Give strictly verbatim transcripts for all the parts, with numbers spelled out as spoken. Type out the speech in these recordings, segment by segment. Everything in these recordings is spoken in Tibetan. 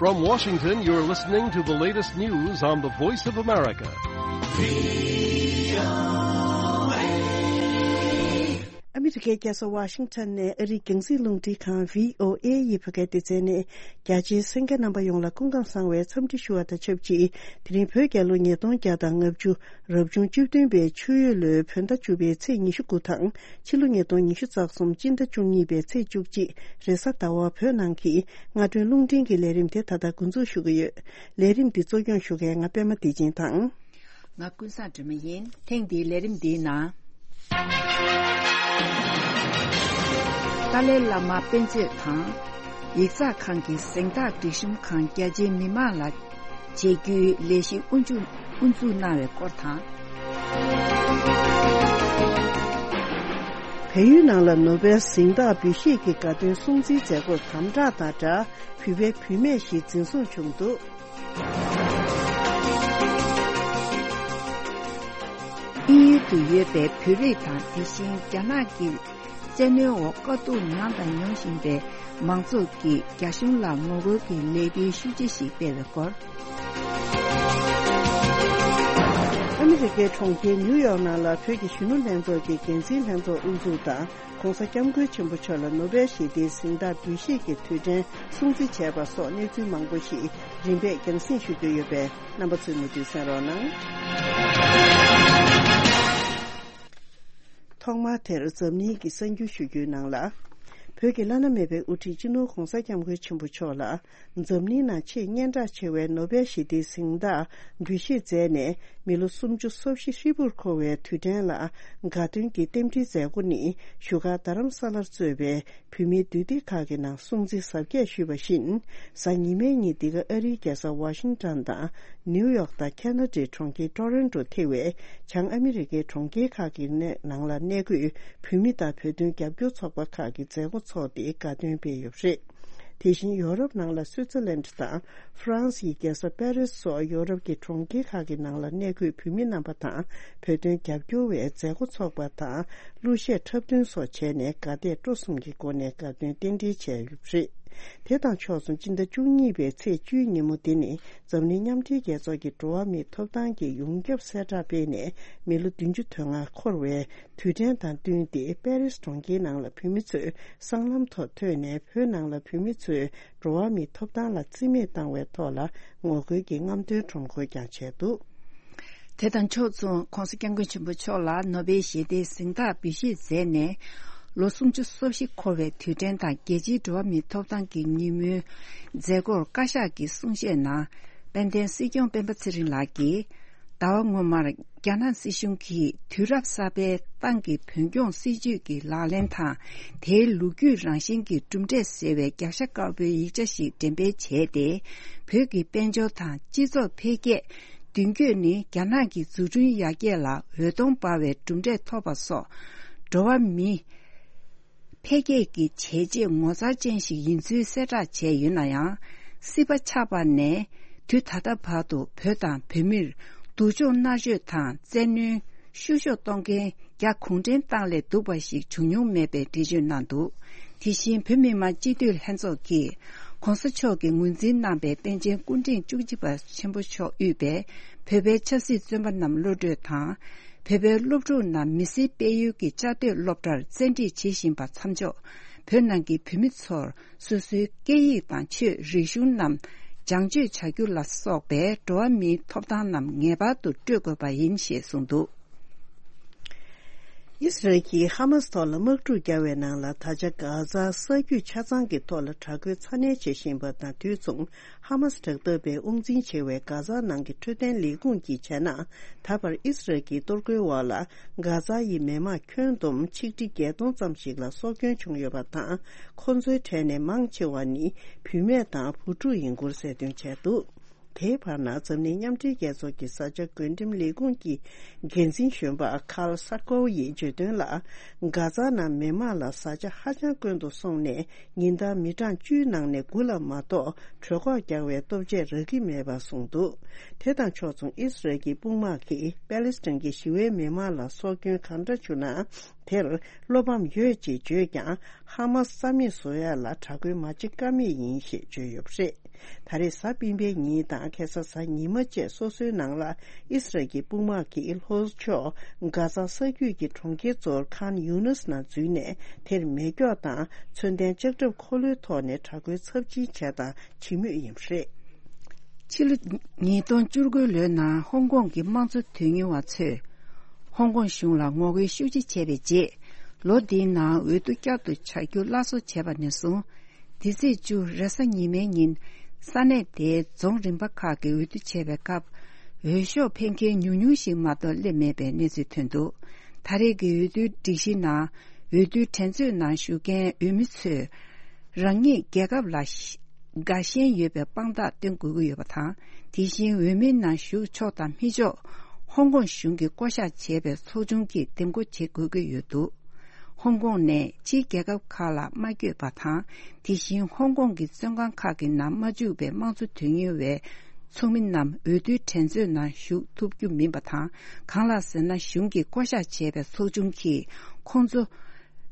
From Washington, you're listening to the latest news on the Voice of America. ཨ་མི་རི་ཀའི་རྒྱལ་ས་ཝ་ཤིང་ཊོན་ནས་ཨ་རིའི་རྒྱང་སྲིང་རླུང་འཕྲིན་ཁང་བྷི་ཨོ་ཨེ་ཡི་བོད་སྐད་སྡེ་ཚན་ནས། རྒྱ་ཆེའི་གསན་མཁན་རྣམ་པ་ཡོངས་ལ་སྐུ་ཁམས་བཟང་བའི་འཚམས་འདྲི་ཞུ་བ་དང་ཆབས་ཅིག་དེ་རིང་བོད་རྒྱལ་ལོ་ཉིས་སྟོང་བརྒྱ་དང་ལྔ་བཅུ། རབ་བྱུང་བཅུ་བདུན་པའི་ཆུ་ཡོས་ལོའི་བོད་ཟླ་བཅུ་པའི་ཚེས་ཉི་ཤུ་དགུ་དང་། ཕྱི་ལོ་ཉིས་སྟོང་ཉི་ཤུ་རྩ་གསུམ་སྤྱི་ཟླ་བཅུ་གཉིས་པའི་ཚེས་བཅུ་གཅིག་རེས་གཟའ་ཟླ་བ་བོད་ནང་གི་སྔ་དྲོའི་རླུང་འཕྲིན་གྱི་ལས་རིམ་དེ་ད་ལྟ་འགོ་འཛུགས་ཞུ་གི་ཡོད། ལས་རིམ་འདི་གཙོ་སྐྱོང་ཞུ་མཁན་ང་པད་མ་བདེ་ཆེན་དང་། ང་ཀུན་བཟང་སྒྲོལ་མ་ཡིན། ཐེངས་འདིའི་ལས་རིམ་འདིའི་ནང་། ཏཱ་ལའི་བླ་མ་དཔེ་མཛོད་དང་། ཡིག་ཚགས་ཁང་གི་གཟེངས་རྟགས་སྒྲིག་གཤོམ་ཁང་རྒྱ་ཆེའི་མི་མང་ལ་བྱེད་རྒྱུའི་ལས་གཞི་དབུ་འཛུགས་དབུ་འཛུགས་གནང་བའི་སྐོར་དང་། བལ་ཡུལ་ནང་ལ་ནོ་བེལ་གཟེངས་རྟགས་འབུལ་བཞེས་ཀྱི་དགའ་སྟོན་སྲུང་བརྩིའི་མཛད་སྒོར་དམ་དྲག་དང་སྦྲགས། བོད་པའི་བུད་མེད་ཞིག་འཛིན་བཟུང་བྱུང་འདུག་དབྱིན་ཡུལ་དུ་ཡོད་པའི་བོད་རིགས་དང་། དེ་བཞིན་རྒྱ་ནག་གི་བཙན་གནོན་འོག་དཀའ་སྡུག་མྱངས་དང་མྱོང་བཞིན་པའི་མང་ཚོགས་ཀྱིས་རྒྱ་གཞུང་ལ་ངོ་རྒོལ་གྱི་ལས་འགུལ་ཤུགས་ཆེ་ཞིག་སྤེལ་བའི་སྐོར། ཨ་མི་རི་ཀའི་གྲོང་ཁྱེར་ནིའུ་ཡོག་ནང་ལ་བོད་ཀྱི་གཞོན་ནུ་ལྷན་ཚོགས་ཀྱི་འགན་འཛིན་ལྷན་ཚོགས་དབུ་འཛུགས་དང་། ྋགོང་ས་ྋསྐྱབས་མགོན་ཆེན་པོ་མཆོག་ལ་ནོ་བེལ་ཞི་བདེའི་གཟེངས་རྟགས་འབུལ་བཞེས་ཀྱི་དུས་དྲན་སྲུང་བརྩི་བྱས་པ་སོགས་གནས་ཚུལ་མང་པོ་ཞིག་རིམ་པས་རྒྱང་སྲིང་ཞུ་རྒྱུ་ཡོད་པས། རྣམ་པ་ཚོས་མུ་མཐུད་གསན་རོགས་གནང་། ཐོག་མར་དེར་འཛམ་གླིང་གི་གསར་འགྱུར་ཞུ་རྒྱུའི་ནང་ལ། བོད་ཀྱི་བླ་ན་མེད་པའི་དབུ་ཁྲིད་སྤྱི་ནོར་༧གོང་ས་༧སྐྱབས་མགོན་ཆེན་པོ་མཆོག་ལ། འཛམ་གླིང་ནང་ཆེས་སྙན་གྲགས་ཆེ་བའི་ནོ་བེལ་ཞི་བདེའི་གཟེངས་རྟགས་འབུལ་བཞེས་མཛད་ནས། མི་ལོ་སུམ་ཅུ་སོ་བཞི་ཧྲིལ་པོར་འཁོར་བའི་དུས་དྲན་ལ། དགའ་སྟོན་གྱི་རྟེན་འབྲེལ་མཛད་སྒོ་ནི། བཞུགས་སྒར་རྡ་རམ་ས་ལར་གཙོས་པའི་བོད་མིའི་འདུས་སྡེ་ཁག་གི་ནང་སྲུང་བརྩི་གཟབ་རྒྱས་ཞུས་པ་བཞིན། གཟའ་ཉི་མའི་ཉིན་འདི་ག་ཨ་རིའི་རྒྱལ་ས་ཝ་ཤིང་ཊོན་དང་། ནིའུ་ཡོག་དང་ཁ་ན་ཌའི་གྲོང་ཁྱེར་ཊོ་རོན་ཊོ་ཐེ་བའི་བྱང་ཨ་མི་རི་ཀའི་གྲོང་ཁྱེར་ཁག་གི་ནང་ལ་གནས་འཁོད་བོད་མི་དང་བོད་དོན་རྒྱབ་སྐྱོར་ཚོགས་པ་ཁག་གི་མཛད་སྒོ་འཚོགས་ཏེ་དགའ་སྟོན་སྤེལ་ཡོད་པ་རེད། དེ་བཞིན་ཡོ་རོབ་ནང་ལ་སུའི་ཙི་ལན་དང་ཧྥ་རན་སིའི་རྒྱལ་ས་པེ་རིས་སོགས་ཡོ་རོབ་ཀྱི་གྲོང་ཁྱེར་ཁག་གི་ནང་ལ་གནས་འཁོད་བོད་མི་རྣམ་པ་དང་བོད་དོན་རྒྱབ་སྐྱོར་བས་མཛད་སྒོ་འཚོགས་པ་དང་། གླུ་གཞས་འཁྲབ་སྟོན་སོགས་བྱས་ནས་དགའ་དད་སྤྲོ་གསུམ་གྱི་སྒོ་ནས་དགའ་སྟོན་རྟེན་འབྲེལ་བྱས་ཡོད་པ་རེད། དེ་དང་ཕྱོགས་མཚུངས་སྤྱི་ཟླ་བཅུ་གཉིས་པའི་ཚེས་བཅུའི་ཉིན་མོ་འདི་ནི་འཛམ་གླིང་མཉམ་འབྲེལ་རྒྱལ་ཚོགས་ཀྱི་འགྲོ་བ་མིའི་ཐོབ་ཐང་གི་ཡོངས་ཁྱབ་གསལ་བསྒྲགས་སྤེལ་ནས་མི་ལོ་བདུན་ཅུ་དོན་ལྔ་འཁོར་བའི་དུས་དྲན་དང་བསྟུན་ཏེ། པེ་རིས་གྲོང་ཁྱེར་ནང་ལ་བོད་མི་ཚོས་སྲང་ལམ་ཐོག་ཐོན་ནས། བོད་ནང་ལ་བོད་མི་ཚོས་འགྲོ་བ་མིའི་ཐོབ་ཐང་ལ་རྩིས་མེད་བཏང་བའི་ཐོག་ལ་ངོ་རྒོལ་གྱི་རྔམ་སྟོན་ཁྲོམ་སྐོར་ཀྱང་བྱས་འདུག། དེ་དང་ཕྱོགས་མཚུངས་ྋགོང་ས་ྋསྐྱབས་མགོན་ཆེན་པོ་མཆོག་ལ་ནོ་བེལ་ཞི་བདེའི་གཟེངས་རྟགས་འབུལ་བཞེས་མཛད་ནས། ལོ་སུམ་ཅུ་སོ་བཞི་འཁོར་བའི་དུས་དྲན་དང་རྒྱལ་སྤྱིའི་འགྲོ་བ་མིའི་ཐོབ་ཐང་གི་ཉིན་མོའི་མཛད་སྒོར་བཀའ་ཤག་གི་གསུང་བཤད་ནང་། དཔལ་ལྡན་སྲིད་སྐྱོང་སྤེན་པ་ཚེ་རིང་ལགས་ཀྱིས། ཟླ་བ་སྔོན་མར་རྒྱ་ནག་སྲིད་གཞུང་གིས་དུས་རབས་གསར་པའི་ཏང་གི་བོད་སྐྱོང་སྲིད་ཇུས་ཀྱི་ལག་ལེན་དང་། དེའི་ལོ་རྒྱུས་རང་བཞིན་གྱི་གྲུབ་འབྲས་ཟེར་བའི་རྒྱབ་ཤ་དཀར་པོའི་ཡིག་ཆ་ཞིག་འགྲེམས་སྤེལ་བྱས་ཏེ། བོད་ཀྱི་དཔལ་འབྱོར་དང་སྤྱི་ཚོགས་འཕེལ་རྒྱས་མདུན་སྐྱོད་ནི་རྒྱ་ནག་གི་འཛུགས་སྐྲུན་ཡར་རྒྱས་ལ་འོད་སྟོང་འབར་བའི་གྲུབ་འབྲས་ཐོབ་པ་སོགས། འགྲོ་བ་མི་འཕེལ་རྒྱས་ཀྱི་བྱས་རྗེས་ངོ་མཚར་ཅན་ཞིག་ཡིན་ཚུལ་གསལ་བསྒྲགས་བྱས་ཡོད་ན་ཡང་། སྲིད་པ་ཆགས་པ་ནས་དུས་ད་ལྟ་བར་དུ་བོད་དང་བོད་མིར་སྡུག་སྦྱོང་མནར་གཅོད་དང་བཙན་གནོན་ཤུགས་ཤོག་གཏོང་མཁན་རྒྱ་གུང་ཁྲན་ཏང་ལས་སྡུག་པ་ཞིག་བྱུང་མྱོང་མེད་པའི་འགྲེལ་བརྗོད་གནང་འདུག། དེ་བཞིན་བོད་མི་མང་སྤྱི་འཐུས་ལྷན་ཚོགས་ཀྱིས་ྋགོང་ས་མཆོག་གིས་ངོས་འཛིན་གནང་པའི་པཎ་ཆེན་སྐུ་ཕྲེང་བཅུ་གཅིག་པ་ཆེན་པོ་མཆོག་དབུས་པའི་བོད་པའི་ཆབ་སྲིད་བཙོན་པ་རྣམས་གློད་གྲོལ་དང་། བོད་པའི་སློབ་ཕྲུག་རྣམས་མི་སེར་སྤེལ་ཡུལ་གྱི་བཅའ་སྡོད་སློབ་གྲྭར་བཙན་ཁྲིད་བྱེད་བཞིན་པ་མཚམས་འཇོག། བོད་ནང་གི་བོད་མི་ཚོར་སོ་སོའི་སྐད་ཡིག་དང་ཆོས་རིག་གཞུང་རྣམས་སྦྱང་སྤྱོད་བྱ་རྒྱུ་ལ་སོགས་པའི་འགྲོ་བ་མིའི་ཐོབ་ཐང་རྣམས་ངེས་པར་དུ་སྤྲོད་དགོས་པ་ཡིན་ཞེས་གསུངས་འདུག། ཨི་སི་རལ་གྱིས་ཧ་མཱ་སི་ཐོག་ལ་དམག་འཁྲུག་བརྒྱབ་པའི་ནང་ལ། ད་ཆ་གྷ་ཛ་ས་རྒྱུད་ཆ་ཚང་གི་ཐོག་ལ་དྲག་རྒོལ་ཚ་ནན་བྱེད་བཞིན་པ་དང་དུས་མཚུངས། ཧ་མཱ་སི་དྲག་འཐབ་པས་དབང་འཛིན་བྱེད་པའི་གྷ་ཛ་ནང་གི་འཕྲོད་བསྟེན་ལས་ཁུངས་ཀྱིས་བྱས་ན། ད་བར་ཨི་སི་རལ་གྱི་གཏོར་རྒོལ་འོག་ལ་གྷ་ཛ་ཡི་མི་མང་ཁྱོན་བསྡོམས་ཆིག་ཁྲི་བརྒྱད་སྟོང་ཙམ་ཞིག་ལ་སྲོག་སྐྱོན་བྱུང་ཡོད་པ་དང་། ཁོ་ཚོའི་གྲས་ནས་མང་ཆེ་བ་ནི་བུད་མེད་དང་བུ་ཕྲུག་ཡིན་སྐོར་གསལ་སྟོན་བྱས་འདུག། དེའི་བར་ན། འཛམ་གླིང་མཉམ་འབྲེལ་རྒྱལ་ཚོགས་ཀྱི་བཟའ་བཅའ་བགོ་འགྲེམས་ལས་ཁུངས་ཀྱི་འགན་འཛིན་གཞོན་པ་ཁཱལ་སར་ཀོ་ཡིས་བརྗོད་དོན་ལ། གྷ་ཛ་ནང་མི་མང་ལ་བཟའ་བཅའ་ཧ་ཅང་དཀོན་དུ་སོང་ནས། ཉིན་ལྟར་མི་གྲངས་བཅུའི་ནང་ནས་དགུ་ལ་མ་གཏོགས་གྲོད་ཁོག་རྒྱགས་པའི་ལྟོ་ཆས་རག་གི་མེད་པ་གསུངས་འདུག། དེ་དང་ཕྱོགས་མཚུངས། ཨི་སི་རལ་གྱི་དཔུང་དམག་གིས་པེ་ལེ་སི་ཐན་གྱི་ཞི་བའི་མི་མང་ལ་སྲོག་སྐྱོན་གང་འདྲ་བྱུང་ན། དེར་བློ་ཕམ་ཡོད་ཅེས་བརྗོད་ཀྱང་། ཧ་མཱ་སི་རྩ་མེད་བཟོ་ཡ་ལ་དྲག་རྒོལ་མ་བྱེད་ཀ་མེད་ཡིན་ཞེས་བརྗོད་ཡོད་པ་རེད། ད་རེས་གཟའ་སྤེན་པའི་ཉིན་དང་ཁ་སང་གཟའ་ཉི་མ་བཅས་སོ་སོའི་ནང་ལ་ཨི་སི་རལ་གྱི་དཔུང་དམག་གིས་ལྷོ་ཕྱོགས་གྷ་ཛ་ས་རྒྱུད་ཀྱི་གྲོང་ཁྱེར་གཙོ་བོ་ཁཱན་ཡུ་ནུས་ནང་འཛུལ་ནས། དེར་མེ་སྒྱོགས་དང་མཚོན་ལྡན་ལྕགས་ཁྲབ་འཁོར་ལོའི་ཐོག་ནས་དྲག་རྒོལ་ཚབས་ཆེན་བྱས་དང་བྱེད་མུས་ཡིན་པ་རེད། ཕྱི་ལོ་ཉིས་སྟོང་བཅུ་དགུ་ལོའི་ནང་ཧོང་ཀོང་གི་དམངས་གཙོ་དོན་གཉེར་བ་ཚོས་ཧོང་ཀོང་གཞུང་ལ་ངོ་རྒོལ་ཤུགས་ཆེ་བྱས་པའི་རྗེས། ལོ་འདིའི་ནང་འོས་བསྡུ་བསྐྱར་དུ་བྱ་རྒྱུ་སླར་གསོ་བྱས་པ་ནས་བཟུང་། འདི་ཚེས་བཅུ་རེས་གཟའ་ཉི་མའི་ཉིན། ས་གནས་དེའི་རྫོང་རིམ་པ་ཁག་གི་འོས་བསྡུ་བྱས་པའི་སྐབས། འོས་ཤོག་འཕེན་མཁན་ཉུང་ཉུང་ཞིག་མ་གཏོགས་སླེབས་མེད་པའི་གནས་ཚུལ་ཐོན་འདུག་ད་རེས་ཀྱི་འོས་བསྡུའི་སྒྲིག་གཞི་ནང་། འོས་བསྡུའི་འགྲན་རྩོད་ནང་ཞུགས་མཁན་འོས་མི་ཚོས། རང་ཉིད་རྒྱལ་ཁབ་ལ་དགའ་ཞེན་ཡོད་པའི་དཔང་རྟགས་སྟོན་དགོས་ཀྱི་ཡོད་པ་དང་། དེ་བཞིན་འོས་མིའི་ནང་ཞུགས་ཆོག་དང་མི་ཆོག་ཧོང་ཀོང་གཞུང་གིས་བསྐོ་བཞག་བྱས་པའི་ཚོགས་ཆུང་གིས་འདེམས་བསྐོ་བྱེད་དགོས་ཀྱི་ཡོད་འདུག་ཧོང་ཀོང་ནས་ཕྱིའི་རྒྱལ་ཁབ་ཁག་ལ་མ་བསྐྱོད་པ་དང་། དེ་བཞིན་ཧོང་ཀོང་གི་བཙོན་ཁང་ཁག་གི་ནང་མ་འཇུག་པའི་དམངས་གཙོ་དོན་གཉེར་བའི་ཚོགས་མི་རྣམས་འོས་བསྡུའི་འགྲན་རྩོད་ནང་ཞུགས་ཐུབ་རྒྱུ་མིན་པ་དང་། གང་ལགས་ཟེར་ན། གཞུང་གིས་བསྐོ་བཞག་བྱས་པའི་ཚོགས་ཆུང་གིས་ཁོང་ཚོ་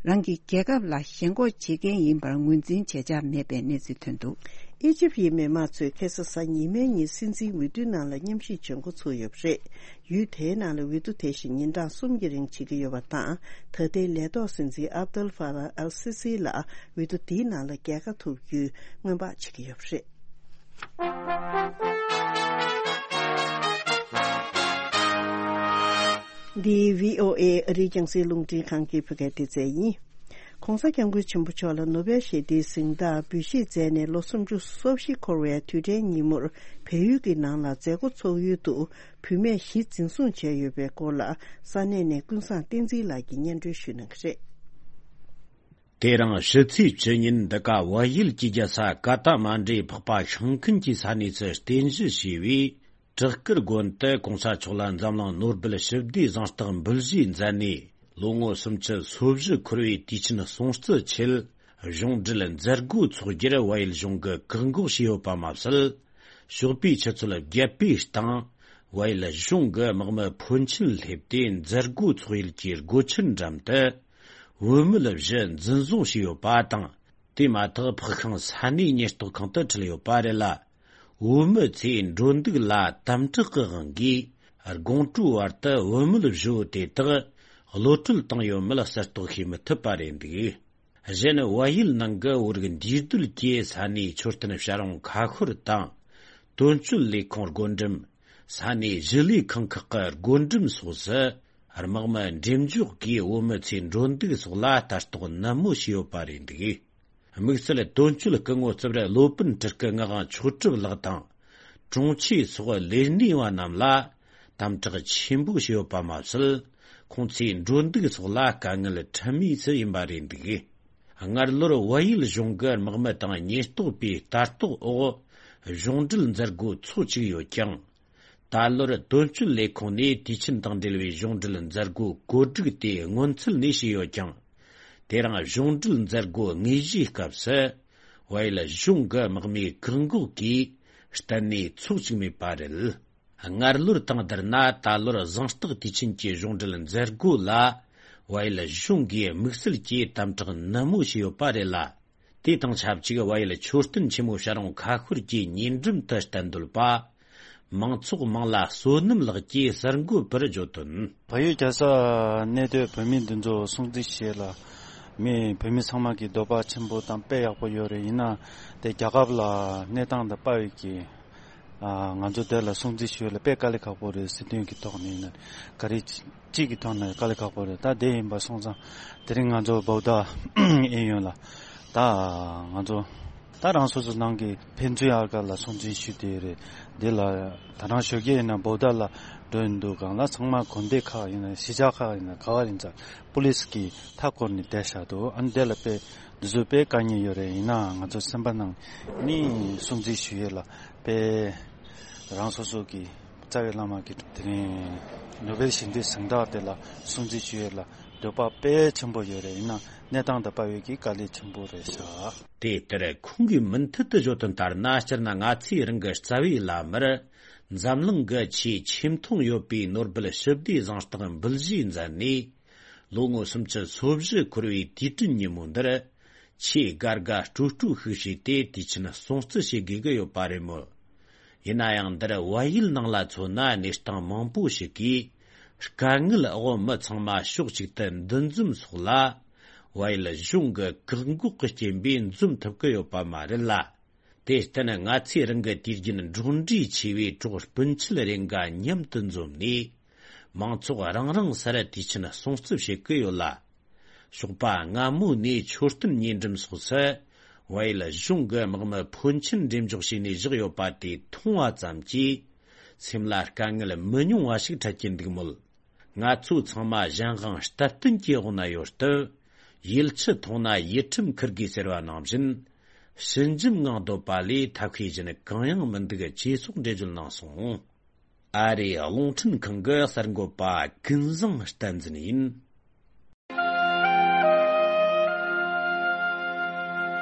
རང་གི་རྒྱལ་ཁབ་ལ་ཞེན་ཁོག་བྱེད་མཁན་ཡིན་པར་ངོས་འཛིན་བྱེད་འཆར་མེད་པའི་གནས་ཚུལ་ཐོན་འདུག་ཨི་ཇིབ་ཡི་མི་དམངས་ཚོས་ཁ་སང་གཟའ་ཉི་མའི་ཉིན་སྲིད་འཛིན་འོས་བསྡུའི་ནང་ལ་མཉམ་ཞུགས་བྱེད་འགོ་ཚུགས་ཡོད་པ་རེད། ཡུལ་དེའི་ནང་ལ་འོས་བསྡུ་དེ་བཞིན་ཉིན་གྲངས་གསུམ་གྱི་རིང་བྱེད་ཀྱི་ཡོད་པ་དང་། ད་ལྟའི་ལས་ཐོག་སྲིད་འཛིན་ཨབ་དལ་ཧྥ་ཏཱ་ཨལ་སི་སི་ལ་འོས་བསྡུ་འདིའི་ནང་ལ་རྒྱལ་ཁ་ཐོབ་རྒྱུའི་སྔོན་དཔག་བྱེད་ཀྱི་ཡོད་པ་རེད། འདི་བྷི་ཨོ་ཨེ་ཨ་རིའི་རྒྱང་སྲིང་རླུང་འཕྲིན་ཁང་གི་བོད་སྐད་སྡེ་ཚན་ཡིན། ྋགོང་ས་ྋསྐྱབས་མགོན་ཆེན་པོ་མཆོག་ལ་ནོ་བེལ་ཞི་བདེའི་གཟེངས་རྟགས་འབུལ་བཞེས་མཛད་ནས་ལོ་སུམ་ཅུ་སོ་བཞི་འཁོར་བའི་དུས་དྲན་ཉིན་མོར་བལ་ཡུལ་གྱི་ནང་ལ་མཛད་སྒོ་ཚོགས་ཡུལ་དུ་བུད་མེད་བཞི་འཛིན་བཟུང་བྱས་ཡོད་པའི་སྐོར་ལ་ས་གནས་ནས་ཀུན་བཟང་བསྟན་འཛིན་ལགས་ཀྱིས་སྙན་སྒྲོན་ཞུ་གནང་གི་རེད། དེ་རིང་ཕྱི་ཚེས་བཅུ་ཉིན་འདི་ག་བལ་ཡུལ་གྱི་རྒྱལ་ས་ཀ་ཐ་མན་ཌུའི་འཕགས་པ་ཤིང་ཀུན་གྱི་ས་གནས་སུ་རྟེན་གཞི་བྱས་པའི་བྲག་དཀར་དགོན་དུ་ྋགོང་ས་མཆོག་ལ་འཛམ་གླིང་ནོ་སྦེལ་ཞི་བདེའི་གཟེངས་རྟགས་འབུལ་བཞེས་མཛད་ནས། ལོ་ངོ་སུམ་ཅུ་སོ་བཞི་འཁོར་བའི་དུས་ཆེན་སྲུང་བརྩི་ཆེད། གཞུང་འབྲེལ་མཛད་སྒོ་འཚོགས་རྒྱུར་བལ་ཡུལ་གཞུང་གིས་བཀག་འགོག་བྱས་ཡོད་པ་མ་ཟད། ཞོགས་པའི་ཆུ་ཚོད་བརྒྱད་པའི་སྟེང་། བལ་ཡུལ་གཞུང་གི་དམག་མི་ཕོན་ཆེན་སླེབས་ཏེ་མཛད་སྒོ་འཚོགས་ཡུལ་གྱི་སྒོ་ཆེན་འགྲམ་དུ། བུད་མེད་བཞི་འཛིན་བཟུང་བྱས་ཡོད་པ་དང་། དེ་མ་ཐག་འཕགས་ཤིང་ས་གནས་ཉེན་རྟོག་ཁང་དུ་ཁྲིད་ཡོད་པ་རེད་ལ། བུད་མེད་ཚོའི་འགྲོ་འདུག་ལ་དམ་དྲག་གི་དབང་གིས། དགོང་དྲོའི་བར་དུ་བུད་མེད་བཞི་བོ་དེ་དག་གློད་བཀྲོལ་བཏང་ཡོད་མེད་གསལ་རྟོགས་བྱེད་མི་ཐུབ་པ་རེད་འདུག་གཞན། བལ་ཡུལ་ནང་གི་བོད་རིགས་འདུས་སྡོད་ཀྱི་ས་གནས་མཆོད་རྟེན་བྱ་རུང་ཁ་ཤོར་དང་། དོན་གཅོད་ལས་ཁུངས་སྒོ་འགྲམ། ས་གནས་ཞི་ལས་ཁང་ཁག་གི་སྒོ་འགྲམ་སོགས་སུ། དམག་མི་འགྲེམས་འཇོག་གིས་བུད་མེད་ཚོའི་འགྲོ་འདུག་སོགས་ལ་ལྟ་རྟོག་ནན་མོ་བྱས་ཡོད་པ་རེད་འདུག་དམིགས་བསལ་དོན་གཅོད་སྐུ་ངོ་རྩིབ་ར་བློ་སྤུན་སྤྲུལ་སྐུ་ངག་དབང་མཆོག་གྲུབ་ལགས་དང་། དྲུང་ཆེ་སོགས་ལས་སྣེ་བ་རྣམས་ལ་དམ་དྲག་ཆེན་པོ་བྱས་ཡོད་པ་མ་ཟད། ཁོང་ཚོའི་འགྲོ་འདུག་སོགས་ལ་དཀའ་ངལ་འཕྲད་མུས་སུ་ཡིན་པ་རེད་འདུག་སྔར་ལོར་བལ་ཡུལ་གཞུང་གི་དམག་མི་དང་ཉེན་རྟོག་པའི་ལྟ་རྟོག་འོག་གཞུང་འབྲེལ་མཛད་སྒོ་ཚོགས་བཅུག་ཡོད་ཀྱང་། ད་ལོར་དོན་གཅོད་ལས་ཁུངས་ནས་དུས་ཆེན་དང་འབྲེལ་བའི་གཞུང་འབྲེལ་མཛད་སྒོ་གོ་སྒྲིག་དེ་སྔོན་ཚུད་ནས་བྱས་ཡོད་ཀྱང་། དེ་རིང་གཞུང་འབྲེལ་མཛད་སྒོ་དངོས་གཞིའི་སྐབས་སུ། བལ་ཡུལ་གཞུང་གི་དམག་མིའི་བཀག་འགོག་གིས་གཏན་ནས་འཚོགས་བཅུག་མེད་པ་རེད། སྔར་ལོར་དང་བསྡུར་ན་ད་ལོར་གཟེངས་རྟགས་དུས་ཆེན་གྱི་གཞུང་འབྲེལ་མཛད་སྒོ་ལ། བལ་ཡུལ་གཞུང་གིས་དམིགས་བསལ་གྱིས་དམ་དྲག་ནན་མོ་བྱས་ཡོད་པ་རེད་ལ། དེ་དང་ཆབས་ཅིག་བལ་ཡུལ་མཆོད་རྟེན་ཆེན་མོ་བྱ་རུང་ཁ་ཤོར་གྱི་ཉེ་འགྲམ་དུ་གཏན་སྡོད་པ། མང་ཚོགས་མང་ལ་བསོད་ནམས་ལགས་ཀྱིས་གསར་འགོད་པར་བརྗོད་དོན། བལ་ཡུལ་རྒྱལ་ས་གནས་སྡོད་བོད་མི་འདི་ཚོ་སྲུང་བརྩི་བྱེད་ལ། མི་བོད་མི་ཚང་མ་གི་འདོད་པ་ཆེན་པོ་དང་དཔེ་ཡག་པོ་ཡོད་རེད། ཡིན་ན་དེ་རྒྱལ་ཁབ་ལ་གནས་སྟངས་དང་དཔའ་བའི་གི། ང་ཚོ་དེ་ལ་སྲུང་བརྩི་ཞུ་ལ་དཔེ་དཀའ་ལས་ཁག་པོ་རེད། སྲིད་དོན་གྱི་ཐོག་ནས་ཡིན་ན་ག་རེ་གཅིག་གི་ཐོག་ནས་དཀའ་ལས་ཁག་པོ་རེད། ད་དེ་ཡིན་པ་སོང་ཙང་དེ་རིང་ང་ཚོ་བོ་ད་ཨེ་ཡོང་ལ་ད་ང་ཚོ་ད་རང་སོ་སོ་ནང་གི་ཕན་ཚུན་ཨར་ཀ་ལ་སྲུང་བརྩི་ཞུ་དེ་རེད། དེ་ལ་ད་རང་ཞོགས་ཀས་ཡིན་ན་བོ་ད་ལ་འགྲོ་ཡིན་འདུག་གང་ལ་ཚང་མ་དགོན་སྡེ་ཁག་ཡིན་ན་གཞིས་ཆགས་ཁག་ཡིན་ན་ག་བ་ཡིན་ཙང་པུ་ལིས་ཀྱི་མཐའ་བསྐོར་ནས་བསྡད་བཞག་འདུག་ཨ་ནི་དེ་ལ་དཔེ་འདི་ཚོ་དཔེ་དཀའ་ངལ་ཡོད་རེད། ཡིན་ནའང་ང་ཚོ་སེམས་པ་ནང་ནི་སྲུང་བརྩི་ཞུ་ཡས་ལ་དཔེ་རང་སོ་སོ་གི་རྩ་བའི་བླ་མ་གི་དེ་རིང་ནོ་བེལ་ཞི་བདེའི་གཟེངས་རྟགས་དེ་ལ་སྲུང་བརྩི་ཞུ་ཡས་ལ་འདོད་པ་དཔེ་ཆེན་པོ་ཡོད་རེད། ཡིན་ན་གནས་སྟངས་དང་དཔའ་བའི་གི་དཀའ་ལས་ཆེན་པོ་རེད་ཤག་དེ་ལྟར་ཁོང་གིས་མུ་མཐུད་དུ་བརྗོད་དོན་ལྟར་ན། སྤྱིར་ན་ང་ཚོའི་རང་གི་རྩ་བའི་བླ་མར་འཛམ་གླིང་གི་ཆེས་ཆེ་མཐོང་ཡོད་པའི་ནོ་སྦེལ་ཞི་བདེའི་གཟེངས་རྟགས་འབུལ་བཞེས་མཛད་ནས། ལོ་ངོ་སུམ་ཅུ་སོ་བཞི་འཁོར་བའི་དུས་དྲན་ཉིན་མོ་འདིར། ཆེས་དགའ་དགའ་སྤྲོ་སྤྲོ་ཤིག་བྱས་ཏེ་དུས་ཆེན་སྲུང་བརྩི་བྱེད་དགོས་ཀྱི་ཡོད་པ་རེད་མོད། ཡིན་ན་ཡང་འདིར་བལ་ཡུལ་ནང་ལ་མཚོན་ན་གནས་སྟངས་མང་པོ་ཞིག་གིས་དཀའ་ངལ་འོག་མི་ཚང་མ་ཕྱོགས་གཅིག་ཏུ་འདུ་འཛོམས་སོགས་ལ་བལ་ཡུལ་གཞུང་གི་བཀག་འགོག་གི་རྐྱེན་པས་འཛོམས་ཐུབ་ཀྱི་ཡོད་པ་མ་རེད་ལ། དེར་བརྟེན་ང་ཚོས་རང་གི་དུས་རྒྱུན་འགྲོགས་འདྲིས་ཆེ་བའི་གྲོགས་སྤུན་མཆེད་རེ་འགའ་མཉམ་དུ་འཛོམས་ནས། མང་ཚོགས་རང་རང་སར་དུས་ཆེན་སྲུང་བརྩི་བྱེད་ཀྱི་ཡོད་ལ། ཞོགས་པ་སྔ་མོ་ནས་མཆོད་རྟེན་ཉེ་འགྲམ་སོགས་སུ་བལ་ཡུལ་གཞུང་གི་དམག་མི་ཕོན་ཆེན་འགྲེམས་འཇོག་བྱས་ནས་བཞག་ཡོད་པ་དེ་མཐོང་བ་ཙམ་གྱིས་སེམས་ལ་དཀའ་ངལ་མི་ཉུང་བ་ཞིག་འཕྲད་ཀྱིན་འདུག་མོད། ང་ཚོ་ཚང་མ་གཞན་དབང་སྟབས་བསྟུན་གྱི་འོག་ན་ཡོད་སྟབས། ཡིད་ཆེས་ཐོག་ན་ཡིད་ཁྲིམས་འཁུར་དགོས་ཟེར་བ་ནང་བཞིན། ཞི་འཇམ་ངང་སྡོད་པ་ལས་ཐབས་ཤེས་གཞན་གང་ཡང་མི་འདུག་ཅེས་སོགས་འགྲེལ་བརྗོད་གནང་སོང་། ཨ་རིའི་རླུང་འཕྲིན་ཁང་གི་གསར་འགོད་པ་ཀུན་བཟང་བསྟན་འཛིན་ཡིན།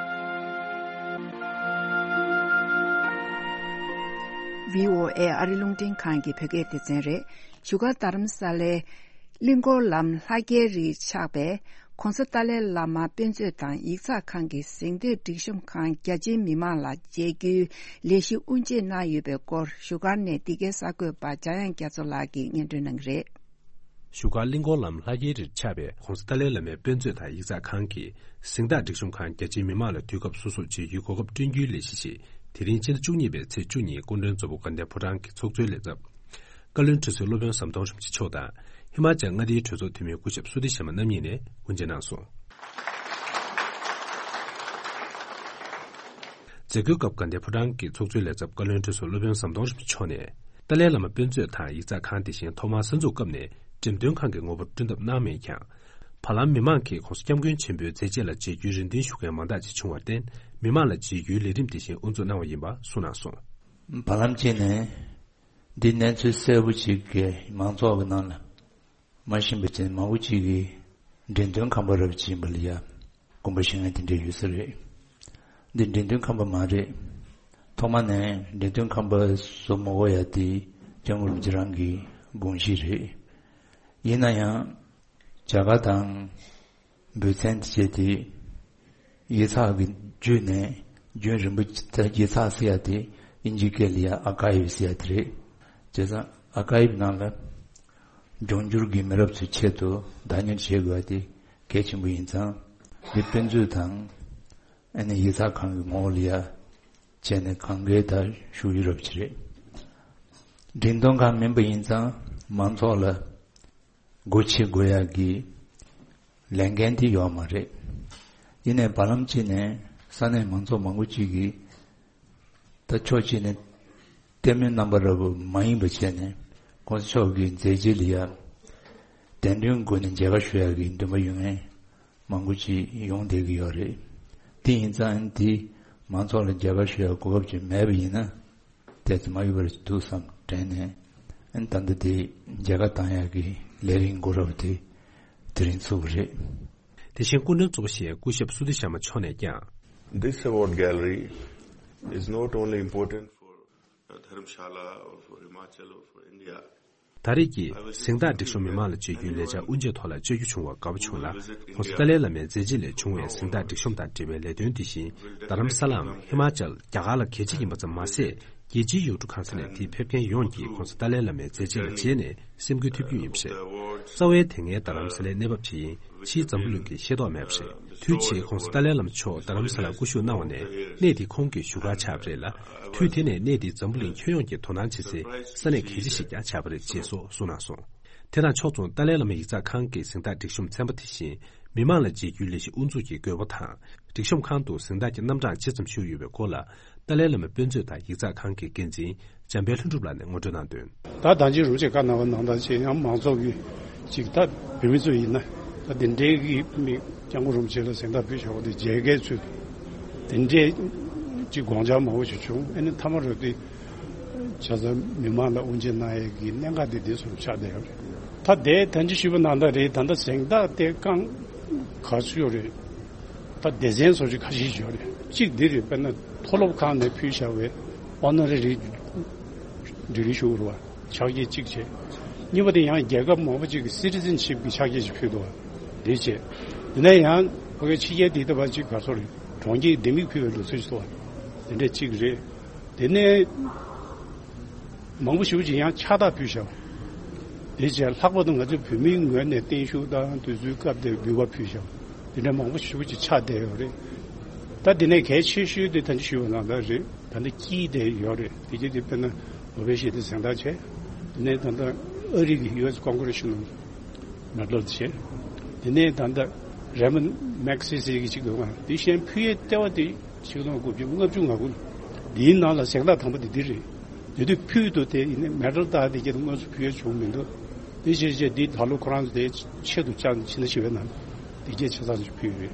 བྷི་ཨོ་ཨེ་ཨ་རི་རླུང་འཕྲིན་ཁང་གི་བོད་སྐད་སྡེ་ཚན་རེད། བཞུགས་སྒར་རྡ་རམ་ས་ལའི་གླིང་སྐོར་ལམ་ལྷ་རྒྱལ་རིར་ཆགས་པའི་༸གོང་ས་ཏཱ་ལའི་བླ་མ་དཔེ་མཛོད་དང་ཡིག་ཚགས་ཁང་གི་གཟེངས་བསྟོད་སྒྲིག་གཤོམ་ཁང་རྒྱ་ཆེའི་མི་མང་ལ་མཇལ་རྒྱུའི་ལས་གཞི་དབུ་འབྱེད་གནང་ཡོད་པའི་སྐོར་བཞུགས་སྒར་ནས་འདི་གའི་གསར་འགོད་པ་འཇམ་དབྱངས་རྒྱ་མཚོ་ལགས་ཀྱིས་སྙན་སྒྲོན་གནང་གི་རེད། བཞུགས་སྒར་གླིང་སྐོར་ལམ་ལྷ་རྒྱལ་རིར་ཆགས་པའི་༸གོང་ས་ཏཱ་ལའི་བླ་མའི་དཔེ་མཛོད་དང་ཡིག་ཚགས་ཁང་གི་གཟེངས་རྟགས་སྒྲིག་གཤོམ་ཁང་རྒྱ་ཆེའི་མི་མང་ལ་དུས་སྐབས་སོ་སོར་མཇལ་རྒྱུའི་གོ་སྐབས་བསྐྲུན་རྒྱུའི་ལས་གཞི་ཞིག་དེ་རིང་ཕྱི་ཟླ་བཅུ་གཉིས་པའི་ཚེས་བཅུ་ཉིན་སྐུ་མགྲོན་གཙོ་བོ་དགའ་ལྡན་ཕོ་བྲང་གི་ཚོགས་གཙོའི་ལས་ཚབ། བཀའ་བློན་ཁྲི་ཟུར་སློབ་དཔོན་ཟམ་གདོང་རིན་པོ་ཆེ་མཆོག་དང་། ཧི་མ་ཅལ་མངའ་སྡེའི་གྲོས་ཚོགས་འཐུས་མི་སྐུ་ཞབས་སུ་དི་ཤ་མ་རྣམ་གཉིས་ནས་དབུ་འབྱེད་གནང་སོང་། མཛད་སྒོའི་སྐབས་དགའ་ལྡན་ཕོ་བྲང་གི་ཚོགས་གཙོའི་ལས་ཚབ་བཀའ་བློན་ཁྲི་ཟུར་སློབ་དཔོན་ཟམ་གདོང་རིན་པོ་ཆེ་མཆོག་ནས། ཏཱ་ལའི་བླ་མ་དཔེ་མཛོད་དང་ཡིག་ཚགས་ཁང་དེ་བཞིན་ཐོག་མར་གསར་འཛུགས་སྐབས་ནས་འགྲེམས་སྟོན་ཁང་གི་ངོ་བོར་བསྐྲུན་ཐབས་གནང་མེད་ཀྱང་། བར་ལམ་མི་མང་གིས་༸གོང་ས་༸སྐྱབས་མགོན་ཆེན་པོའི་མཛད་རྗེས་ལ་མཇལ་རྒྱུའི་རེ་འདུན་ཞུ་མཁན་མང་དག་ཅིག་བྱུང་བར་བརྟེན། མི་མང་ལ་མཇལ་རྒྱུའི་ལས་རིམ་དེ་བཞིན་དབུ་འཛུགས་གནང་བ་ཡིན་པ་གསུངས་གནང་སོང་། བར་ལམ་གཅིག་ནས། འདི་གནས་ཚུལ་གསལ་པོ་ཅིག་གིས་མང་ཚོགས་ཀྱི་ནང་ལ་མ་ཤེས་པ་ཅན་མང་པོ་ཅིག་གིས་འགྲེམས་སྟོན་ཁང་པ་རབ་ཅིག་ཡིན་པ་ལ་ཡ་དགོངས་པ་བཞེས་མཁན་དེ་འདྲ་ཡོད་ས་རེད། འདི་འགྲེམས་སྟོན་ཁང་པ་མ་རེད། ཐོག་མ་ནས་འགྲེམས་སྟོན་ཁང་པ་བཟོ་མ་དགོས་ཡ་དེ་སྐྱབས་མགོན་རིན་པོ་ཆེ་རང་གི་དགོངས་གཞི་རེད། ཡིན་ན་ཡང་། རྒྱ་གར་དང་། འབོད་ཚན་དེ་བྱས་ཏེ། ཡིག་ཚགས་ཀྱི་བརྒྱུད་ནས་རྒྱུན་རིང་པོ་ཡིག་ཚགས་ཟེར་ཡ་དེ་དབྱིན་ཇིའི་སྐད་ལ་ཡ་ཨར་ཀའིབ་ཟེར་ཡ་དེ་རེད། བྱས་ཙང་ཨར་ཀའིབ་ནང་ལ་འབྱུང་འགྱུར་གྱི་མི་རབས་ཚོའི་ཆེད་དུ་བདག་གཉེར་བྱེད་དགོས་པ་དེ་གལ་ཆེན་པོ་ཡིན་ཙང་། འདི་དཔེ་མཛོད་དང་ཨ་ནི་ཡིག་ཚགས་ཁང་གི་ངོ་བོ་ལ་ཡ་བྱས་ནས་གང་གའི་ད་ཞུ་ཡུལ་རབ་ཅིག་རེད། འགྲེམས་སྟོན་ཁང་མིན་པ་ཡིན་ཙང་མང་ཚོགས་ལ། སྒོ་ཕྱེ་དགོས་ཡག་གི་ལས་འགན་དེ་ཡོད་མ་རེད། ཡིན་ནའི་བར་ལམ་གཅིག་ནས་ས་གནས་མང་ཚོགས་མང་པོ་གཅིག་གིས་ད་ཕྱོགས་གཅིག་ནས་ལྟད་མོའི་རྣམ་པ་འདྲ་པོ་མ་ཡིན་པ་བྱས་ནས་༸གོང་ས་མཆོག་གི་མཛད་རྗེས་ལ་ཡ་གདན་འདྲེན་སྒོ་ནས་མཇལ་ཁ་ཞུ་ཡག་གི་འདུན་པ་ཡོད་མཁན་མང་པོ་ཅིག་ཡོང་བསྡད་ཀྱི་ཡོད་རེད། དེ་ཡིན་ཙང་དེ་མང་ཚོགས་ལ་མཇལ་ཁ་ཞུ་ཡག་གོ་སྐབས་ཅིག་མེད་པ་ཡིན་ན། དེ་ཚོ་མ་ཡོད་པར་འདུག་བསམ་དྲན་ནས། ཨན་ད་ལྟ་དེ་མཇལ་ཁ་བཏང་ཡག་གི་ལས་རིམ་འགོ་རབ་དེ་དེ་རིང་ཚུགས་པ་རེད། དེ་བཞིན་སྐུ་མགྲོན་གཙོ་བོ་ཞེས་སྐུ་ཞབས་སུ་དི་ཤར་མ་མཆོག་ནས་ཀྱང་། This award gallery is not only important for Dharamshala or for Himachal or for India. ད་རེས་ཀྱི་གཟེངས་རྟགས་སྒྲིག་གཤོམ་མི་མང་ལ་མཇལ་རྒྱུའི་ལས་འཆར་དབུ་འབྱེད་ཐོག་ལ་བཅར་རྒྱུ་བྱུང་བར་དགའ་པོ་བྱུང་ལ། ༸གོང་ས་ཏཱ་ལའི་བླ་མའི་མཛད་རྗེས་ལས་བྱུང་བའི་གཟེངས་རྟགས་སྒྲིག་གཤོམ་དང་འབྲེལ་བའི་ལས་དོན་དེ་བཞིན་རྡ་རམ་ས་ལའམ་ཧི་མ་ཅལ་རྒྱ་གར་ལ་གལ་ཆེ་ཡིན་པ་ཙམ་མ་ཟད། རྒྱལ་སྤྱིའི་ཡུལ་གྲུ་གང་ས་ནས་དེའི་ཕེབས་མཁན་ཡོངས་ཀྱིས་༸གོང་ས་ཏཱ་ལའི་བླ་མའི་མཛད་རྗེས་ལ་མཇལ་ནས་སེམས་འགུལ་ཐེབས་རྒྱུ་ཡིན་པ་རེད། རྩ་བའི་དེ་སྔའི་རྡ་རམ་ས་ལའི་གནས་བབ་ཇི་ཡིན་ཕྱིའི་འཛམ་བུ་གླིང་གིས་ཤེས་རྟོགས་མེད་པ་རེད། དུས་ཕྱིས་༸གོང་ས་ཏཱ་ལའི་བླ་མ་མཆོག་རྡ་རམ་ས་ལར་སྐུ་བཞུགས་གནང་བ་ནས་གནས་དེ་ཁོང་གི་བཞུགས་སྒར་ཆགས་པ་རེད་ལ། དུས་དེ་ནས་གནས་དེ་འཛམ་བུ་གླིང་ཁྱོན་ཡོངས་ཀྱིས་དོ་སྣང་བྱེད་སའི་ས་གནས་གལ་ཆེ་ཞིག་ཀྱང་ཆགས་པ་རེད་ཅེས་སོགས་གསུངས་གནང་སོང་། དེ་དང་ཕྱོགས་མཚུངས་ཏཱ་ལའི་བླ་མ་ཡིག་ཚགས་ཁང་གི་གཟེངས་རྟགས་སྒྲིག་གཤོམ་ཚན་པ་དེ་བཞིན་མི་མང་ལ་མཇལ་རྒྱུའི་ལས་གཞི་དབུ་འཛུགས་ཀྱི་དགོས་མཁོ་དང་། སྒྲིག་གཤོམ་ཁང་དུ་གཟེངས་རྟགས་ཀྱི་རྣམ་གྲངས་ཇི་ཙམ་བཞུགས་ཡོད་པའི་སྐོར་ལ། ཏཱ་ལའི་བླ་མ་དཔེ་མཛོད་དང་ཡིག་ཚགས་ཁང་གི་འགན་འཛིན་འཇམ་དཔལ་ལྷུན་གྲུབ་ལགས་ནས་ངོ་སྤྲོད་གནང་དོན། ད་ད་ཅི་རུ་ཆེ་བཀའ་གནང་བ་ནང་ལྟར་བྱས་ཡང་མང་ཚོགས་ཀྱི་ཅིག་ད་བོད་མི་ཚོ་ཡིན་ན་ད་དེ་འདྲའི་གི་མི་སྐྱབས་མགོན་རིན་པོ་ཆེ་ལ་གཟེངས་རྟགས་ཕུལ་བཞག་པ་དེ་མཇལ་མཁན་ཚོས་དེ་འདྲའི་ཅིག་དགོངས་འཆར་མང་པོ་ཞིག་བྱུང་། ཨ་ནི་མཐའ་མ་རུ་དེ་བྱས་ཙང་མི་མང་ལ་དབུ་འབྱེད་གནང་ཡས་ཀྱི་གནད་འགག་དེ་དེ་ཚོར་ཆགས་བསྡད་ཡོད་རེད། ད་དེ་ད་ཅི་ཞུས་པ་ནང་ལྟར་རེད། ད་ལྟ་གཟེངས་རྟགས་དེ་རྐང་ག་ཚོད་ཡོད་རེད། ད་སྡེ་ཚན་སོ་སོ་ཁ་ཤས་ཤིག་ཡོད་རེད། གཅིག་འདི་རེད། དཔེར་ན་མཐོ་སློབ་ཁང་ནས་ཕུལ་བཞག་པའི་ཨོ་ནོ་རེ་རི་ཌི་གི་རི་ཞུ་རུ་བ་ཕྱག་འཁྱེར་གཅིག་བྱས། གཉིས་པ་དེ་ཡང་རྒྱལ་ཁབ་མང་པོ་ཅིག་གི་སི་ཊི་ཛེན་ཤིབ་ཀྱི་ཕྱག་འཁྱེར་ཞིག་ཕུལ་འདུག་བ་འདི་བྱས། དེ་ནས་ཡང་ ཕ་གིའི་ཕྱི་རྒྱལ་དེ་ལྟ་བ་ཅིག་ག་ཚོད་རེད། གྲོང་ཁྱེར་ལྡེ་མིག་ཕུལ་བའི་ལུགས་སྲོལ་ཞིག་འདུག་བ། དེ་འདྲ་གཅིག་རེད། དེ་ནས་མང་པོ་ཞེ་པོ་ཅིག་ཡང་ཕྱག་རྟགས་ཕུལ་བཞག་དེ་བྱས་ལྷག་པར་དུ་ང་ཚོ་བོད་མིའི་ངོས་ནས་བརྟན་བཞུགས་དང་དུས་ཚོད་སྐབས་དེར་འབུལ་བ་ཕུལ་བཞག་དེ་འདྲ་མང་པོ་ཞེ་པོ་ཅིག་ཆགས་བསྡད་ཡོད་རེད། ད་དེ་ནས་གལ་ཆེ་ཤོས་དེ་ད་ཅི་ཞུས་པ་ནང་ལྟར་རེད། ད་ནི་དཀྱིལ་དེ་ཡོད་རེད། དེ་གྱིས་དེ་དཔེར་ན་ནོ་བེལ་ཞི་བདེའི་གཟེངས་རྟགས་བྱས། དེ་ནས་ད་ལྟ་ཨ་རི་གི་ཡུ་ཨེས་ཀོང་གྷི་རེས་ནེ་ཤན་ནལ་མེ་ཌལ་བྱས། དེ་ནས་ད་ལྟ་རེ་མོན་མེག་སེ་སེ་གི་ཅིག་འདུག་ག་དེ་གཞན་ཕུལ་ཡས་ལྟེ་བ་དེ་ཆིག་སྟོང་དགུ་བརྒྱ་ལྔ་བཅུ་ང་དགུ་ལ། འདིའི་ནང་ལ་གཟེངས་རྟགས་དང་པོ་དེ་འདི་རེད། དེ་དུས་ཕུལ་འདུག་དེ་ཡིན་ནའི་མེ་ཌལ་རྟགས་དེ་གྱད་དུ་དངོས་སུ་ཕུལ་ཡས་བྱུང་མི་འདུག་དེ་བྱས་བྱས་འདི་ད་ལོ་ཁོ་རང་ཚོ་དེ་ཆེད་དུ་བཅར་ཕྱི་ནང་ཞི་བའི་ནང་དེ་གྱད་ཆ་ཚང་ཞིག་ཕུལ་ཡོད་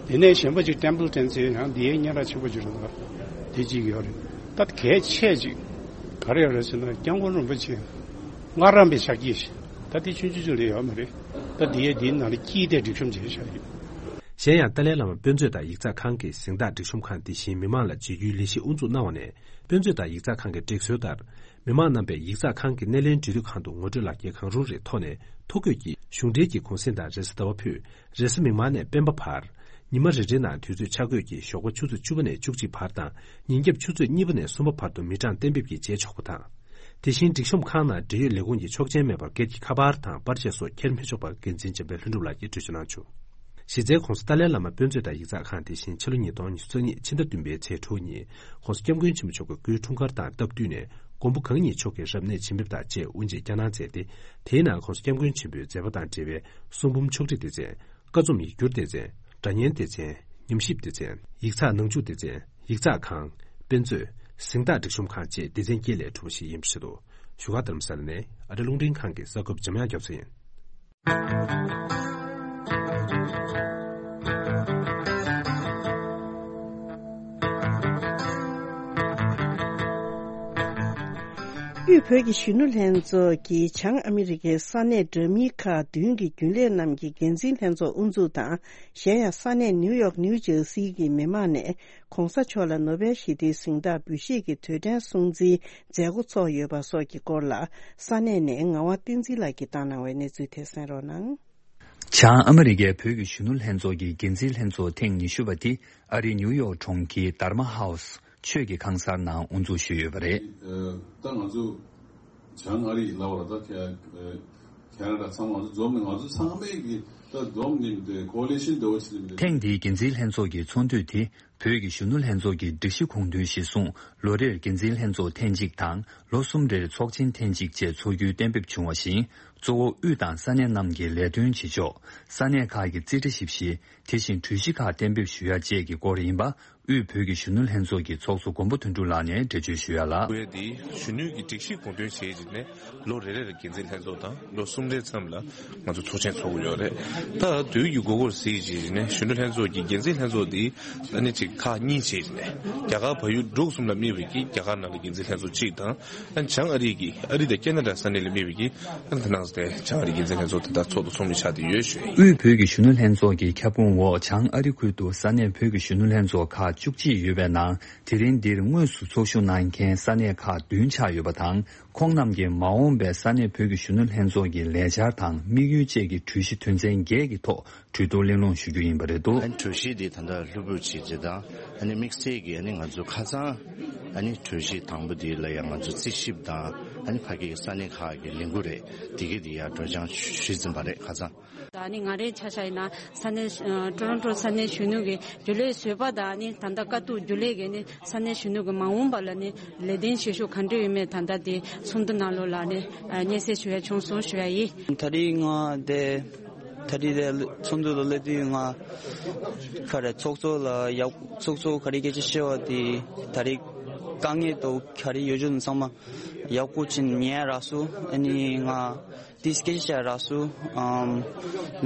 རེད། དེ་ནས་གཞན་པ་ཅིག་ཊེམ་པལ་ཊོན་ཟེར་ཡང་འདི་ཡའི་སྙན་གྲགས་ཆེན་པོ་ཅིག་རེད་འདུག་དེ་གཅིག་ཡོད་རེད། ད་གལ་ཆེ་ཅིག་ག་རེ་ཡོད་རེད་ཟེར་ན་སྐྱབས་མགོན་རིན་པོ་ཆེ་སྔ་རམ་པའི་ཕྱག་རྗེས་ཤིག་ད་དེ་ཆུང་ཆུང་ཅིག་ལས་ཡོད་མ་རེད། ད་འདི་ཡའི་འདིའི་ནང་ལ་དཀྱིལ་དེ་སྒྲིག་གཤོམ་བྱས་བཞག་ཡོད། གཞན་ཡང་ཏཱ་ལའི་བླ་མ་དཔེ་མཛོད་དང་ཡིག་ཚགས་ཁང་གི་གཟེངས་རྟགས་སྒྲིག་གཤོམ་ཁང་དེ་བཞིན་མི་མང་ལ་བརྗེ་སྒྱུར་ལས་གཞི་དབུ་འཛུགས་གནང་བ་ནས། དཔེ་མཛོད་དང་ཡིག་ཚགས་ཁང་གི་སྒྲིག་སྲོལ་ལྟར། མི་མང་རྣམ་པས་ཡིག་ཚགས་ཁང་གི་སྣེ་ལེན་འབྲེལ་མཐུད་ཁང་དུ་ངོ་སྤྲོད་ལག་འཁྱེར་གང་རུང་རེ་ཐོག་ནས་ཐོ་འགོད་ཀྱིས་གཞུང་འབྲེལ་གྱི་གུང་གསེང་དང་རེས་གཟའ་ཟླ་བ་ཕུད། རེས་གཟའ་མིག་དམར་ནས་སྤེན་པ་བར། ཉི་མ་རེ་རེའི་ནང་དུས་ཚོད་ཆ་བགོས་ཀྱིས་ཞོགས་པ་ཆུ་ཚོད་བཅུ་པ་ནས་བཅུ་གཅིག་བར་དང་ཉིན་རྒྱབ་ཆུ་ཚོད་གཉིས་པ་ནས་གསུམ་པ་བར་དུ་མི་གྲངས་གཏན་འབེབས་ཀྱིས་བྱེད་ཆོག་པ་དང་། དེ་བཞིན་སྒྲིག་གཤོམ་ཁང་ནང་འབྲེལ་ཡོད་ལས་ཁུངས་ཀྱི་ཆོག་མཆན་མེད་པར་སྒེར་གྱི་ཁ་པར་དང་པར་ཆས་སོགས་འཁྱེར་མི་ཆོག་པར་འགན་འཛིན་འཇམ་དཔལ་ལྷུན་གྲུབ་ལགས་ཀྱིས་འགྲེལ་བརྗོད་གནང་བྱུང་། གཞི་རྩའི་༸གོང་ས་ཏཱ་ལའི་བླ་མ་དཔེ་མཛོད་དང་ཡིག་ཚགས་ཁང་དེ་བཞིན་ཕྱི་ལོ་ཉིས་སྟོང་ཉི་ཤུ་རྩ་གཉིས་ཕྱི་ཟླ་བདུན་པའི་ཚེས་དྲུག་ཉིན་༸གོང་ས་༸སྐྱབས་མགོན་ཆེན་པོ་མཆོག་གི་སྐུའི་འཁྲུངས་སྐར་དང་སྟབས་བསྟུན་ནས་མགོན་པོ་གང་ཉིད་མཆོག་གི་རབ་གནས་བྱིན་འབེབས་དང་བཅས་དབུ་འབྱེད་བསྐྱངས་གནང་མཛད་དེ། དེའི་ནང་༸གོང་ས་༸སྐྱབས་མགོན་ཆེན་པོའི་མཛད་པ་དང་འབྲེལ་བའི་གསུང་འབུམ་ཕྱོགས་སྒྲིག་སྡེ་ཚན། ཀ་རྩོམ་ཡིག་སྒྱུར་སྡེ་ཚན། སྒྲ་སྙན་སྡེ་ཚན། ཉམས་ཞིབ་སྡེ་ཚན། ཡིག་ཚགས་ནང་འཇུག་སྡེ་ཚན། ཡིག་ཚགས་ཁང་། དཔེ་མཛོད། གཟེངས་རྟགས་སྒྲིག་གཤོམ་ཁང་བཅས་སྡེ་ཚན་བརྒྱད་ལས་གྲུབ་པ་ཞིག་ཡིན་པ་རེད་འདུག་བཞུགས་སྒར་རྡ་རམ་ས་ལ་ནས་ཨ་རི་རླུང་འཕྲིན་ཁང་གི་གསར་འགོད་པ་འཇམ་དབྱངས་རྒྱ་མཚོ་ཡིན། དབུས་བོད་ཀྱི་གཞོན་ནུ་ལྷན་ཚོགས་ཀྱིས་བྱང་ཨ་མི་རི་ཀའི་ས་གནས་འདྲ་མིན་ཁག་བདུན་གྱི་རྒྱུན་ལས་རྣམས་ཀྱི་འགན་འཛིན་ལྷན་ཚོགས་དབུ་འཛུགས་དང་། གཞན་ཡང་ས་གནས་ནིའུ་ཡོག་ནིའུ་ཇར་སི་གི་མི་མང་ནས་༸གོང་ས་མཆོག་ལ་ནོ་བེལ་ཞི་བདེའི་གཟེངས་རྟགས་འབུལ་བཞེས་ཀྱི་དུས་དྲན་སྲུང་བརྩིའི་མཛད་སྒོ་ཚོགས་ཡོད་པ་སོགས་ཀྱི་སྐོར་ལ་ས་གནས་ནས་ངག་དབང་བསྟན་འཛིན་ལགས་ཀྱིས་བཏང་གནང་བའི་གནས་ཚུལ་དེ་གསན་རོགས་གནང་། བྱང་ཨ་མི་རི་ཀའི་བོད་ཀྱི་གཞོན་ནུ་ལྷན་ཚོགས་ཀྱི་འགན་འཛིན་ལྷན་ཚོགས་ཐེངས་ཉི་ཤུ་པ་དེ་ཨ་རིའི་ནིའུ་ཡོག་གྲོང་ཁྱེར་དྷར་མ་ཧའུ་སི་ཆོས་ཀྱི་ཁང་གསར་ནང་དབུ་འཛུགས་ཞུས་ཡོད་པ་རེད། ད་ང་ཚོ་བྱང་ཨ་རི་ལབ་པ་ད་ཁ་ཁ་ན་ཌ་ཚང་མ་ང་ཚོ་འཛོམས་ནས་ང་ཚོ་ཚང་མས་ཀྱི་ད་འཛོམས་ནས་ཀོ་ལི་ཤན་འདྲ་བོ་ཞིག་ལ། ཐེངས་འདིའི་འགན་འཛིན་ལྷན་ཚོགས་ཀྱི་ཚོགས་འདུ་དེ་བོད་ཀྱི་གཞོན་ནུ་ལྷན་ཚོགས་ཀྱི་སྒྲིག་གཞི་དགོངས་དོན་གཞིར་བཟུང་ལོ་རེར་འགན་འཛིན་ལྷན་ཚོགས་ཐེངས་གཅིག་དང་ལོ་གསུམ་རེར་ཚོགས་ཆེན་ཐེངས་གཅིག་བཅས་འཚོགས་རྒྱུའི་གཏན་འབེབས་བྱུང་བ་བཞིན། གཙོ་བོ་དབུས་དང་ས་གནས་རྣམས་ཀྱི་ལས་དོན་བྱེད་ཕྱོགས། ས་གནས་ཁག་གི་རྩིས་ཁྲ་ཞིབ་བཤེར། དེ་བཞིན་གྲོས་གཞི་ཁག་གཏན་འབེབས་ཞུ་ཡ་བཅས་ཀྱི་སྐོར་ཡིན་པ། དབུས་བོད་ཀྱི་གཞོན་ནུ་ལྷན་ཚོགས་ཀྱི་ཚོགས་གཙོ་མགོན་པོ་དོན་གྲུབ་ལགས་ནས་འགྲེལ་བརྗོད་ཞུ་ཡ་ལ། བོད་དེ་གཞོན་ནུའི་གི་སྒྲིག་གཞི་དགོངས་དོན་བྱས་རྗེས་ནས་ལོ་རེ་རེར་འགན་འཛིན་ལྷན་ཚོགས་དང་ལོ་གསུམ་རེའི་མཚམས་ལ་ང་ཚོ་ཚོགས་ཆེན་འཚོགས་ཀྱི་ཡོད་རེད། ད་དུས་ཀྱི་འགོ་འགོར་ཟིན་རྗེས་ནས་གཞོན་ནུ་ལྷན་ཚོགས་ཀྱི་འགན་འཛིན་ལྷན་ཚོགས་དེ་ཨ་ནི་ཅིག་ཁག་གཉིས་བྱས་རྗེས་ནས་རྒྱ་གར་བལ་ཡུལ་འབྲུག་གསུམ་ལ་དམིགས་པའི་གི་རྒྱ་གར་ནང་ལ་འགན་འཛིན་ལྷན་ཚོགས་གཅིག་དང་། ཨ་ནི་བྱང་ཨ་རི་གི་ཨ་རི་དང་ཁེ་ན་ཌ་ས་གནས་ལ་དམིགས་པའི་གི་ཨ་ནི་ད་ནང་ཚོ་དེ་བྱང་ཨ་རི་འགན་འཛིན་ལྷན་ཚོགས་དེ་དག་ཚོགས་དང་ཚོགས་མི་ཆགས་བསྡད་ཡོད་ཞུ་ཡིན། དབུས་བོད་ཀྱི་གཞོན་ནུ་ལྷན་ཚོགས་ཀྱི་ཁྱབ་ཁོངས་འོག་བྱང་ཨ་རི་ཁུལ་དུ་ས་གནས་བོད་ཀྱི་གཞོན་ནུ་ལྷན་ཚོགས་ཁག་བཅུ་གཅིག་ཡོད་པའི་ནང་། དེ་རིང་འདིར་དངོས་སུ་ཚོགས་ཞུགས་གནང་མཁན་ས་གནས་ཁག་བདུན་ཆགས་ཡོད་པ་དང་། ཁོང་རྣམས་ཀྱིས་མ་འོངས་པའི་ས་གནས་བོད་ཀྱི་གཞོན་ནུ་ལྷན་ཚོགས་ཀྱི་ལས་འཆར་དང་དམིགས་ཡུལ་བཅས་ཀྱི་གྲོས་གཞི་དོན་ཚན་བརྒྱད་ཀྱི་ཐོག་གྲོས་བསྡུར་གླེང་སློང་ཞུ་རྒྱུ་ཡིན་པ་རེད་འདུག་ཨ་ནི་གྲོས་གཞི་འདི་ད་ལྟ་ལྷུག་པོ་བྱས་རྗེས་དང་ཨ་ནི་དམིགས་བསལ་གྱི་ཨ་ནི་ང་ཚོ་ཁ་སང་ཨ་ནི་གྲོས་གཞི་དང་པོ་འདི་ལ་ཡང་ང་ཚོ་རྩིས་ཞིབ་དང་ཨ་ནི་ཕ་གི་ས་གནས་ཁག་གི་ལས་འགུལ་རེད། དེ་གི་འདི་ཡང་སྒྲོག་སྦྱང་ཞུས་ཟིན་པ་རེད་ཁ་སང་། ད་ནི་ང་རའི་ཆ་བཞག་ཡིན་ན་ས་གནས་ཨ་ཊོ་རོན་ཊོ་ས་གནས་གཞོན་ནུ་གི་རྒྱུན་ལས་བཟོད་པ་དང་ནི་ད་ལྟ་དཀའ་སྡུག་རྒྱུན་ལས་ཀྱི་ནི་ས་གནས་གཞོན་ནུ་གི་མ་འོངས་པ་ལ་ནི་ལས་དོན་བྱེད་ཕྱོགས་ག་འདྲ་ཡོད་མེད་ད་ལྟ་དེ་ཚོགས་འདུ་ནང་ལོགས་ལ་ནི་ཨ་སྙན་སེང་ཞུ་ཡ་བྱུང་སོང་ཞུ་ཡ་ཡིན། ད་རེས་ང་དེ་ད་རེས་དེ་ཚོགས་འདུ་ལ་སླེབས་དུས་ང་ག་རེ་ཚོགས་གཙོ་ལ་ཡག་ཚོགས་གཙོ་ག་རེ་སྐད་ཆ་བཤད་པ་དེ་ད་རེས་དཀའ་ངལ་དང་ག་རེ་ཡོད་ཆོག་ཚང་མ་ཡག་པོ་བྱས་ཉན་རག་སོང་། ཨ་ནི་ང་དེ་སྐད་ཆ་རག་སོང་། ཨམ།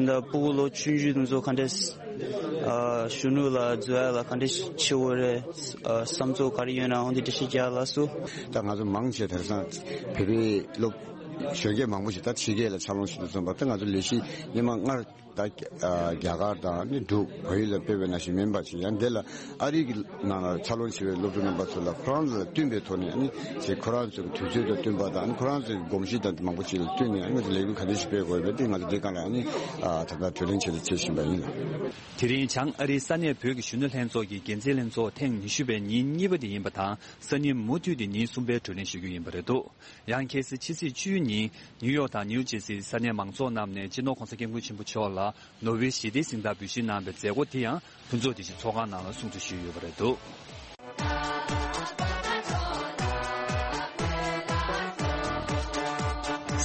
འདི་ཕྲུ་གུ་ལོ་ཆུང་ཆུང་དེ་ཚོ་ག་འདྲས་ཨ་གཞོན་ནུ་ལ་འཛུལ་ཡ་ལ་ག་འདྲས་བྱེད་དགོས་རེད། ཨ་བསམ་ཚུལ་ག་རེ་ཡོད་ན་འོ་འདི་འགྲེལ་བཤད་རྒྱག་ལ་སོ། ད་ང་ཚོ་མང་ཆེ་དེང་སང་བོད་པའི་སློབ་གཞོན་སྐྱེས་མང་པོ་ཞིག་ད་ཕྱི་རྒྱལ་ལ་ཕྱག་ལས་བྱེད་དུ་སོང་བ་ད་ང་ཚོ་ལས་གཞི་སྔོན་མ་སྔར་ ད་རྒྱ་གར་དང་ནི་འབྲུག་བལ་ཡུལ་ལ་སྤེལ་བའི་ནང་བཞིན་མིན་པ་ཞིག་ཡང་འདི་ལ་ཨ་རི་གི་ནང་ལ་འཚར་ལོངས་བྱེད་པའི་སློབ་ཕྲུག་རྣམ་པ་ཚོ་ལ་ཁོ་རང་ཚོ་ལ་བསྟུན་པའི་ཐོག་ནས་ནི་ཅིག་ཁོ་རང་ཚོའི་དུས་ཚོད་དང་བསྟུན་པ་དང་ནི་ཁོ་རང་ཚོའི་གོམས་གཤིས་དང་མང་པོ་ཞིག་ལ་བསྟུན་ནས་ང་ཚོ་ལས་འགུལ་ག་འདྲ་ཞིག་སྤེལ་དགོས་པས་འདི་ང་ཚོ་འདི་སྒང་ལ་ནི་ད་ལྟ་གྲོས་གླེང་བྱེད་དུ་བྱེད་བཞིན་པ་ཡིན་ལ། དེ་རིང་བྱང་ཨ་རིའི་ས་གནས་བོད་ཀྱི་གཞོན་ནུ་ལྷན་ཚོགས་ཀྱི་འགན་འཛིན་ལྷན་ཚོགས་ཐེངས་ཉི་ཤུ་པའི་ཉིན་གཉིས་པ་དེ་ཡིན་པ་དང་སང་ཉིན་མུ་མཐུད་དེ་ཉིན་གསུམ་པའི་གྲོས་གླེང་ཞུ་རྒྱུ་ཡིན་པ་རེད་འདུག་ཡང་གལ་སྲིད་ཕྱི་ཚེས་བཅུའི་ཉིན་ནིའུ་ཡོག་དང་ནིའུ་ཇེར་སིའི་ས་གནས་མང་ཚོགས་རྣམས་ནས་སྤྱི་ནོར་༸གོང་ས་༸སྐྱབས་མགོན་ཆེན་པོ་མཆོག་ལ་ནོ་བེལ་ཞི་བདེའི་གཟེངས་རྟགས་འབུལ་བཞེས་གནང་བའི་མཛད་སྒོ་དེ་ཡང་ཕུན་ཚོགས་བདེ་སྐྱིད་ཚོགས་ཁང་ནང་ལ་སྲུང་བརྩི་ཞུས་ཡོད་པ་རེད་འདུག་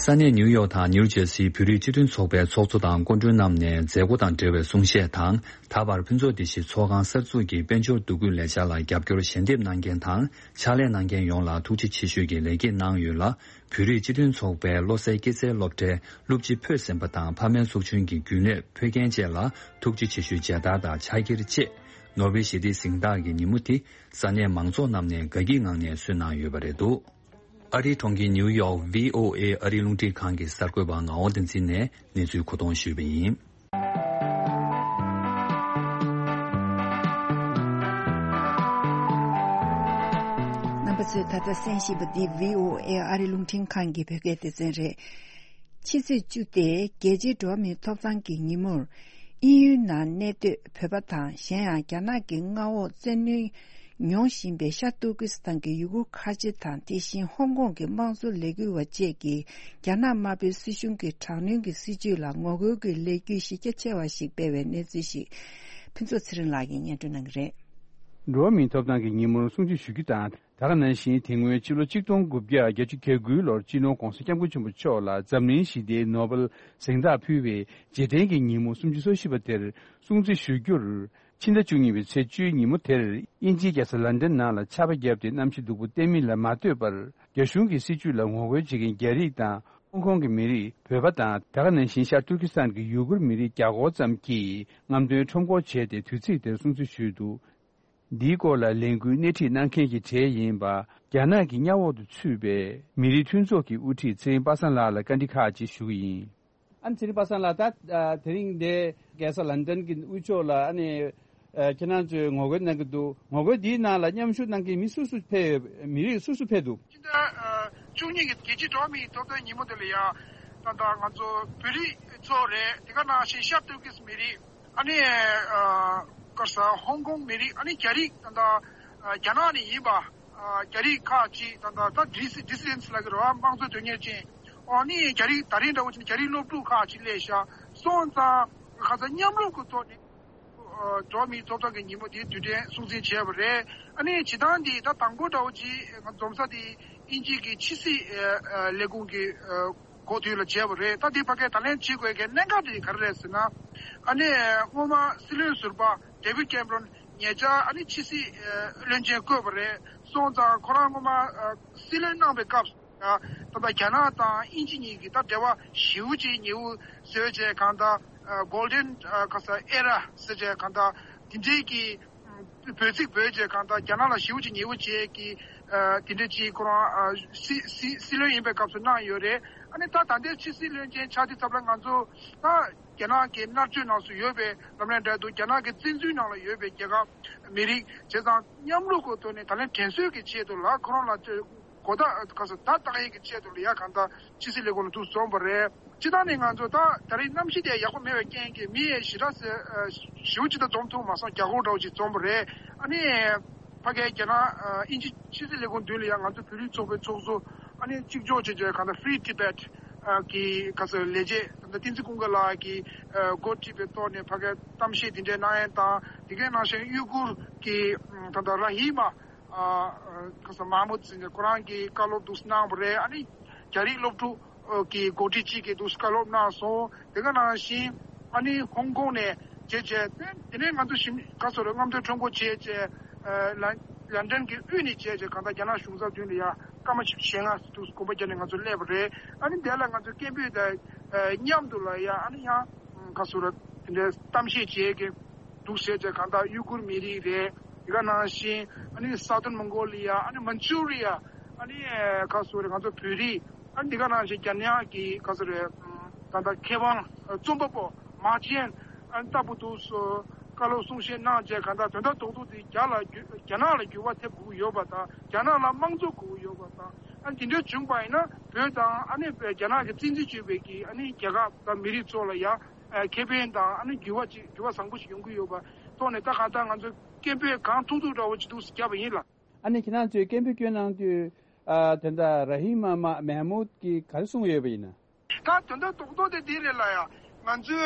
ས་གནས་ནིའུ་ཡོག་དང་ནིའུ་ཇེར་སིའི་བོད་རིགས་སྤྱི་མཐུན་ཚོགས་པའི་ཚོགས་གཙོ་དང་སྐུ་མགྲོན་རྣམས་ནས་མཛད་སྒོ་དང་འབྲེལ་བའི་གསུང་བཤད་དང་། ད་བར་ཕུན་ཚོགས་བདེ་སྐྱིད་ཚོགས་ཁང་གསར་འཛུགས་ཀྱི་དཔལ་འབྱོར་འདུ་འགོད་ལས་འཆར་ལ་རྒྱབ་སྐྱོར་ཞལ་འདེབས་གནང་མཁན་དང་ཕྱག་ལས་གནང་མཁན་ཡོངས་ལ་ཐུགས་རྗེ་ཆེ་ཞུས་ཀྱི་ལེགས་སྐྱེས་གནང་ཡོད་ལ། བོད་རིགས་སྤྱི་མཐུན་ཚོགས་པའི་བློ་གསལ་སྐྱེད་ཚལ་སློབ་གྲྭའི་སློབ་སྤྱི་ཕོད་ཟིན་པ་དང་ཕ་མའི་ཚོགས་ཆུང་གི་རྒྱུན་ལས་ཕོད་མཁན་བཅས་ལ་ཐུགས་རྗེ་ཆེ་ཞུའི་མཇལ་དར་དང་ཕྱག་འཁྱེར་བཅས་ནོ་བེལ་ཞི་བདེའི་གཟེངས་རྟགས་ཀྱི་ཉིན་མོ་དེ་ས་གནས་མང་ཚོགས་རྣམས་ནས་དགའ་སྐྱིད་ངང་ནས་གསོལ་གནང་ཡོད་པ་རེད་འདུག་ཨ་རིའི་གྲོང་ཁྱེར་ནིའུ་ཡོག་བྷི་ཨོ་ཨེ་ཨ་རིའི་རླུང་འཕྲིན་ཁང་གི་གསར་འགོད་པ་ངག་དབང་བསྟན་འཛིན་ནས་གནས་ཚུལ་མཁོ་གཏོང་ཞུས་པ་ཡིན། རྣམ་པ་ཚོས་ད་ལྟ་གསན་བཞིན་པ་འདི་བྷི་ཨོ་ཨེ་ཨ་རིའི་རླུང་འཕྲིན་ཁང་གི་བོད་སྐད་སྡེ་ཚན་རེད། ཕྱི་ཚེས་བཅུ་སྟེ་རྒྱལ་སྤྱིའི་འགྲོ་བ་མིའི་ཐོབ་ཐང་གི་ཉིན་མོར། དབྱིན་ཡུལ་ནང་གནས་སྡོད་བོད་པ་དང་གཞན་ཡང་རྒྱ་ནག་གི་མངའ་འོག་བཙན་གནོན་མྱོང་བཞིན་པའི་ཤར་ཏུར་ཀི་སི་ཐན་གྱི་ཡུ་གུར་ཁ་ཆེ་དང་དེ་བཞིན་ཧོང་ཀོང་གི་དམངས་གཙོ་ལས་འགུལ་བ་བཅས་ཀྱིས་རྒྱ་ནག་དམར་པོའི་སྲིད་གཞུང་གི་དྲག་གནོན་གྱི་སྲིད་བྱུས་ལ་ངོ་རྒོལ་གྱི་ལས་འགུལ་གཞི་རྒྱ་ཆེ་བ་ཞིག་སྤེལ་བའི་གནས་ཚུལ་ཞིག་ཕུན་ཚོགས་ཚེ་རིང་ལགས་ཀྱིས་སྙན་སྒྲོན་གནང་གི་རེད། འགྲོ་བ་མིའི་ཐོབ་ཐང་གི་ཉིན་མོར་སྲུང་བརྩི་ཞུ་རྒྱུ་དང་། ད་ག་ནང་བཞིན་དེ་སྔོན་ཕྱི་ལོ་ཆིག་སྟོང་དགུ་བརྒྱ་བརྒྱད་ཅུ་གྱ་དགུའི་ལོར་སྤྱི་ནོར་༸གོང་ས་༸སྐྱབས་མགོན་ཆེན་པོ་མཆོག་ལ་འཛམ་གླིང་ཞི་བདེའི་ནོ་བེལ་གཟེངས་རྟགས་ཕུལ་བའི་རྗེས་དྲན་གྱི་ཉིན་མོ་སུམ་ཅུ་སོ་བཞི་པ་དེར་སྲུང་བརྩི་ཞུ་རྒྱུར། ཕྱི་ཟླ་བཅུ་གཉིས་པའི་ཚེས་བཅུའི་ཉིན་མོ་དེར་དབྱིན་ཇིའི་རྒྱལ་ས་ལན་ཌན་ནང་ལ་ཆར་པ་བརྒྱབ་སྟེ་གནམ་གཤིས་སྡུག་པོ་བསྟན་མིན་ལ་མ་ལྟོས་པར་རྒྱ་གཞུང་གི་སྲིད་བྱུས་ལ་ངོ་རྒོལ་བྱེད་མཁན་རྒྱ་རིགས་དང་ཧོང་ཀོང་གི་མི་རིགས། བོད་པ་དང་ད་ག་ནང་བཞིན་ཤར་ཏུར་ཀི་སི་ཐན་གྱི་ཡུ་གུར་མི་རིགས་བརྒྱ་སྐོར་ཙམ་གྱིས་རྔམ་སྟོན་ཁྲོམ་སྐོར་བྱས་ཏེ་དུས་ཚིགས་དེར་སྲུང་བརྩི་ཞུས་འདུག་འདིའི་སྐོར་ལ་ལས་འགུལ་སྣེ་ཁྲིད་གནང་མཁན་གྱི་གྲས་ཡིན་པ། རྒྱ་ནག་གི་མངའ་འོག་ཏུ་ཚུད་པའི་མི་རིགས་མཐུན་ཚོགས་ཀྱི་དབུ་ཁྲིད་ཚེ་རིང་པ་སངས་ལགས་ལ་བཀའ་འདྲི་ཁག་ཅིག་ཞུ་གི་ཡིན། ཨ་ནི་ཚེ་རིང་པ་སངས་ལགས། ད་ཨ་དེ་རིང་འདི་རྒྱལ་ས་ལན་ཌན་གྱི་དབུས་ཕྱོགས་ལ་ཨ་ནི་ཨ་ཁྱེད་རང་ཚོས་ངོ་རྒོལ་གནང་གི་འདུག་ངོ་རྒོལ་འདིའི་ནང་ལ་མཉམ་ཞུགས་གནང་མཁན་མི་སུ་སུ་ཕེབས་ཡོད། མི་རིགས་སུ་སུ་ཕེབས་འདུག་སྤྱི་ཟླ་ཨ་བཅུ་གཉིས་ཀྱི་རྒྱལ་སྤྱིའི་འགྲོ་བ་མིའི་ཐོབ་ཐང་ཉིན་མོ་དེ་ལ་ཡང་ད་ལྟ་ང་ཚོ་བོད་རིགས་ཚོ་རེད། དེ་ག་ནང་བཞིན་ཤར་ཏུར་ཀི་སི་མི་རིགས། ཨ་ནི་ཨ་ག་རེ་ཟེར། ཧོང་ཀོང་མི་རིགས། ཨ་ནི་རྒྱ་རིགས་ད་ལྟ་ཨ་རྒྱ་ནག་ནས་ཡིན་པ་ཨ་རྒྱ་རིགས་ཁག་ཅིག་ད་ལྟ་ད་ཌི་སི་ཌི་སི་ཌེན་སི་ལབ་ཀྱི་རེད་པ། དམངས་གཙོ་དོན་གཉེར་ཅན། ཨ་ནི་རྒྱ་རིགས་ད་རིང་འདྲ་བོ་བྱས་ན་རྒྱ་རིགས་སློབ་ཕྲུག་ཁག་ཅིག་སླེབས་ཤག་སོང་ཙང་ཁ་སང་མཉམ་རུབ་ཀྱི་ཐོག་ནས་ཨ་འགྲོ་བ་མིའི་ཐོབ་ཐང་གི་ཉིན་མོ་དེ་དུས་དྲན་སྲུང་བརྩི་བྱས་པ་རེད། ཨ་ནི་བྱེད་སྟངས་འདི་ད་དང་པོ་འདྲ་བོ་ཅིག་ང་འཛོམས་ས་དེ་དབྱིན་ཇི་གི་ཕྱི་སྲིད་ཨ་ཨ་ལས་ཁུངས་ཀྱི་ཨ་འགོ་དེ་ལ་བྱས་པ་རེད། ད་དེ་ཕ་གིར་ད་ལན་བྱེད་དགོས་མཁན་གནད་འགག་དེ་ག་རེ་རེད་ཟེར་ན། ཨ་ནི་སྔོན་མ་སྲིད་བློན་ཟུར་པ་ཌེ་བིཌ་ཀེམ་རོན་ཉེ་ཆར་ཨ་ནི་ཕྱི་སྲིད་ཨ་བློན་ཆེན་བསྐོས་པ་རེད། སོང་ཙང་ཁོ་རང་སྔོན་མ་ཨ་སྲིད་བློན་གནང་བའི་སྐབས་སུ་ད་ལྟ་རྒྱ་ནག་དང་དབྱིན་ཇི་གཉིས་ཀྱི་ད་འབྲེལ་བ་ཞེ་པོ་ཅིག་ཉེ་པོ་བཟོས་བྱས། གང་ལྟར་ཨ་གོལ་ཌེན་ཨ་ག་རེ་ཟེར་ཨེ་ར་ཟེར་བྱས། གང་ལྟར་དེ་འདྲའི་གི་འབོད་ཚིག་འབོད་བྱས། གང་ལྟར་རྒྱ་ནག་ལ་ཞེ་པོ་ཅིག་ཉེ་པོ་བྱས་ཀྱི་ཨ་དེ་འདྲ་ཅིག་ཁོ་རང་ཨ་སྲིད་སྲིད་སྲིད་བློན་ཡིན་པའི་སྐབས་སུ་གནང་ཡོད་རེད། ཨ་ནི་ད་ད་ལྟའི་ཕྱི་སྲིད་བློན་ཆེན་ཆགས་དུས་ཙམ་ལ་ང་ཚོ་ད་རྒྱ་ནག་གི་མནར་གཅོད་ནང་སུ་ཡོད་པའི་ལབ་ན་འདྲ་འདུག་རྒྱ་ནག་གི་བཙན་འཛུལ་ནང་ལ་ཡོད་པའི་རྒྱལ་ཁབ་མི་རིགས་བྱས་ཙང་མཉམ་རུབ་ཀྱི་ཐོག་ནས་ད་ལན་དྲན་གསོའི་གི་ཆེད་དུ་ལ་ཁོ་རང་ལ་གོ་བརྡ་ག་རེ་ཟེར་བརྡ་བཏགས་ཡས་ཀྱི་ཆེད་དུ་ལ་ཡ་གང་ལྟར་ཕྱི་སྲིད་ལས་ཁུངས་ལ་འདུག་འཛོམས་པ་རེད། སྤྱིར་བཏང་ནས་ང་ཚོ་ད་ད་རེས་གནམ་གཤིས་དེ་ཡག་པོ་མེད་པའི་རྐྱེན་གྱིས་མི་ཞེ་དྲག་ཞེ་པོ་ཅིག་ད་འཛོམས་ཐུབ་མ་སོང་། བརྒྱ་སྐོར་འདྲ་བོ་ཅིག་འཛོམས་པ་རེད། ཨ་ནི་ཕ་གིའི་རྒྱ་ནག་དབྱིན་ཇི་ཕྱི་སྲིད་ལས་ཁུངས་མདུན་ལ་ཡང་ང་ཚོ་བོད་རིགས་ཚོགས་པའི་ཚོགས་གཙོ་ཨ་ནི་གཅིག་ལྕོགས་བྱས་བྱས་གང་ལྟར་Free Tibet་གི་ག་ཚོད་ལས་བྱེད་ད་ལྟ་བསྟན་འཛིན་ཀུན་དགའ་ལགས་ཀྱིས་འགོ་ཁྲིད་པའི་ཐོག་ནས་ཕ་གིར་གཏམ་བཤད་དེ་འདྲའི་གནང་ཡས་དང་། དེ་གའི་ནང་བཞིན་ཡུ་གུར་གྱི་ད་ལྟ་ར་ཧི་མ་ཨ་ཁ་ས་མ་མུ་ཟེར་ནས་ཁོ་རང་གིས་བཀའ་སློབ་འདུག་གནང་བ་རེད། ཨ་ནི་རྒྱ་རིགས་སློབ་ཕྲུག་གི་འགོ་ཁྲིད་ཅིག་གིས་འདུག་བཀའ་སློབ་གནང་སོང་། དེ་ག་ནང་བཞིན་ཨ་ནི་ཧོང་ཀོང་ནས་བྱས་བྱས། དེ་དེ་ནས་ང་ཚོ་ཞིམ་ག་ཚོད་རེད། རྔམ་སྟོན་ཁྲོམ་སྐོར་བྱས་བྱས། ཨ་ལན་ལན་ཌན་གྱི་དབུས་ནས་བྱས་བྱས། གང་ལྟར་རྒྱ་ནག་གཞུང་ཚབ་མདུན་ལ་ཡ་སྐར་མ་བཞི་བཅུ་ཞེ་ལྔ་འདུག་གོམ་པ་བརྒྱབ་ནས་ང་ཚོ་སླེབས་པ་རེད། ཨ་ནི་དེ་ལ་ང་ཚོ་སྐད་འབོད་དང་མཉམ་དུ་ལ་ཡ་ཨ་ནི་ཡང་ག་ཚོད་རེད། དེ་འདྲའི་གཏམ་བཤད་བྱས་ཀྱི་འདུག་ཟེར་བྱས། གང་ལྟར་ཡུ་གུར་མི་རིགས་རེད། དེ་ག་ནང་བཞིན་ཨ་ནི་Southern Mongolia། ཨ་ནི་Manchuria། ཨ་ནི་ག་ཚོད་རེད། ང་ཚོ་བོད་རིགས། ཨ་ནི་དེ་ག་ནང་བཞིན་རྒྱ་ནག་གི་ག་ཚོད་རེད། ད་ལྟ་མཁས་དབང་རྩོམ་པ་པོ་ མ་ཅན་ཨ་ལྟ་བུ་འདུག་སོ། བཀའ་སློབ་གསུང་བཤད་གནང་བྱས་གང་ལྟར་དོན་དག་རྡོག་རྡོག་དེ་རྒྱ་ལ་འགྱུར་རྒྱ་ནག་ལ་འགྱུར་བ་ཐེབས་དགོས་ཀྱི་ཡོད་པ་དང་རྒྱ་ནག་ལ་དམངས་གཙོ་དགོས་ཀྱི་ཡོད་པ་དང་ཨ་འདི་འདྲ་བྱུང་པ་ཡིན་ན་བོད་དང་ཨ་ནི་རྒྱ་ནག་གི་བཙན་འཛུལ་བྱས་པའི་གི་ཨ་ནི་རྒྱལ་ཁབ་དང་མི་རིགས་ཚོ་ལ་ཡང་ཨ་ཁེ་ཕན་དང་ཨ་ནི་འགྱུར་བ་ཅིག་འགྱུར་བ་བཟང་པོ་ཞིག་ཡོང་གི་ཡོད་པ་ཐོག་ནས་ད་གང་ལྟར་ང་ཚོ་སྐད་འབོད་གང་ཐུབ་ཐུབ་འདྲ་བོ་ཅིག་འདུག་སེ་བརྒྱབ་པ་ཡིན་ལགས། ཨ་ནི་ཁྱེད་རང་ཚོས་སྐད་འབོད་སྐྱོན་གནང་དུས་ཨ་དེ་འདྲ་ར་ཧིམ་མ་མ་མེ་ཧ་མུད་ཀྱིས་ག་རེ་གསུངས་ཡོད་པ་ཡིན་ན། ད་དོན་དག་རྡོག་རྡོག་དེ་འདི་རེད་ལ་ཡ། ང་ཚོས་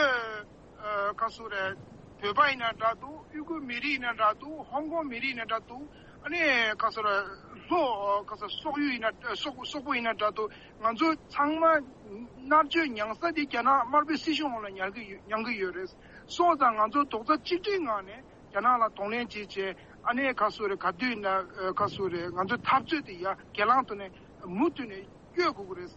ཨ་ག་སུ་རེད། བོད་པ་ཡིན་ན་འདྲ་འདུག་དབུས་ཁུལ་མི་རིགས་ཡིན་ན་འདྲ་འདུག་ཧོང་ཀོང་མི་རིགས་ཡིན་ན་འདྲ་འདུག་ཨ་ནི་ག་སུ་རེད། ལྷོ་ག་སུ་སོག་ཡུལ་ཡིན་ན་སོག་སོག་པོ་ཡིན་ན་འདྲ་འདུག་ང་ཚོ་ཚང་མ་མནར་གཅོད་མྱངས་ས་དེ་རྒྱ་ནག་དམར་པོའི་སྲིད་གཞུང་འོག་ལ་ཉར་གི་ཡོད་མྱང་གི་ཡོད་རེད། སོང་ཙང་ང་ཚོ་རྡོག་རྩ་གཅིག་སྒྲིལ་ངང་ནས་རྒྱ་ནག་ལ་གདོང་ལེན་བྱེད་བྱས་ཨ་ནི་ག་སུ་རེད་ག་དུས་ན་ག་སུ་རེད་ང་ཚོའི་འཐབ་རྩོད་དེ་ཡ་སྒེར་ལངས་ཐོག་ནས་མུ་མཐུད་ནས་སྐྱོད་དགོས་ཀྱི་རེད།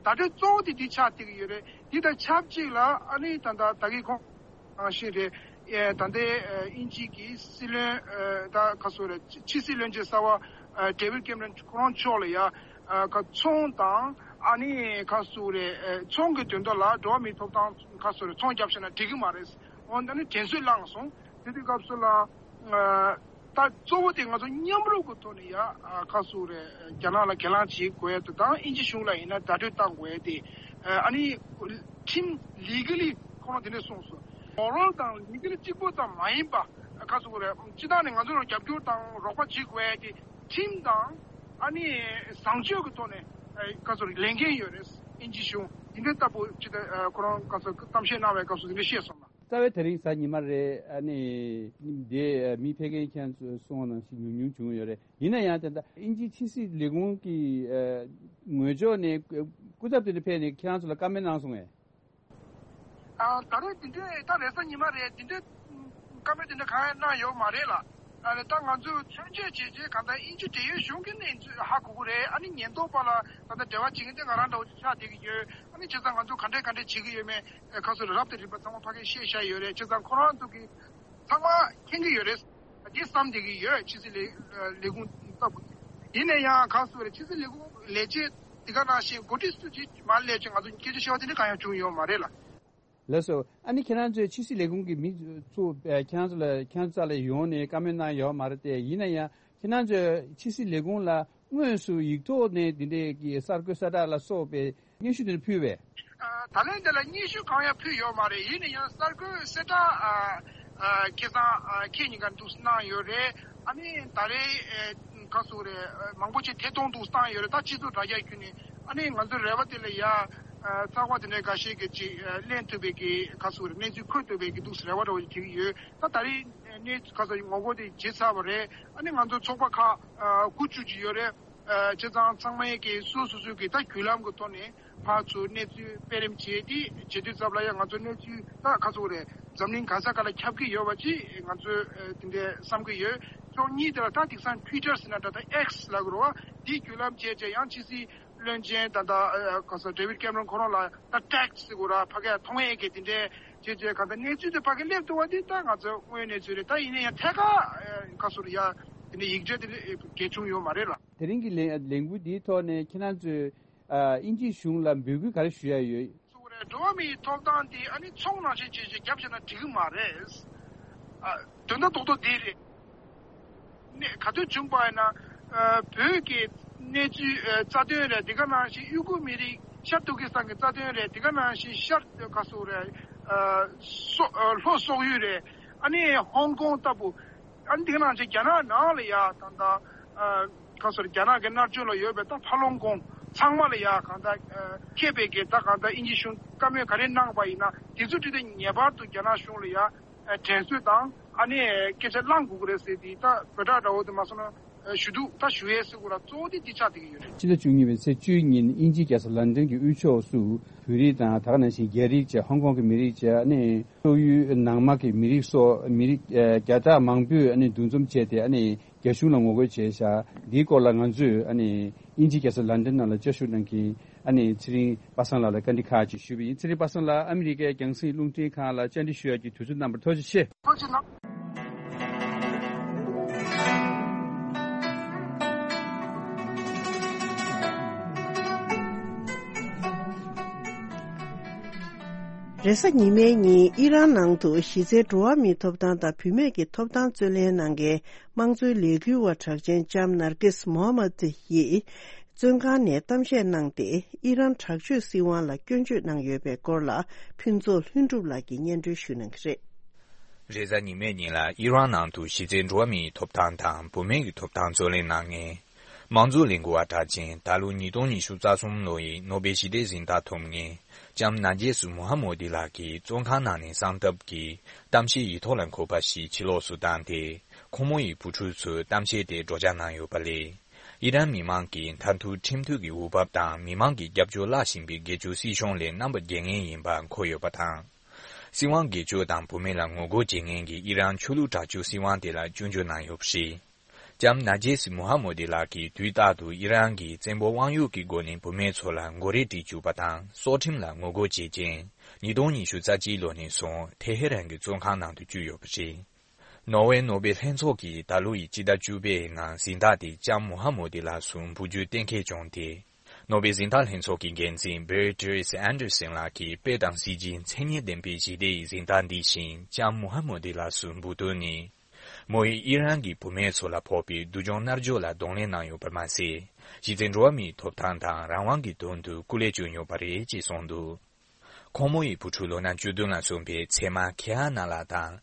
བརྡ་སྤྲོད་གཙོ་བོ་དེ་འདི་ཆགས་བསྡད་ཀྱི་ཡོད་རེད། འདི་དང་ཆབས་ཅིག་ལ་ཨ་ནི་ད་ལྟ་ད་གི་ཁོང་ནང་བཞིན་རེད། ཨེ་ད་ལྟའི་ཨེ་དབྱིན་ཇི་གི་སྲིད་བློན་ཨེ་ད་ག་སོ་རེད་ཕྱི་སྲིད་བློན་ཆེན་གསར་བ་ཨེ་ཌེ་ཝིད་ཀེམ་རོན་ཁོ་རང་མཆོག་ལ་ཡ་ཨེ་ག་ཚོང་དང་ཨ་ནི་ག་སོ་རེད་ཨེ་ཚོང་གི་དོན་དག་ལ་འགྲོ་བ་མིའི་ཐོབ་ཐང་ག་སོ་རེད་ཚོང་རྒྱབ་བཞག་ན་འགྲིག་གི་མ་རེད། འོན་ཏེ་ནི་དྲན་གསོ་བླངས་སོང་། དེ་དུས་སྐབས་སུ་ལ་ཨ། ད་གཙོ་བོ་དེ་ང་ཚོ་མཉམ་རུབ་ཀྱི་ཐོག་ནས་ཡ་ཁ་སུ་རེ་རྒྱ་ནག་ལ་གྱེན་ལངས་བྱེད་དགོས་ཡ་དེ་དང་དབྱིན་ཇི་གཞུང་ལ་ཡིན་ན་བརྡ་སྤྲོད་བཏང་དགོས་ཡ་དེ་ཨ་ནི་ཁྲིམས་ལི་ག་ལི་ཁོ་རང་དེ་འདྲས་གསུངས་སོང་། མོ་རལ་དང་ལི་ག་ལི་གཅིག་པོ་ཙམ་མ་ཡིན་པ་ཁ་སུ་རེ་སྤྱི་བཏང་ནས་ང་ཚོ་ལ་རྒྱབ་སྐྱོར་དང་རོགས་པ་བྱེད་དགོས་ཡ་དེ་ཁྲིམས་དང་ཨ་ནི་བཟང་སྤྱོད་ཀྱི་ཐོག་ནས་ཁ་སུ་རེ་ལས་འགན་ཡོད་རེད། དབྱིན་ཇི་གཞུང་དེ་འདྲས་ལྟ་བུ་ཅི་ད་ཁོ་རང་ཁ་སུ་གཏམ་བཤད་གནང་བའི་སྐབས་སུ་དེ་འདྲས་བཤད་སོང་ལ། རྩ་བའི་དེ་རིང་གཟའ་ཉི་མ་རེད། ཨ་ནི་འདི་མི་ཕལ་སྐད་ཁྱེད་ཚོས་གསུངས་པ་ནང་བཞིན་ཉུང་ཉུང་བྱུང་ཡོད་རེད། ཡིན་ན་ཡང་དེ་འདྲ་དབྱིན་ཇིའི་ཕྱི་སྲིད་ལས་ཁུངས་ཀྱི་ངོས་ཕྱོགས་ནས་སྐུ་ཚབ་དེ་འདྲ་ཕེབས་ནས་ཁྱེད་རང་ཚོ་ལ་བཀའ་མོལ་གནང་སོང་ངས། ཨ་ད་རེས་དེ་འདྲའི་ད་རེས་གཟའ་ཉི་མ་རེད་དེ་འདྲའི་བཀའ་མོལ་དེ་འདྲ་གང་ཡང་གནང་ཡོད་མ་རེད་ལ། ཨ་ནི་ད་ང་ཚོས་མཚོན་བྱེད་བྱས་རྗེས་གང་ལྟར་དབྱིན་ཇི་འབྲེལ་ཡོད་གཞུང་གི་གནས་ཚུལ་ཧ་གོ་གི་རེད། ཨ་ནི་ཉེན་རྟོག་པ་ལ་ད་ལྟ་འབྲེལ་བ་བྱེད་མཁན་དེ་ང་རང་འདྲ་བོ་ཅིག་ཆགས་བསྡད་ཀྱི་ཡོད། ཨ་ནི་བྱས་ཙང་ང་ཚོ་ག་འདྲས་ག་འདྲས་བྱེད་ཀྱི་ཡོད་མེད་ཁ་སོ་རེ་རབ་དང་རིམ་པ་ཚང་མ་ཕ་གིར་བཤད་བཞག་ཡོད་རེད། བྱས་ཙང་ཁོ་རང་ཚོ་གི་ཚང་མ་མཁྱེན་གྱི་ཡོད་རེད། འདི་བསམ་བསྡད་ཀྱི་ཡོད། ཕྱི་སྲིད་ལས་ལས་ཁུངས་ལྟ་བུ། ཡིན་ན་ཡང་ག་སོ་རེ་ཕྱི་སྲིད་ལས་ཁུངས་ལས་བྱེད་འདི་ག་ནང་བཞིན་འགོ་ཁྲིད་སུ་ཅིག་མ་སླེབས་ཅིག་ང་ཚོ་སྐད་ཆ་བཤད་པ་དེ་འདྲ་གང་ཡང་བྱུང་ཡོད་མ་རེད་ལ། ལགས་སོ། ཨ་ནི་ཁྱེད་རང་ཚོའི་ཕྱི་སྲིད་ལས་ཁུངས་ཀྱི་མི་ཚོ་ཨ་ཁྱེད་རང་ཚོ་ལ་ཁྱེད་རང་ཚོ་རྩ་ལ་ཡོང་ནས་བཀའ་མོལ་གནང་ཡོད་མ་རེད་དེ། ཡིན་ན་ཡང་ཁྱེད་རང་ཚོའི་ཕྱི་སྲིད་ལས་ཁུངས་ལ་དངོས་སུ་ཡིག་ཐོག་ནས་འདི་འདྲའི་གི་གསར་འགོད་གསལ་བསྒྲགས་ལ་སོགས་པའི་སྙན་ཞུ་དེ་འདྲ་ཕུལ་བས། ཨ་ད་ལན་དེ་ལ་སྙན་ཞུ་གང་ཡང་ཕུལ་ཡོད་མ་རེད། ཡིན་ན་ཡང་གསར་འགོད་གསལ་བསྒྲགས་ཨ་ཨ་ཁ་སང་ཨ་ཁྱེད་གཉིས་ཀ་འདུག་སེ་གནང་ཡོད་རེད། ཨ་ནི་ད་རེས་ཨ་ག་སུ་རེད་ཨ་མང་པོ་ཅིག་ཐད་གཏོང་འདུག་སེ་བཏང་ཡོད་རེད། ད་སྤྱི་ཚོགས་དྲ་རྒྱ་བརྒྱུད་ནས་ཨ་ནི་ང་ཚོའི་རེ་བ་དེ་ལ་ཡ་ཨ་ཚགས་པར་དེ་འདྲའི་འགའ་ཤས་ཀྱིས་ཅིག་ཨ་ལེན་ཐུབ་པའི་གི་ག་སུ་རེད་གནས་ཚུལ་འཁོད་ཐུབ་པའི་གི་འདུག་སེ་རེ་བ་འདྲ་བོ་ཅིག་བྱེད་ཀྱི་ཡོད། ད་ད་རེས་གནས་ཚུལ་ག་སུ་ངོ་རྒོལ་དེ་བྱེད་ཚར་བ་རེད། ཨ་ནི་ང་ཚོ་ཚོགས་པ་ཁག་ཨ་དགུ་བཅུ་ཅིག་ཡོད་རེད། ཨ་བྱས་ཙང་ཚང་མས་ཀྱི་སོ་སོ་སོའི་གི་ད་བརྒྱུད་ལམ་གྱི་ཐོག་ནས་ཕར་ཚུར་གནས་ཚུལ་སྤེལ་རེས་བྱས་ཏེ་བྱེད་དུས་ཙམ་ལ་ཡང་ང་ཚོ་གནས་ཚུལ་ད་ག་ཚོད་རེད་འཛམ་གླིང་ག་ས་ག་ལ་ཁྱབ་ཀྱི་ཡོད་པ་ཅིག་ང་ཚོས་ཨ་དེ་འདྲའི་བསམ་གྱི་ཡོད། ཕྱོགས་གཉིས་དེ་ལ་ད་དེང་སང་Twitter་ཟེར་ན་འདྲ་ད་X་ལབ་དགོས་རེད་བ། དེའི་བརྒྱུད་ལམ་བྱས་བྱས་ཡང་ཕྱི་སྲིད་བློན་ཆེན་ད་ད་ཨ་ག་ས་David Cameron་ཁོ་རང་ལ་ད་tag་ཟེར་དགོས་རེད་བ། ཕ་གིར་མཐོང་ཡས་ཀྱི་དེ་འདྲའི་བྱས་བྱས་གང་ལྟར་གནས་ཚུལ་དེ་ཕ་གིར་སླེབས་ཐུབ་པ་དེ་ད་ང་ཚོ་དངོས་གནས་ཚུལ་རེད། ད་ཡིན་ན་ཡང་ཐད་ཀར་ཨ་ག་ཚོད་རེད་ཡ་དེ་འདྲའི་ཡིག་ཆ་དེ་གལ་བྱུང་ཡོད་མ་རེད་ལ། དེ་རིང་གི་ལས་ལས་འགུལ་འདིའི་ཐོག་ནས་ཁྱེད་རང་ཚོས་ཨ་དབྱིན་ཇིའི་གཞུང་ལ་འབོད་སྐུལ་ག་རེ་ཞུ་ཡ་ཡོད། གཙོ་བོ་རེད། འགྲོ་བ་མིའི་ཐོབ་ཐང་འདི་ཨ་ནི་ཚོང་ནང་བཞིན་བྱས་བྱས་རྒྱབ་བཞག་ན་འགྲིག་གི་མ་རེད། ཨ་དོན་དག་རྡོག་རྡོག་འདི་རེད། ནས་ག་དུས་བྱུང་པ་ཡིན་ན་ཨ་བོད་ཀྱི་གནས་ཚུལ་ཨ་རྩ་དོན་རེད། འདི་ག་ནང་བཞིན་ཡུ་གུར་མི་རིགས་ཤར་ཏུར་ཀི་སི་ཐན་གྱི་རྩ་དོན་རེད། འདི་ག་ནང་བཞིན་ཤར་ག་ཚོད་རེད་ཨ་སོ་ཨ་ལྷོ་སོག་ཡུལ་རེད། ཨ་ནི་ཧོང་ཀོང་ལྟ་བུ། ཨ་ནི་དེ་ནང་བཞིན་རྒྱ་ནག་ནང་ལ་ཡ་ད་ལྟ་ཨ་ག་ཚོད་རྒྱ་ནག་གི་མནར་གཅོད་ལ་ཡོད་པའི་ད་ཕ་ལོང་ཀོང་ཚང་མ་ལ་ཡ་གང་ལྟར་ཨ་མཁས་པའི་གི་ད་གང་ལྟར་དབྱིན་ཇི་གཞུང་བཀའ་མོལ་ག་རེ་གནང་པ་ཡིན་ན་དེ་ཚོ་དེ་དེ་ངེས་པར་དུ་རྒྱ་ནག་གཞུང་ལ་ཡ་ཨ་དྲན་གསོ་དང་ཨ་ནི་སྐད་ཆ་བླང་དགོས་ཀྱི་རེད་ཟེར་དེ་ད་བོད་སྒྲ་འདྲ་བོ་དེ་མ་སོང་ན་ཨ་ཞུ་གཏུག་ད་ཞུ་ཡས་ཟེར་དགོས་ར་གཙོ་བོ་དེ་དེ་ཆགས་བསྡད་ཀྱི་ཡོད་རེད། ཕྱི་ཟླ་བཅུ་གཉིས་པའི་ཚེས་བཅུའི་ཉིན་དབྱིན་ཇིའི་རྒྱལ་ས་ལན་ཏན་གྱི་དབུས་ཕྱོགས་སུ་བོད་རིགས་དང་ད་ག་ནང་བཞིན་རྒྱ་རིགས་བཅས་ཧོང་ཀོང་གི་མི་རིགས་བཅས་ཨ་ནི། སོག་ཡུལ་ནང་མ་གི་མི་རིགས་སོགས་མི་རིགས་ཨ་བརྒྱ་ཕྲག་མང་པོས་ཨ་ནི་འདུ་འཛོམས་བྱས་ཏེ་ཨ་ནི་རྒྱ་གཞུང་ལ་ངོ་རྒོལ་བྱས་ཤག་འདིའི་སྐོར་ལ་ང་ཚོས་ཨ་ནི་དབྱིན་ཇིའི་རྒྱལ་ས་ལན་ཏན་ནང་ལ་བཅར་ཞུགས་གནང་མཁན་ཨ་ནི་ཚེ་རིང་པ་སངས་ལགས་ལ་བཀའ་འདྲི་ཁག་ཅིག་ཞུས་པ་ཡིན། ཚེ་རིང་པ་སངས་ལགས་ཨ་མི་རི་ཀའི་རྒྱང་སྲིང་རླུང་འཕྲིན་ཁང་ལ་བཅར་འདྲི་ཞུ་ཡག་གི་དུས་ཚོད་གནང་བར་ཐུགས་རྗེ་ཆེ། ཐུགས་རྗེ་གནང་། རེས་གཟའ་ཉི་མའི་ཉིན་ཨི་རན་ནང་དུ་གཞི་རྩའི་འགྲོ་བ་མིའི་ཐོབ་ཐང་དང་བུད་མེད་ཀྱི་ཐོབ་ཐང་རྩོད་ལེན་གནང་མཁན་དམངས་གཙོའི་ལས་འགུལ་བ་གྲགས་ཅན་ལྕམ་ནར་ཀིས་མོ་ཧ་མད་ཡིས་བཙོན་ཁང་ནས་གཏམ་བཤད་གནང་སྟེ། ཨི་རན་དྲག་སྤྱོད་སྲིད་དབང་ལ་སྐྱོན་བརྗོད་གནང་ཡོད་པའི་སྐོར་ལ་ཕུན་ཚོགས་ལྷུན་གྲུབ་ལགས་ཀྱིས་སྙན་སྒྲོན་ཞུ་གནང་གི་རེད། རེས་གཟའ་ཉི་མའི་ཉིན་ལ་ཨི་རན་ནང་དུ་གཞི་རྩའི་འགྲོ་བ་མིའི་ཐོབ་ཐང་དང་བུད་མེད་ཀྱི་ཐོབ་ཐང་རྩོད་ལེན་གནང་མཁན། དམངས་གཙོ་ལས་འགུལ་བ་གྲགས་ཅན། ད་ལོ་ཉིས་སྟོང་ཉི་ཤུ་རྩ་གསུམ་ལོ་ཡི་ནོ་བེལ་ཞི་བདེའི་གཟེངས་རྟགས་ཐོབ་མཁན་ལྕམ་ནཱ་ཇེས་མུ་ཧ་མོ་དི་ལགས་ཀྱིས་བཙོན་ཁང་ནང་ནས་གསང་སྟབས་ཀྱིས་གཏམ་བཤད་ཡིག་ཐོག་ལ་འཁོད་པ་ཞིག་ཕྱི་ལོགས་སུ་བཏང་སྟེ། ཁོང་མོ་ཡི་བུ་ཕྲུག་ཚོས་གཏམ་བཤད་དེ་སྒྲོག་སྦྱང་གནང་ཡོད་པ་ལས། ཨི་རན་མི་མང་གིས་མཐར་ཐུག་ཁྲིམས་མཐུན་གྱི་འོས་བབ་དང་མི་མང་གི་རྒྱབ་སྐྱོར་བརླག་བཞིན་པའི་སྒེར་གཅོད་སྲིད་གཞུང་ལས་རྣམ་པ་རྒྱལ་ངེས་ཡིན་པ་འཁོད་ཡོད་པ་དང་། སྲིད་དབང་སྒེར་གཅོད་དང་བུད་མེད་ལ་ངོ་རྒོལ་བྱེད་མཁན་གྱི་ཨི་རན་ཆོས་ལུགས་དྲག་སྤྱོད་སྲིད་དབང་དེ་ལ་སྐྱོན་བརྗོད་གནང་ཡོད་པ་རེད། ལྕམ་ནཱ་ཇེས་མུ་ཧ་མོ་དི་ལགས་ཀྱིས་དུས་རྟག་ཏུ་ཨི་རན་གྱི་བཙན་པོ་དབང་ཡོད་ཀྱི་སྒོ་ནས་བུད་མེད་ཚོ་ལ་མགོ་རས་དཀྲིས་བཅུག་པ་དང་སྲོག་ཁྲིམས་ལ་ངོ་རྒོལ་བྱེད་ཅིང་། ཉིས་སྟོང་ཉི་ཤུ་རྩ་གཅིག་ལོ་ནས་བཟུང་ཐེ་ཧེ་རན་གྱི་བཙོན་ཁང་ནང་དུ་བཅུག་ཡོད་པ་རེད། ནོར་ཝེ་ནོ་བེལ་ལྷན་ཚོགས་ཀྱིས་ད་ལོ་ཡི་སྤྱི་ཟླ་བཅུ་པའི་ནང་གཟེངས་རྟགས་དེ་ལྕམ་མུ་ཧ་མོ་དི་ལགས་སུ་འབུལ་རྒྱུའི་གཏན་འཁེལ་བྱུང་སྟེ། ནོ་བེལ་གཟེངས་རྟགས་ལྷན་ཚོགས་ཀྱི་འགན་འཛིན་བེར་ཏི་རེས་ཨན་ཏར་སན་ལགས་ཀྱིས་དཔེ་དང་སྲིད་ཇུས་མཚན་སྙན་ལྡན་པའི་ཞི་བདེ་ཡི་གཟེངས་རྟགས་འདི་བཞིན་ལྕམ་མུ་ཧ་མོ་དི་ལགས་སུ་འབུལ་དོན་ནི། མོ་ཡིས་ཨི་རན་གྱི་བུད་མེད་ཚོ་ལ་ཕོག་པའི་སྡུག་སྦྱོང་མནར་གཅོད་ལ་གདོང་ལེན་གནང་ཡོད་པར་མ་ཟད། གཞི་རྩའི་འགྲོ་བ་མིའི་ཐོབ་ཐང་དང་རང་དབང་གི་དོན་དུ་སྐུ་ལས་བསྐྱོན་ཡོད་པ་རེད་ཅེས་གསུངས་འདུག་ཁོང་མོ་ཡི་བུ་ཕྲུག་ལོ་ན་བཅུ་བདུན་ལ་སོན་པའི་མཚེ་མ་ཁེ་ཨ་ན་ལགས་དང་།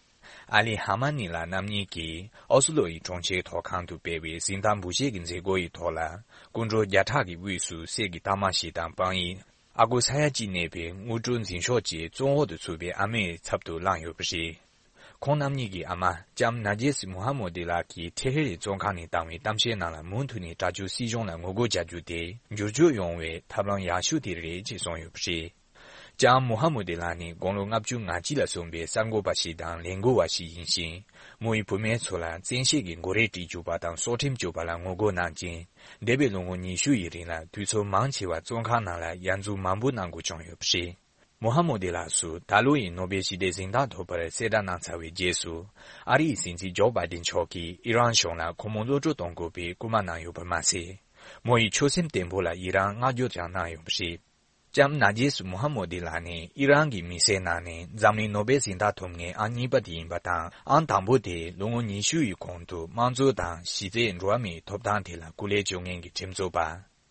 ཨ་ལི་ཧ་མ་ནི་ལགས་རྣམ་གཉིས་ཀྱིས་ཨོ་སི་ལོ་ཡི་གྲོང་ཁྱེར་ཐོག་ཁང་དུ་སྤེལ་བའི་གཟེངས་རྟགས་འབུལ་བཞེས་ཀྱི་མཛད་སྒོ་ཡི་ཐོག་ལ། སྐུ་མགྲོན་བརྒྱ་ཕྲག་གི་དབུས་སུ་གསེར་གྱི་རྟགས་མ་ཞིག་དང་། དཔང་ཡིག་ཨ་ཁུ་ས་ཡ་གཅིག་གནས་པའི་དངོས་གྲུབ་འཛིན་ཤོག་བཅས་བཙོན་འོག་ཏུ་ཚུད་པའི་ཨ་མའི་ཚབ་ཏུ་བླངས་ཡོད་པ་རེད། ཁོང་རྣམ་གཉིས་ཀྱི་ཨ་མ་ལྕམ་ནཱ་ཇེས་མུ་ཧ་མོ་དི་ལགས་ཀྱིས་ཐེ་ཧེ་རན་བཙོན་ཁང་ནས་བཏང་བའི་གཏམ་བཤད་ནང་ལ། མུ་མཐུད་ནས་དྲག་སྤྱོད་སྲིད་གཞུང་ལ་ངོ་རྒོལ་བྱ་རྒྱུ་དེ་འགྱུར་བཅོས་ཡོང་བའི་ཐབས་ལམ་ཡག་ཤོས་དེ་རེད་ཅེས་གསུངས་ཡོད་པ་རེད། ལྕམ་མུ་ཧ་མོ་དི་ལགས་ནི་དགུང་ལོ་ལྔ་བཅུ་ང་གཅིག་ལ་སོན་པའི་གསར་འགོད་པ་ཞིག་དང་ལས་འགུལ་བ་ཞིག་ཡིན་ཞིང་། མོ་ཡི་བུད་མེད་ཚོ་ལ་བཙན་ཤེད་ཀྱིས་མགོ་རས་དཀྲིས་བཅུག་པ་དང་སྲོག་ཁྲིམས་གཅོད་པ་ལ་ངོ་རྒོལ་གནང་ཅིང་། འདས་པའི་ལོ་ངོ་ཉི་ཤུ་ཡི་རིང་ལ་དུས་ཚོད་མང་ཆེ་བ་བཙོན་ཁང་ནང་ལ་ཡར་འཛུགས་མང་པོ་གནང་དགོས་བྱུང་ཡོད་པ་རེད། མོ་ཧ་མོ་དི་ལགས་སུ་ད་ལོ་ཡི་ནོ་བེལ་ཞི་བདེའི་གཟེངས་རྟགས་ཐོབ་པར་གསལ་བསྒྲགས་གནང་ཚར་བའི་རྗེས་སུ། ཨ་རི་ཡི་སྲིད་འཛིན་ཇོ་བྷའི་ཏིན་མཆོག་གིས་ཨི་རན་གཞུང་ལ་ཁོང་མོ་གློད་བཀྲོལ་གཏོང་དགོས་པའི་སྐུལ་མ་གནང་ཡོད་པར་མ་ཟད། མོ་ཡི་ཆོད་སེམས་བརྟན་པོ་ལ་ཨི་རན་བསྔགས་བརྗོད་ཀྱང་གནང་ཡོད་པ་རེད། ལྕམ་ནཱ་ཇེས་མུ་ཧ་མོ་དི་ལགས་ནི་ཨི་རན་གྱི་མི་སེར་ནང་ནས་འཛམ་གླིང་ནོ་བེལ་གཟེངས་རྟགས་ཐོབ་མཁན་ཨང་གཉིས་པ་དེ་ཡིན་པ་དང་། ཨང་དང་པོ་དེ་ལོ་ངོ་ཉི་ཤུ་ཡི་གོང་དུ་དམངས་གཙོ་དང་གཞི་རྩའི་འགྲོ་བ་མིའི་ཐོབ་ཐང་དེ་ལ་སྐུ་ལས་བསྐྱོན་མཁན་གྱི་ཁྲིམས་རྩོད་པ་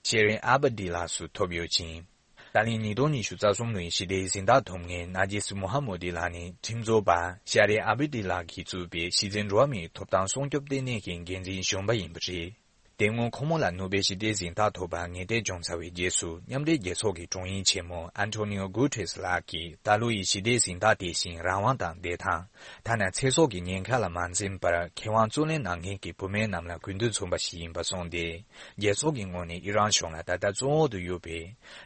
ཤེ་རིན་ཨ་བྷ་དི་ལགས་སུ་ཐོབ་ཡོད་ཅིང་། ད་ལན་ཉིས་སྟོང་ཉི་ཤུ་རྩ་གསུམ་ལོའི་ཞི་བདེའི་གཟེངས་རྟགས་ཐོབ་མཁན་ནཱ་ཇེས་མུ་ཧ་མོ་དི་ལགས་ནི་ཁྲིམས་རྩོད་པ་ཤ་རི་ཨ་བྷ་དི་ལགས་ཀྱིས་གཙོས་པའི་གཞི་རྩའི་འགྲོ་བ་མིའི་ཐོབ་ཐང་སྲུང་སྐྱོབ་ལྟེ་གནས་ཀྱི་འགན་འཛིན་གཞོན་པ་ཡིན་པ་རེད། དེ་སྔོན་ཁོང་མོ་ལ་ནོ་བེལ་ཞི་བདེའི་གཟེངས་རྟགས་ཐོབ་པར་ངེས་གཏན་བྱུང་ཚར་བའི་རྗེས་སུ། མཉམ་འབྲེལ་རྒྱལ་ཚོགས་ཀྱི་དྲུང་ཡིག་ཆེན་མོ་ཨན་ཐོ་ནིའོ་གུ་ཏེ་རེས་ལགས་ཀྱིས་ད་ལོ་ཡི་ཞི་བདེའི་གཟེངས་རྟགས་དེ་བཞིན་རང་དབང་དང་བདེ་ཐང་། ཐ་ན་ཚེ་སྲོག་གི་ཉེན་ཁ་ལ་མ་འཛེམས་པར་ཁེ་དབང་བརྩོན་ལེན་གནང་མཁན་གྱི་བུད་མེད་རྣམས་ལ་གུས་འདུད་མཚོན་པ་ཞིག་ཡིན་པ་གསུངས་ཏེ། རྒྱལ་ཚོགས་ཀྱི་ངོས་ནས་ཨི་རན་གཞུང་ལ་ད་ལྟ་བཙོན་འོག་ཏུ་ཡོད་པའི་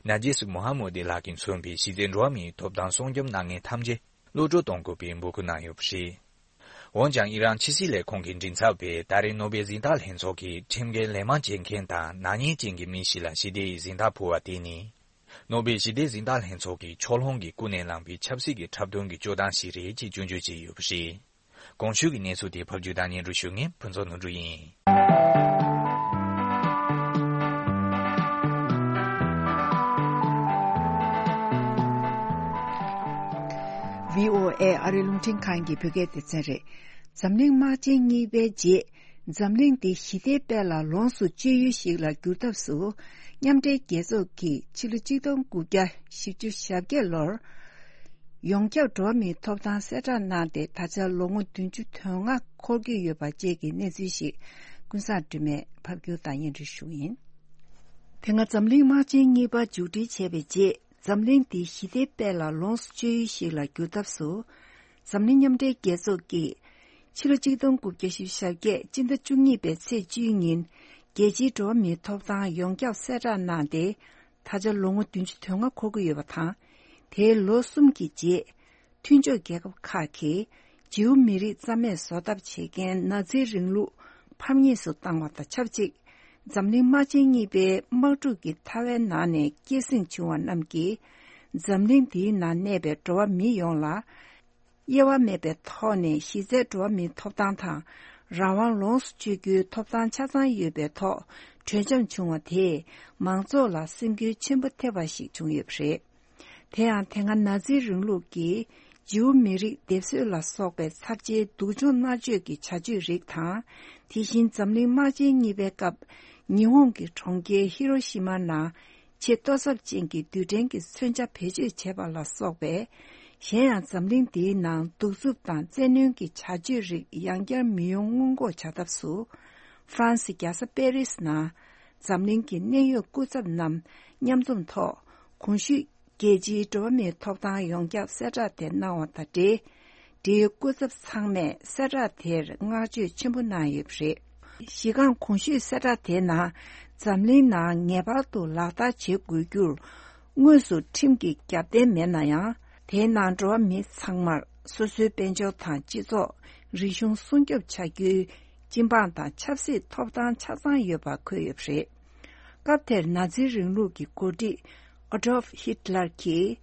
ནཱ་ཇེས་མུ་ཧ་མོ་དི་ལགས་ཀྱིས་མཚོན་པའི་གཞི་རྩའི་འགྲོ་བ་མིའི་ཐོབ་ཐང་སྲུང་སྐྱོབ་གནང་མཁན་ཐམས་ཅད་གློད་བཀྲོལ་གཏོང་དགོས་པའི་འབོད་སྐུལ་གནང་ཡོད་པ་རེད། འོན་ཀྱང་ཨི་རན་ཕྱི་སྲིད་ལས་ཁུངས་ཀྱི་མགྲིན་ཚབ་པས་ད་རེས་ནོ་བེལ་གཟེངས་རྟགས་ལྷན་ཚོགས་ཀྱི་ཁྲིམས་འགལ་ལན་མང་བྱེད་མཁན་དང་ནག་ཉེས་ཅན་གྱི་མི་ཞིག་ལ་ཞི་བདེའི་གཟེངས་རྟགས་ཕུལ་བ་དེ་ནི། ནོ་བེལ་ཞི་བདེའི་གཟེངས་རྟགས་ལྷན་ཚོགས་ཀྱིས་ཕྱོགས་ལྷུང་གིས་ཀུན་ནས་བསླངས་པའི་ཆབ་སྲིད་ཀྱི་འཁྲབ་སྟོན་གྱི་སྤྱོད་སྟངས་ཤིག་རེད་ཅེས་སྐྱོན་བརྗོད་བྱས་ཡོད་པ་རེད། གོང་ཞུས་ཀྱི་གནས་ཚུལ་དེ་ཕབ་སྒྱུར་དང་སྙན་སྒྲོན་ཞུ་མཁན་ཕུན་ཚོགས་ནོར་བུ་ཡིན། བྷི་ཨོ་ཨེ་ཨ་རིའི་རླུང་འཕྲིན་ཁང་གི་བོད་སྐད་སྡེ་ཚན་རེད། འཛམ་གླིང་དམག་ཆེན་གཉིས་པའི་རྗེས། འཛམ་གླིང་འདི་ཞི་བདེའི་དཔལ་ལ་ལོངས་སུ་སྤྱོད་ཡུལ་ཞིག་ལ་བསྒྱུར་ཐབས་སུ། མཉམ་འབྲེལ་རྒྱལ་ཚོགས་ཀྱིས་ཕྱི་ལོ་ཆིག་སྟོང་དགུ་བརྒྱ་བཞི་བཅུ་ཞེ་བརྒྱད་ལོར། ཡོངས་ཁྱབ་འགྲོ་བ་མིའི་ཐོབ་ཐང་གསལ་བསྒྲགས་གནང་སྟེ། ད་ཆ་ལོ་ངོ་བདུན་ཅུ་དོན་ལྔ་འཁོར་གྱི་ཡོད་པ་བཅས་ཀྱི་གནས་ཚུལ་ཞིག་ཀུན་བཟང་སྒྲོལ་མས་ཕབ་སྒྱུར་དང་སྙན་སྒྲོན་ཞུ་གི་ཡིན། དེ་སྔ་འཛམ་གླིང་དམག་ཆེན་གཉིས་པ་མཇུག་སྒྲིལ་བྱས་པའི་རྗེས། འཛམ་གླིང་འདི་ཞི་བདེའི་དཔལ་ལ་ལོངས་སུ་སྤྱོད་ཡུལ་ཞིག་ལ་བསྒྱུར་ཐབས་སུ། འཛམ་གླིང་མཉམ་འབྲེལ་རྒྱལ་ཚོགས་ཀྱིས་ཕྱི་ལོ་ཆིག་སྟོང་དགུ་བརྒྱ་བཞི་བཅུ་ཞེ་བརྒྱད་སྤྱི་ཟླ་བཅུ་གཉིས་པའི་ཚེས་བཅུའི་ཉིན། རྒྱལ་སྤྱིའི་འགྲོ་བ་མིའི་ཐོབ་ཐང་ཡོངས་ཁྱབ་གསལ་བསྒྲགས་གནང་སྟེ། ད་ཆ་ལོ་ངོ་བདུན་ཅུ་དོན་ལྔ་འཁོར་གྱི་ཡོད་པ་དང་། དེའི་ལོ་གསུམ་གྱི་རྗེས། མཐུན་ཕྱོགས་རྒྱལ་ཁབ་ཁག་གིས་ཇིའུ་མི་རིགས་རྩ་མེད་བཟོ་ཐབས་བྱེད་མཁན་ནཱ་ཛི་རིང་ལུགས་ཕམ་ཉེས་སུ་བཏང་བ་དང་ཆབས་ཅིག་འཛམ་གླིང་དམག་ཆེན་གཉིས་པའི་དམག་འཁྲུག་གི་ཐལ་བའི་ནང་ནས་སྐྱེད་སྲིང་བྱུང་བ་རྣམས་ཀྱིས། འཛམ་གླིང་འདིའི་ནང་གནས་པའི་འགྲོ་བ་མི་ཡོངས་ལ། དབྱེ་བ་མེད་པའི་ཐོག་ནས་གཞི་རྩའི་འགྲོ་བ་མིའི་ཐོབ་ཐང་དང་རང་དབང་ལོངས་སུ་སྤྱོད་རྒྱུའི་ཐོབ་ཐང་ཆ་ཚང་ཡོད་པའི་ཐོག་གྲོས་འཆམ་བྱུང་བ་དེས་མང་ཚོགས་ལ་སེམས་འགུལ་ཆེན་པོ་ཐེབས་པ་ཞིག་བྱུང་ཡོད་པ་རེད། དེ་ཡང་དེ་སྔ་ནཱ་ཛི་རིང་ལུགས་ཀྱིས་ཇིའུ་མི་རིགས་སྡེབ་གསོད་ལ་སོགས་པའི་ཚབས་ཆེའི་སྡུག་སྦྱོང་མནར་གཅོད་ཀྱི་བྱ་སྤྱོད་རིགས་དང་། དེ་བཞིན་འཛམ་གླིང་དམག་ཆེན་གཉིས་པའི་སྐབས་ཉི་ཧོང་གི་གྲོང་ཁྱེར་ཧི་རོ་ཤི་མ་ནང་ཆེས་ལྟོ་ཚབས་ཅན་གྱི་རྡུལ་ཕྲན་གྱི་མཚོན་ཆ་བེད་སྤྱོད་བྱས་པ་ལ་སོགས་པའི། གཞན་ཡང་འཛམ་གླིང་འདིའི་ནང་གདུག་རྩུབ་དང་བཙན་གནོན་གྱི་བྱ་སྤྱོད་རིགས་ཡང་བསྐྱར་མི་ཡོང་སྔོན་འགོག་བྱ་ཐབས་སུ། ཧྥ་རན་སི་རྒྱལ་ས་པེ་རིས་ནང་འཛམ་གླིང་གི་གནད་ཡོད་སྐུ་ཚབ་རྣམས་མཉམ་འཛོམས་ཐོག་གོང་ཞུས། རྒྱལ་སྤྱིའི་འགྲོ་བ་མིའི་ཐོབ་ཐང་ཡོངས་ཁྱབ་གསལ་བསྒྲགས་དེ་གནང་བ་དང་འབྲེལ། འབྲེལ་ཡོད་སྐུ་ཚབ་ཚང་མས་གསལ་བསྒྲགས་དེར་བསྔགས་བརྗོད་ཆེན་པོ་གནང་ཡོད་པ་རེད། གཞི་རྐང་གོང་ཞུས་གསལ་བསྒྲགས་དེའི་ནང་། འཛམ་གླིང་ནང་ངེས་པར་དུ་ལག་བསྟར་བྱེད་དགོས་རྒྱུར། དངོས་སུ་ཁྲིམས་ཀྱི་རྒྱབ་རྟེན་མེད་ན་ཡང་། དེའི་ནང་འགྲོ་བ་མི་ཚང་མར་སོ་སོའི་དཔལ་འབྱོར་དང་སྤྱི་ཚོགས། རིག་གཞུང་སྲུང་སྐྱོབ་བྱ་རྒྱུའི་སྤྱི་འབངས་དང་ཆབ་སྲིད་ཐོབ་ཐང་ཆ་ཚང་ཡོད་པ་འཁོད་ཡོད་པ་རེད། སྐབས་དེར་ནཱ་ཛི་རིང་ལུགས་ཀྱི་འགོ་ཁྲིད་ཨ་ཌོལཕ་ཧི་ཊ་ལར་གྱིས།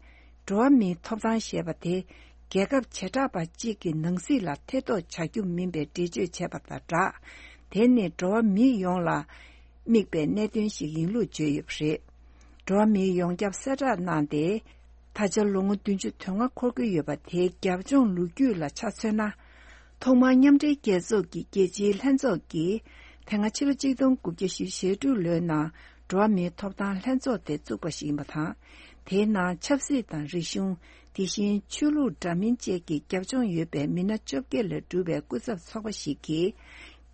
འགྲོ་བ་མིའི་ཐོབ་ཐང་ཞེས་པ་དེ་རྒྱལ་ཁབ་བྱེ་བྲག་པ་གཅིག་གི་ནང་སྲིད་ལ་ཐེ་གཏོགས་བྱ་རྒྱུ་མིན་པའི་འགྲེལ་བརྗོད་བྱས་པ་དང་སྦྲགས། དེ་ནི་འགྲོ་བ་མི་ཡོངས་ལ་དམིགས་པའི་གནད་དོན་ཞིག་ཡིན་ལུགས་བརྗོད་ཡོད་པ་རེད། འགྲོ་བ་མིའི་ཡོངས་ཁྱབ་གསལ་བསྒྲགས་གནང་སྟེ། ད་ཆ་ལོ་ངོ་བདུན་ཅུ་དོན་ལྔ་འཁོར་གྱི་ཡོད་པ་དེའི་རྒྱབ་ལྗོངས་ལོ་རྒྱུས་ལ་ཆ་མཚོན་ན། ཐོག་མར་མཉམ་འབྲེལ་རྒྱལ་ཚོགས་ཀྱི་རྒྱལ་སྤྱིའི་ལྷན་ཚོགས་ཀྱིས་དེ་སྔ་ཕྱི་ལོ་ཆིག་སྟོང་དགུ་བརྒྱ་བཞི་བཅུ་ཞེ་དྲུག་ལོའི་ནང་འགྲོ་བ་མིའི་ཐོབ་ཐང་ལྷན་ཚོགས་དེ་བཙུགས་པ་ཞིག་ཡིན་པ་དང་། དེའི་ནང་ཆབ་སྲིད་དང་རིག་གཞུང་། དེ་བཞིན་ཆོས་ལུགས་འདྲ་མིན་བཅས་ཀྱི་རྒྱབ་ལྗོངས་ཡོད་པའི་མི་སྣ་བཅོ་བརྒྱད་ལས་གྲུབ་པའི་སྐུ་ཚབ་ཚོགས་པ་ཞིག་གིས།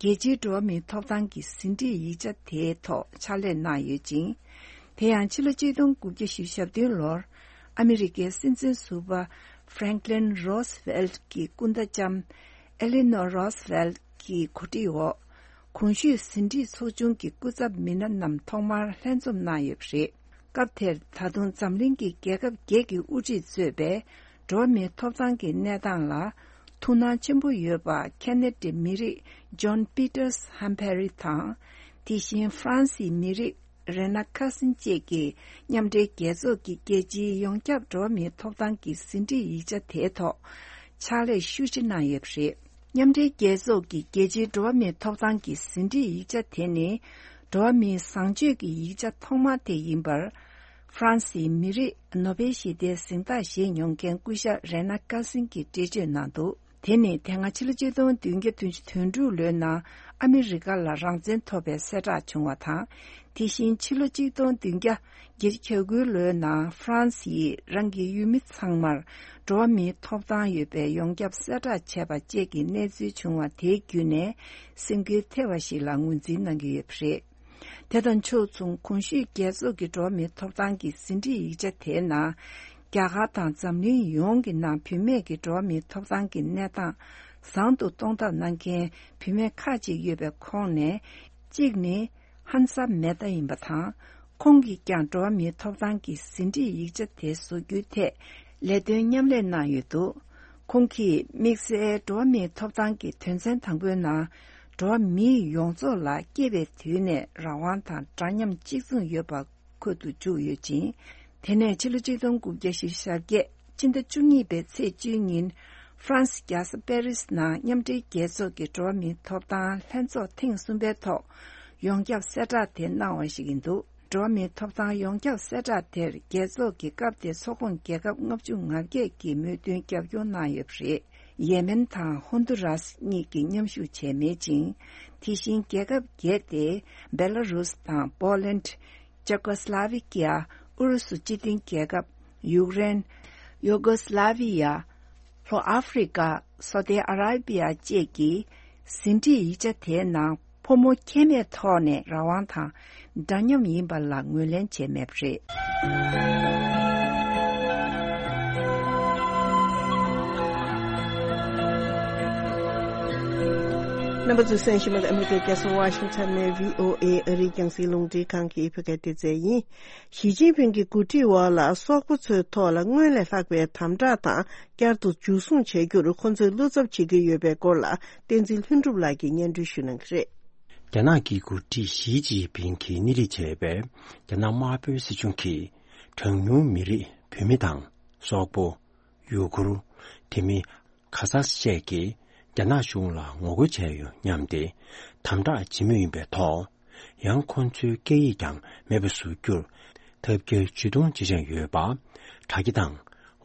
རྒྱལ་སྤྱིའི་འགྲོ་བ་མིའི་ཐོབ་ཐང་གི་ཟིན་བྲིས་ཡིག་ཆ་དེའི་ཐོག་ཕྱག་ལས་གནང་ཡོད་ཅིང་། དེ་ཡང་ཕྱི་ལོ་ཆིག་སྟོང་དགུ་བརྒྱ་བཞི་བཅུ་ཞེ་བདུན་ལོར་ཨ་མི་རི་ཀའི་སྲིད་འཛིན་ཟུར་པ་ཧྥ་རེང་ཀླིན་རོ་སི་ཝེལ་གྱི་སྐུ་ཟླ་ལྕམ་ཨེ་ལི་ནོ་རོ་སི་ཝེལ་གྱི་གོ་སྒྲིག་འོག་གོང་ཞུས་ཟིན་བྲིས་ཚོགས་ཆུང་གི་སྐུ་ཚབ་མི་སྣ་རྣམས་ཐོག་མར་ལྷན་འཛོམས་གནང་ཡོད་པ་རེད། སྐབས་དེར་ད་དུང་འཛམ་གླིང་གི་རྒྱལ་ཁབ་བརྒྱད་ཀྱི་དབུ་ཁྲིད་གཙོས་པའི་འགྲོ་བ་མིའི་ཐོབ་ཐང་གི་གནས་སྟངས་ལ་ཐུགས་སྣང་ཆེན་པོ་ཡོད་པ་ཁེ་ན་ཌའི་མི་རིགས་ཇོན་པི་ཏར་སི་ཧམ་ཕེ་རི་དང་། དེ་བཞིན་ཧྥ་རན་སིའི་མི་རིགས་རེ་ན་ཁ་སིན་བཅས་ཀྱིས་མཉམ་འབྲེལ་རྒྱལ་ཚོགས་ཀྱི་རྒྱལ་སྤྱིའི་ཡོངས་ཁྱབ་འགྲོ་བ་མིའི་ཐོབ་ཐང་གི་ཟིན་བྲིས་ཡིག་ཆ་དེའི་ཐོག་ཕྱག་ལས་ཤུགས་ཆེ་གནང་ཡོད་པ་རེད། མཉམ་འབྲེལ་རྒྱལ་ཚོགས་ཀྱི་རྒྱལ་སྤྱིའི་འགྲོ་བ་མིའི་ཐོབ་ཐང་གི་ཟིན་བྲིས་ཡིག་ཆ་དེ་ནི། འགྲོ་བ་མིའི་བཟང་སྤྱོད་ཀྱི་ཡིག་ཆ་ཐོག་མ་དེ་ཡིན་པར། ཧྥ་རན་སིའི་མི་རིགས་ནོ་བེལ་ཞི་བདེའི་གཟེངས་རྟགས་བཞེས་མྱོང་མཁན་སྐུ་ཞབས་རེ་ན་ཀ་སིན་གྱིས་འགྲེལ་བརྗོད་གནང་འདུག་དེ་ནི་དེ་སྔ་ཕྱི་ལོ་ཆིག་སྟོང་བདུན་བརྒྱ་བདུན་ཅུ་དོན་དྲུག་ལོའི་ནང་ཨ་མི་རི་ཀ་ལ་རང་བཙན་ཐོབ་པའི་གསལ་བསྒྲགས་བྱུང་བ་དང་། དེ་བཞིན་ཕྱི་ལོ་ཆིག་སྟོང་བདུན་བརྒྱ་བརྒྱད་ཅུ་གྱ་དགུ་ལོའི་ནང་ཧྥ་རན་སིས་རང་གི་ཡུལ་མི་ཚང་མར་འགྲོ་བ་མིའི་ཐོབ་ཐང་ཡོད་པའི་ཡོངས་ཁྱབ་གསལ་བསྒྲགས་བྱས་པ་བཅས་ཀྱི་གནས་ཚུལ་བྱུང་བ་དེའི་བརྒྱུད་ནས་སེམས་འགུལ་ཐེབས་པ་ཞིག་ལ་ངོས་འཛིན་གནང་གི་ཡོད་པ་རེད། དེ་དང་ཕྱོགས་མཚུངས་གོང་ཞུས་རྒྱལ་ཚོགས་ཀྱི་འགྲོ་བ་མིའི་ཐོབ་ཐང་གི་ཟིན་བྲིས་ཡིག་ཆ་དེའི་ནང་། རྒྱ་གར་དང་འཛམ་གླིང་ཡོངས་ཀྱི་ནང་བུད་མེད་ཀྱི་འགྲོ་བ་མིའི་ཐོབ་ཐང་གི་གནས་སྟངས་བཟང་དུ་གཏོང་ཐབས་གནང་མཁན་བུད་མེད་ཁག་ཅིག་ཡོད་པའི་ཁོངས་ནས། གཅིག་ནི། ཧན་ས་མེ་ཏཱ་ཡིན་པ་དང་། ཁོང་གིས་ཀྱང་འགྲོ་བ་མིའི་ཐོབ་ཐང་གི་ཟིན་བྲིས་ཡིག་ཆ་དེ་བཟོ་རྒྱུའི་ཐད་ལས་དོན་མཉམ་ལས་གནང་ཡོད་འདུག་ཁོང་གིས་དམིགས་བསལ་འགྲོ་བ་མིའི་ཐོབ་ཐང་གི་དོན་ཚན་དང་པོའི་ནང་། འགྲོ་བ་མི་ཡོངས་རྫོགས་ལ་སྐྱེས་པའི་དུས་ནས་རང་དབང་དང་འདྲ་མཉམ་གཅིག་མཚུངས་ཡོད་པ་འཁོད་དུ་བཅུག་ཡོད་ཅིང་། དེ་ནས་ཕྱི་ལོ་ཆིག་སྟོང་དགུ་བརྒྱ་བཞི་བཅུ་ཞེ་བརྒྱད། སྤྱི་ཟླ་བཅུ་གཉིས་པའི་ཚེས་བཅུའི་ཉིན། ཧྥ་རན་སི་རྒྱལ་ས་པེ་རིས་ནང་མཉམ་འབྲེལ་རྒྱལ་ཚོགས་ཀྱི་འགྲོ་བ་མིའི་ཐོབ་ཐང་ལྷན་ཚོགས་ཐེངས་གསུམ་པའི་ཐོག་ཡོངས་ཁྱབ་གསལ་བསྒྲགས་དེ་གནང་བ་ཞིག་ཡིན་འདུག་འགྲོ་བ་མིའི་ཐོབ་ཐང་ཡོངས་ཁྱབ་གསལ་བསྒྲགས་དེར་རྒྱལ་ཚོགས་ཀྱི་སྐབས་དེའི་ཚོགས་ཁོངས་རྒྱལ་ཁབ་ལྔ་བཅུ་ང་བརྒྱད་ཀྱིས་མོས་མཐུན་རྒྱབ་སྐྱོར་གནང་ཡོད་པ་རེད། ཡེ་མེན་དང་ཧོན་དུ་རཱས་གཉིས་ཀྱིས་མཉམ་ཞུགས་བྱས་མེད་ཅིང་། དེ་བཞིན་རྒྱལ་ཁབ་བརྒྱད་དེ་བེ་ལ་རུས་དང་པོ་ལན། ཅེ་ཀོ་སི་ལ་ཝི་ཀི་ཡ། ཨུ་རུ་སུ་སྤྱི་མཐུན་རྒྱལ་ཁབ། ཡུཀ་རེན། ཡུ་གོ་སི་ལ་ཝི་ཡ། ལྷོ་ཨ་ཧྥེ་རི་ཀ། སོ་ཏི་ཨ་ར་བི་ཡ་བཅས་ཀྱིས་ཟིན་བྲིས་ཡིག་ཆ་དེའི་ནང་ཕོ་མོ་ཁྱད་མེད་ཐོག་ནས་རང་དབང་དང་འདྲ་མཉམ་ཡིན་པ་ལ་ངོས་ལེན་བྱས་མེད་པ་རེད། རྣམ་པ་ཚོས་གསན་བཞིན་པ་ནི་ཨ་མི་རི་ཀའི་རྒྱལ་ས་ཝ་ཤིང་ཊོན་ནས་བྷི་ཨོ་ཨེ་ཨ་རིའི་རྒྱང་སྲིང་རླུང་འཕྲིན་ཁང་གི་བོད་སྐད་སྡེ་ཚན་ཡིན། ཞི་ཅིན་ཕིང་གི་འགོ་ཁྲིད་འོག་ལ་སོག་པོ་ཚོའི་ཐོག་ལ་སྔོན་ལས་ལྷག་པའི་དམ་དྲག་དང་བསྐྱར་དུ་འཇུ་བཟུང་བྱ་རྒྱུར་ཁོ་ཚོས་བློ་འཚབ་བྱེད་ཀྱི་ཡོད་པའི་སྐོར་ལ་བསྟན་འཛིན་ལྷུན་གྲུབ་ལགས་ཀྱིས་སྙན་སྒྲོན་ཞུ་གནང་གི་རེད། རྒྱ་ནག་གི་འགོ་ཁྲིད་ཞི་ཅིན་ཕིང་གིས་སྣེ་ཁྲིད་བྱས་པའི་རྒྱ་ནག་དམར་པོའི་སྲིད་གཞུང་གིས་གྲངས་ཉུང་མི་རིགས་བོད་མི་དང་སོག་པོ། ཡུ་གུར། དེ་མིན། ཁ་ཛག་བཅས་ཀྱིས་རྒྱ་ནག་གཞུང་ལ་ངོ་རྒོལ་བྱས་ཡོད་སྙམ་སྟེ་དམ་དྲག་བྱེད་མུས་ཡིན་པའི་ཐོག་ཡང་ཁོང་ཚོའི་སྐད་ཡིག་ཀྱང་མེད་པ་བཟོ་རྒྱུར་ཐབས་བརྒྱ་ཇུས་གཏོང་བྱེད་བཞིན་ཡོད་པ། དྲ་རྒྱ་དང་།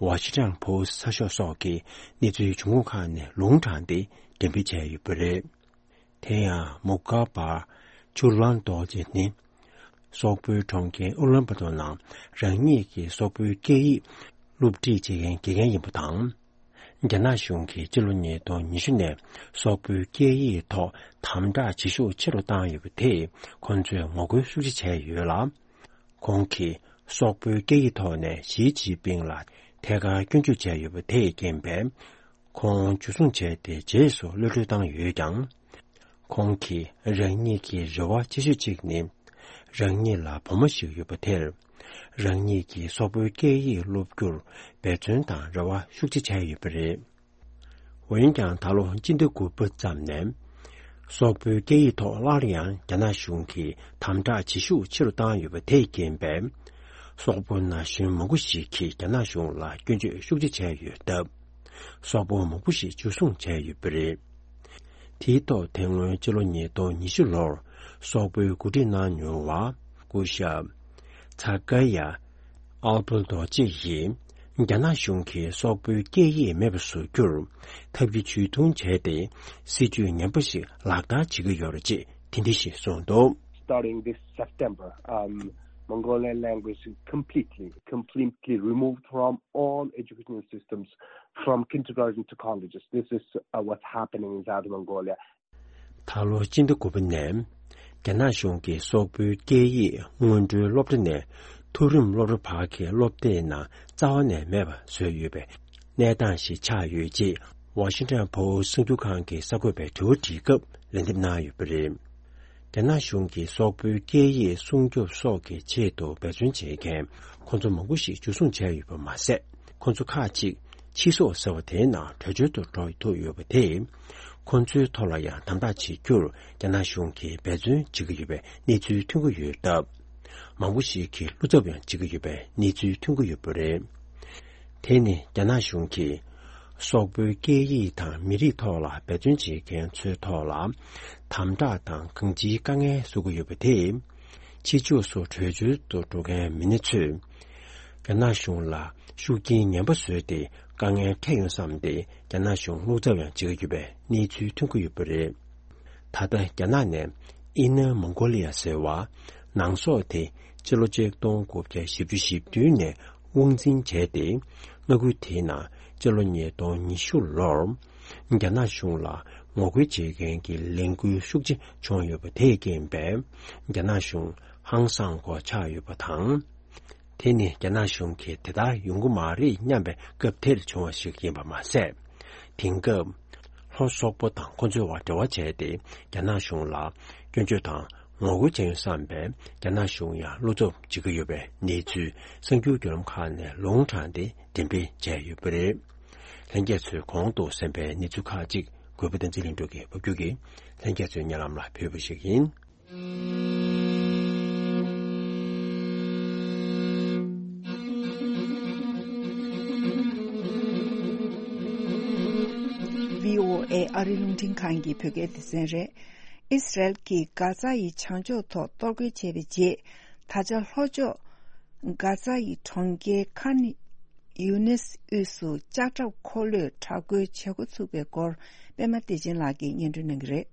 ཝ་ཤིང་ཊོན་པོ་སི་ཊི་གསར་ཤོག་སོགས་ཀྱིས་གནས་ཚུལ་འབྱུང་ཁུངས་ཁག་ནས་ལུང་དྲངས་ཏེ་འགྲེམས་སྤེལ་བྱས་ཡོད་པ་རེད། དེ་ཡང་མུ་གྷ་བར་ཇུ་ལན་རྡོ་རྗེ་ནི། སོག་པོའི་གྲོང་ཁྱེར་ཨུ་ལན་བ་ཏོ་ནང་རང་ཉིད་ཀྱི་སོག་པོའི་སྐད་ཡིག་སློབ་ཁྲིད་བྱེད་མཁན་དགེ་རྒན་ཡིན་པ་དང་། རྒྱ་ནག་གཞུང་གིས་ཕྱི་ལོ་ཉིས་སྟོང་ཉི་ཤུ་ནས་སོག་པོའི་སྐད་ཡིག་ཐོག་དམ་དྲག་བྱེད་ཤུགས་ཆེ་རུ་བཏང་ཡོད་པ་དེས་ཁོང་ཚོས་ངོ་རྒོལ་ཤུགས་ཆེ་བྱས་ཡོད་ལ། ཁོང་གིས་སོག་པོའི་སྐད་ཡིག་ཐོག་ནས་ཞི་ཅིན་ཕིང་ལ་ཐད་ཀར་སྐྱོན་བརྗོད་བྱས་ཡོད་པ་དེས་རྐྱེན་པས། ཁོང་འཇུ་བཟུང་བྱས་ཏེ་རྗེས་སུ་གློད་བཀྲོལ་བཏང་ཡོད་ཀྱང་། ཁོང་གིས་རང་ཉིད་ཀྱི་རེ་བ་ཆེ་ཤོས་གཅིག་ནི། རང་ཉིད་ལ་བུ་མོ་ཞིག་ཡོད་པ་དེར། རང་ཉིད་ཀྱིས་སོག་པོའི་སྐད་ཡིག་སློབ་རྒྱུར་འབད་བརྩོན་དང་རེ་བ་ཤུགས་ཆེ་བྱས་ཡོད་པ་རེད། འོན་ཀྱང་ད་ལོ་སྤྱི་ཟླ་དགུ་པ་ཙམ་ནས། སོག་པོའི་སྐད་ཡིག་ཐོག་སླར་ཡང་རྒྱ་ནག་གཞུང་གིས་དམ་དྲག་བྱེད་ཤུགས་ཆེ་རུ་བཏང་ཡོད་པ་དེས་རྐྱེན་པས། སོག་པོ་ན་གཞོན་མང་པོ་ཞིག་གིས་རྒྱ་ནག་གཞུང་ལ་སྐྱོན་བརྗོད་ཤུགས་ཆེ་བྱས་ཡོད་སྟབས། སོག་པོ་མང་པོ་ཞིག་འཇུ་བཟུང་བྱས་ཡོད་པ་རེད། དེའི་ཐོག་དེ་སྔོན་ཕྱི་ལོ་ཉིས་སྟོང་ཉི་ཤུ་ལོར་སོག་པོའི་འགོ་ཁྲིད་གནང་མྱོང་བ་སྐུ་ཞབས་ཚ་ཀ་ཡ་ཨལ་པོ་རྡོ་རྗེ་ཡིས་རྒྱ་ནག་གཞུང་གིས་སོག་པོའི་སྐད་ཡིག་མེད་པར་བཟོ་རྒྱུར་ཐབས་ཀྱི་ཇུས་གཏོང་བྱས་ཏེ་སྲིད་ཇུས་ངན་པ་ཞིག་ལག་བསྟར་བྱེད་ཀྱི་ཡོད་རེད་ཅེས་དེ་འདྲ་ཞིག་གསུངས་འདུག། Starting this September, um, Mongolian language is completely, completely removed from all educational systems, from kindergarten to colleges. This is, uh, what's happening in South Mongolia. ད་ལོ་སྤྱི་ཟླ་དགུ་པ་ནས་རྒྱ་ནག་གཞུང་གིས་སོག་པོའི་སྐད་ཡིག་སྔོན་འགྲོའི་སློབ་གྲྭ་ནས་མཐོ་རིམ་སློབ་གྲྭ་བར་གྱི་སློབ་དེབ་ནང་རྩ་བ་ནས་མེད་པ་བཟོས་ཡོད་པའི་གནས་སྟངས་ཤིག་ཆགས་ཡོད་ཅེས་ཝ་ཤིང་ཊོན་པོ་སི་ཊི་གསར་འགྱུར་ཁང་གི་གསར་འགོད་པས་དྲི་བ་དྲིས་སྐབས་ལན་འདེབས་གནང་ཡོད་པ་རེད། རྒྱ་ནག་གཞུང་གིས་སོག་པོའི་སྐད་ཡིག་སྲུང་སྐྱོབ་སོགས་ཀྱི་ཆེད་དུ་འབད་བརྩོན་བྱེད་མཁན་ཁོང་ཚོ་མང་པོ་ཞིག་འཇུ་བཟུང་བྱས་ཡོད་པ་མ་ཟད། ཁོང་ཚོ་ཁག་ཅིག་ཕྱི་སོག་ཟེར་བ་དེའི་ནང་བྲོས་བྱོལ་དུ་འགྲོ་ཐུབ་ཡོད་པ་དེས། ཁོང་ཚོའི་ཐོག་ལ་ཡང་དམ་དྲག་བྱེད་རྒྱུར་རྒྱ་ནག་གཞུང་གིས་འབད་བརྩོན་བྱེད་ཀྱི་ཡོད་པའི་གནས་ཚུལ་ཐོན་གྱི་ཡོད་སྟབས། མང་པོ་ཞིག་གིས་བློ་འཚབ་ཡང་བྱེད་ཀྱི་ཡོད་པའི་གནས་ཚུལ་ཐོན་གྱི་ཡོད་པ་རེད། དེ་ནི་རྒྱ་ནག་གཞུང་གིས་སོག་པོའི་སྐད་ཡིག་དང་མི་རིགས་ཐོག་ལ་འབད་བརྩོན་བྱེད་མཁན་ཚོའི་ཐོག་ལ་དམ་དྲག་དང་གང་ཅིའི་དཀའ་ངལ་བཟོ་གི་ཡོད་པ་དེས། ཕྱི་ཕྱོགས་སུ་བྲོས་བྱོལ་དུ་འགྲོ་མཁན་མི་སྣ་ཚོས་རྒྱ་ནག་གཞུང་ལ་ཤུགས་རྐྱེན་ངན་པ་བཟོས་ཏེ་དཀའ་ངལ་འཕྲད་ཡོང་བསམ་སྟེ་རྒྱ་ནག་གཞུང་བློ་འཚབ་ཡང་བྱེད་ཀྱི་ཡོད་པའི་གནས་ཚུལ་ཐོན་གྱི་ཡོད་པ་རེད། ད་ལྟ་རྒྱ་ནག་ནས་ཨིན་ནར་མོང་གོ་ལི་ཡ་ཟེར་བ་ནང་སོག་དེ་ཕྱི་ལོ་ཆིག་སྟོང་དགུ་བརྒྱ་བཞི་བཅུ་ཞེ་བདུན་ནས་དབང་འཛིན་བྱས་ཏེ། མངའ་ཁུལ་དེའི་ནང་ཕྱི་ལོ་ཉིས་སྟོང་ཉི་ཤུ་ལོར་རྒྱ་ནག་གཞུང་ལ་ངོ་རྒོལ་བྱེད་མཁན་གྱི་ལས་འགུལ་ཤུགས་ཆེ་བྱུང་ཡོད་པ་དེས་རྐྱེན་པས་རྒྱ་ནག་གཞུང་ཧང་སངས་སྒོ་ཆགས་ཡོད་པ་དང་། དེ་ནི་རྒྱ་ནག་གཞུང་གིས་དེ་ལྟར་ཡོང་གི་མ་རེད་སྙམ་པའི་སྐབས་དེར་བྱུང་བ་ཞིག་ཡིན་པ་མ་ཟད། དེང་སྐབས་ལྷོ་སོག་པོ་དང་ཁོ་ཚོའི་བར་འབྲེལ་བ་བྱས་ཏེ་རྒྱ་ནག་གཞུང་ལ་སྐྱོན་བརྗོད་དང་ངོ་རྒོལ་བྱས་ཡོད་བསམ་པས་རྒྱ་ནག་གཞུང་ཡང་བློ་འཚབ་བྱེད་ཀྱི་ཡོད་པའི་གནས་ཚུལ་གསར་འགྱུར་བརྒྱུད་ལམ་ཁག་ནས་ལུང་དྲངས་ཏེ་འགྲེམས་སྤེལ་བྱས་ཡོད་པ་རེད། ལྷན་རྒྱས་ཚོས་གོང་དུ་གསན་པའི་གནས་ཚུལ་ཁག་ཅིག་གུས་པ་བསྟན་འཛིན་ལྷུན་གྲུབ་ཀྱིས་ཕབ་སྒྱུར་གྱིས་ལྷན་རྒྱས་ཚོའི་སྙན་ལམ་ལ་ཕུལ་བ་ཞིག་ཡིན། བྷི་ཨོ་ཨེ་ཨ་རི་རླུང་འཕྲིན་ཁང་གི་བོད་སྐད་སྡེ་ཚན་རེད། ཨིས་རལ་གྱིས་གྷ་ཛ་ཡི་བྱང་ཕྱོགས་ཐོག་གཏོར་རྒོལ་བྱས་པའི་རྗེས། ད་ཆ་ལྷོ་ཕྱོགས་གྷ་ཛ་ཡི་གྲོང་ཁྱེར་ཁཱན་ཡུ་ནིས་དབུས་སུ་ལྕགས་ཁྲབ་འཁོར་ལོས་དྲག་རྒོལ་བྱེད་འགོ་ཚུགས་པའི་སྐོར། པད་མ་བདེ་ཆེན་ལགས་ཀྱིས་སྙན་སྒྲོན་གནང་གི་རེད།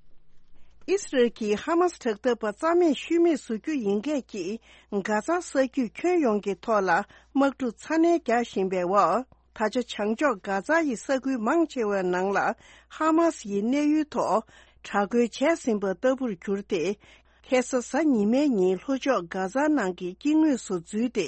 ཨིས་རལ་གྱིས་ཧ་མཱས་དྲག་འཐབ་པ་རྩ་མེད་ཤུལ་མེད་བཟོ་རྒྱུ་ཡིན་སྐད་ཀྱིས། གྷ་ཛ་ས་རྒྱུད་ཁྱོན་ཡོངས་ཀྱི་ཐོག་ལ་དམག་འཁྲུག་ཚ་ནན་རྒྱག་བཞིན་པའི་འོག་ད་ཆ་བྱང་ཕྱོགས་གྷ་ཛ་ཡི་ས་ཁུལ་མང་ཆེ་བའི་ནང་ལ་ཧ་མཱས་ཡི་གནས་ཡུལ་ཐོག་དྲག་རྒོལ་བྱས་ཟིན་པ་ལྟ་བུར་གྱུར་ཏེ། ཁ་སང་གཟའ་ཉི་མའི་ཉིན་ལྷོ་ཕྱོགས་གྷ་ཛ་ནང་གི་དཀྱིལ་ངོས་སུ་འཛུལ་ཏེ།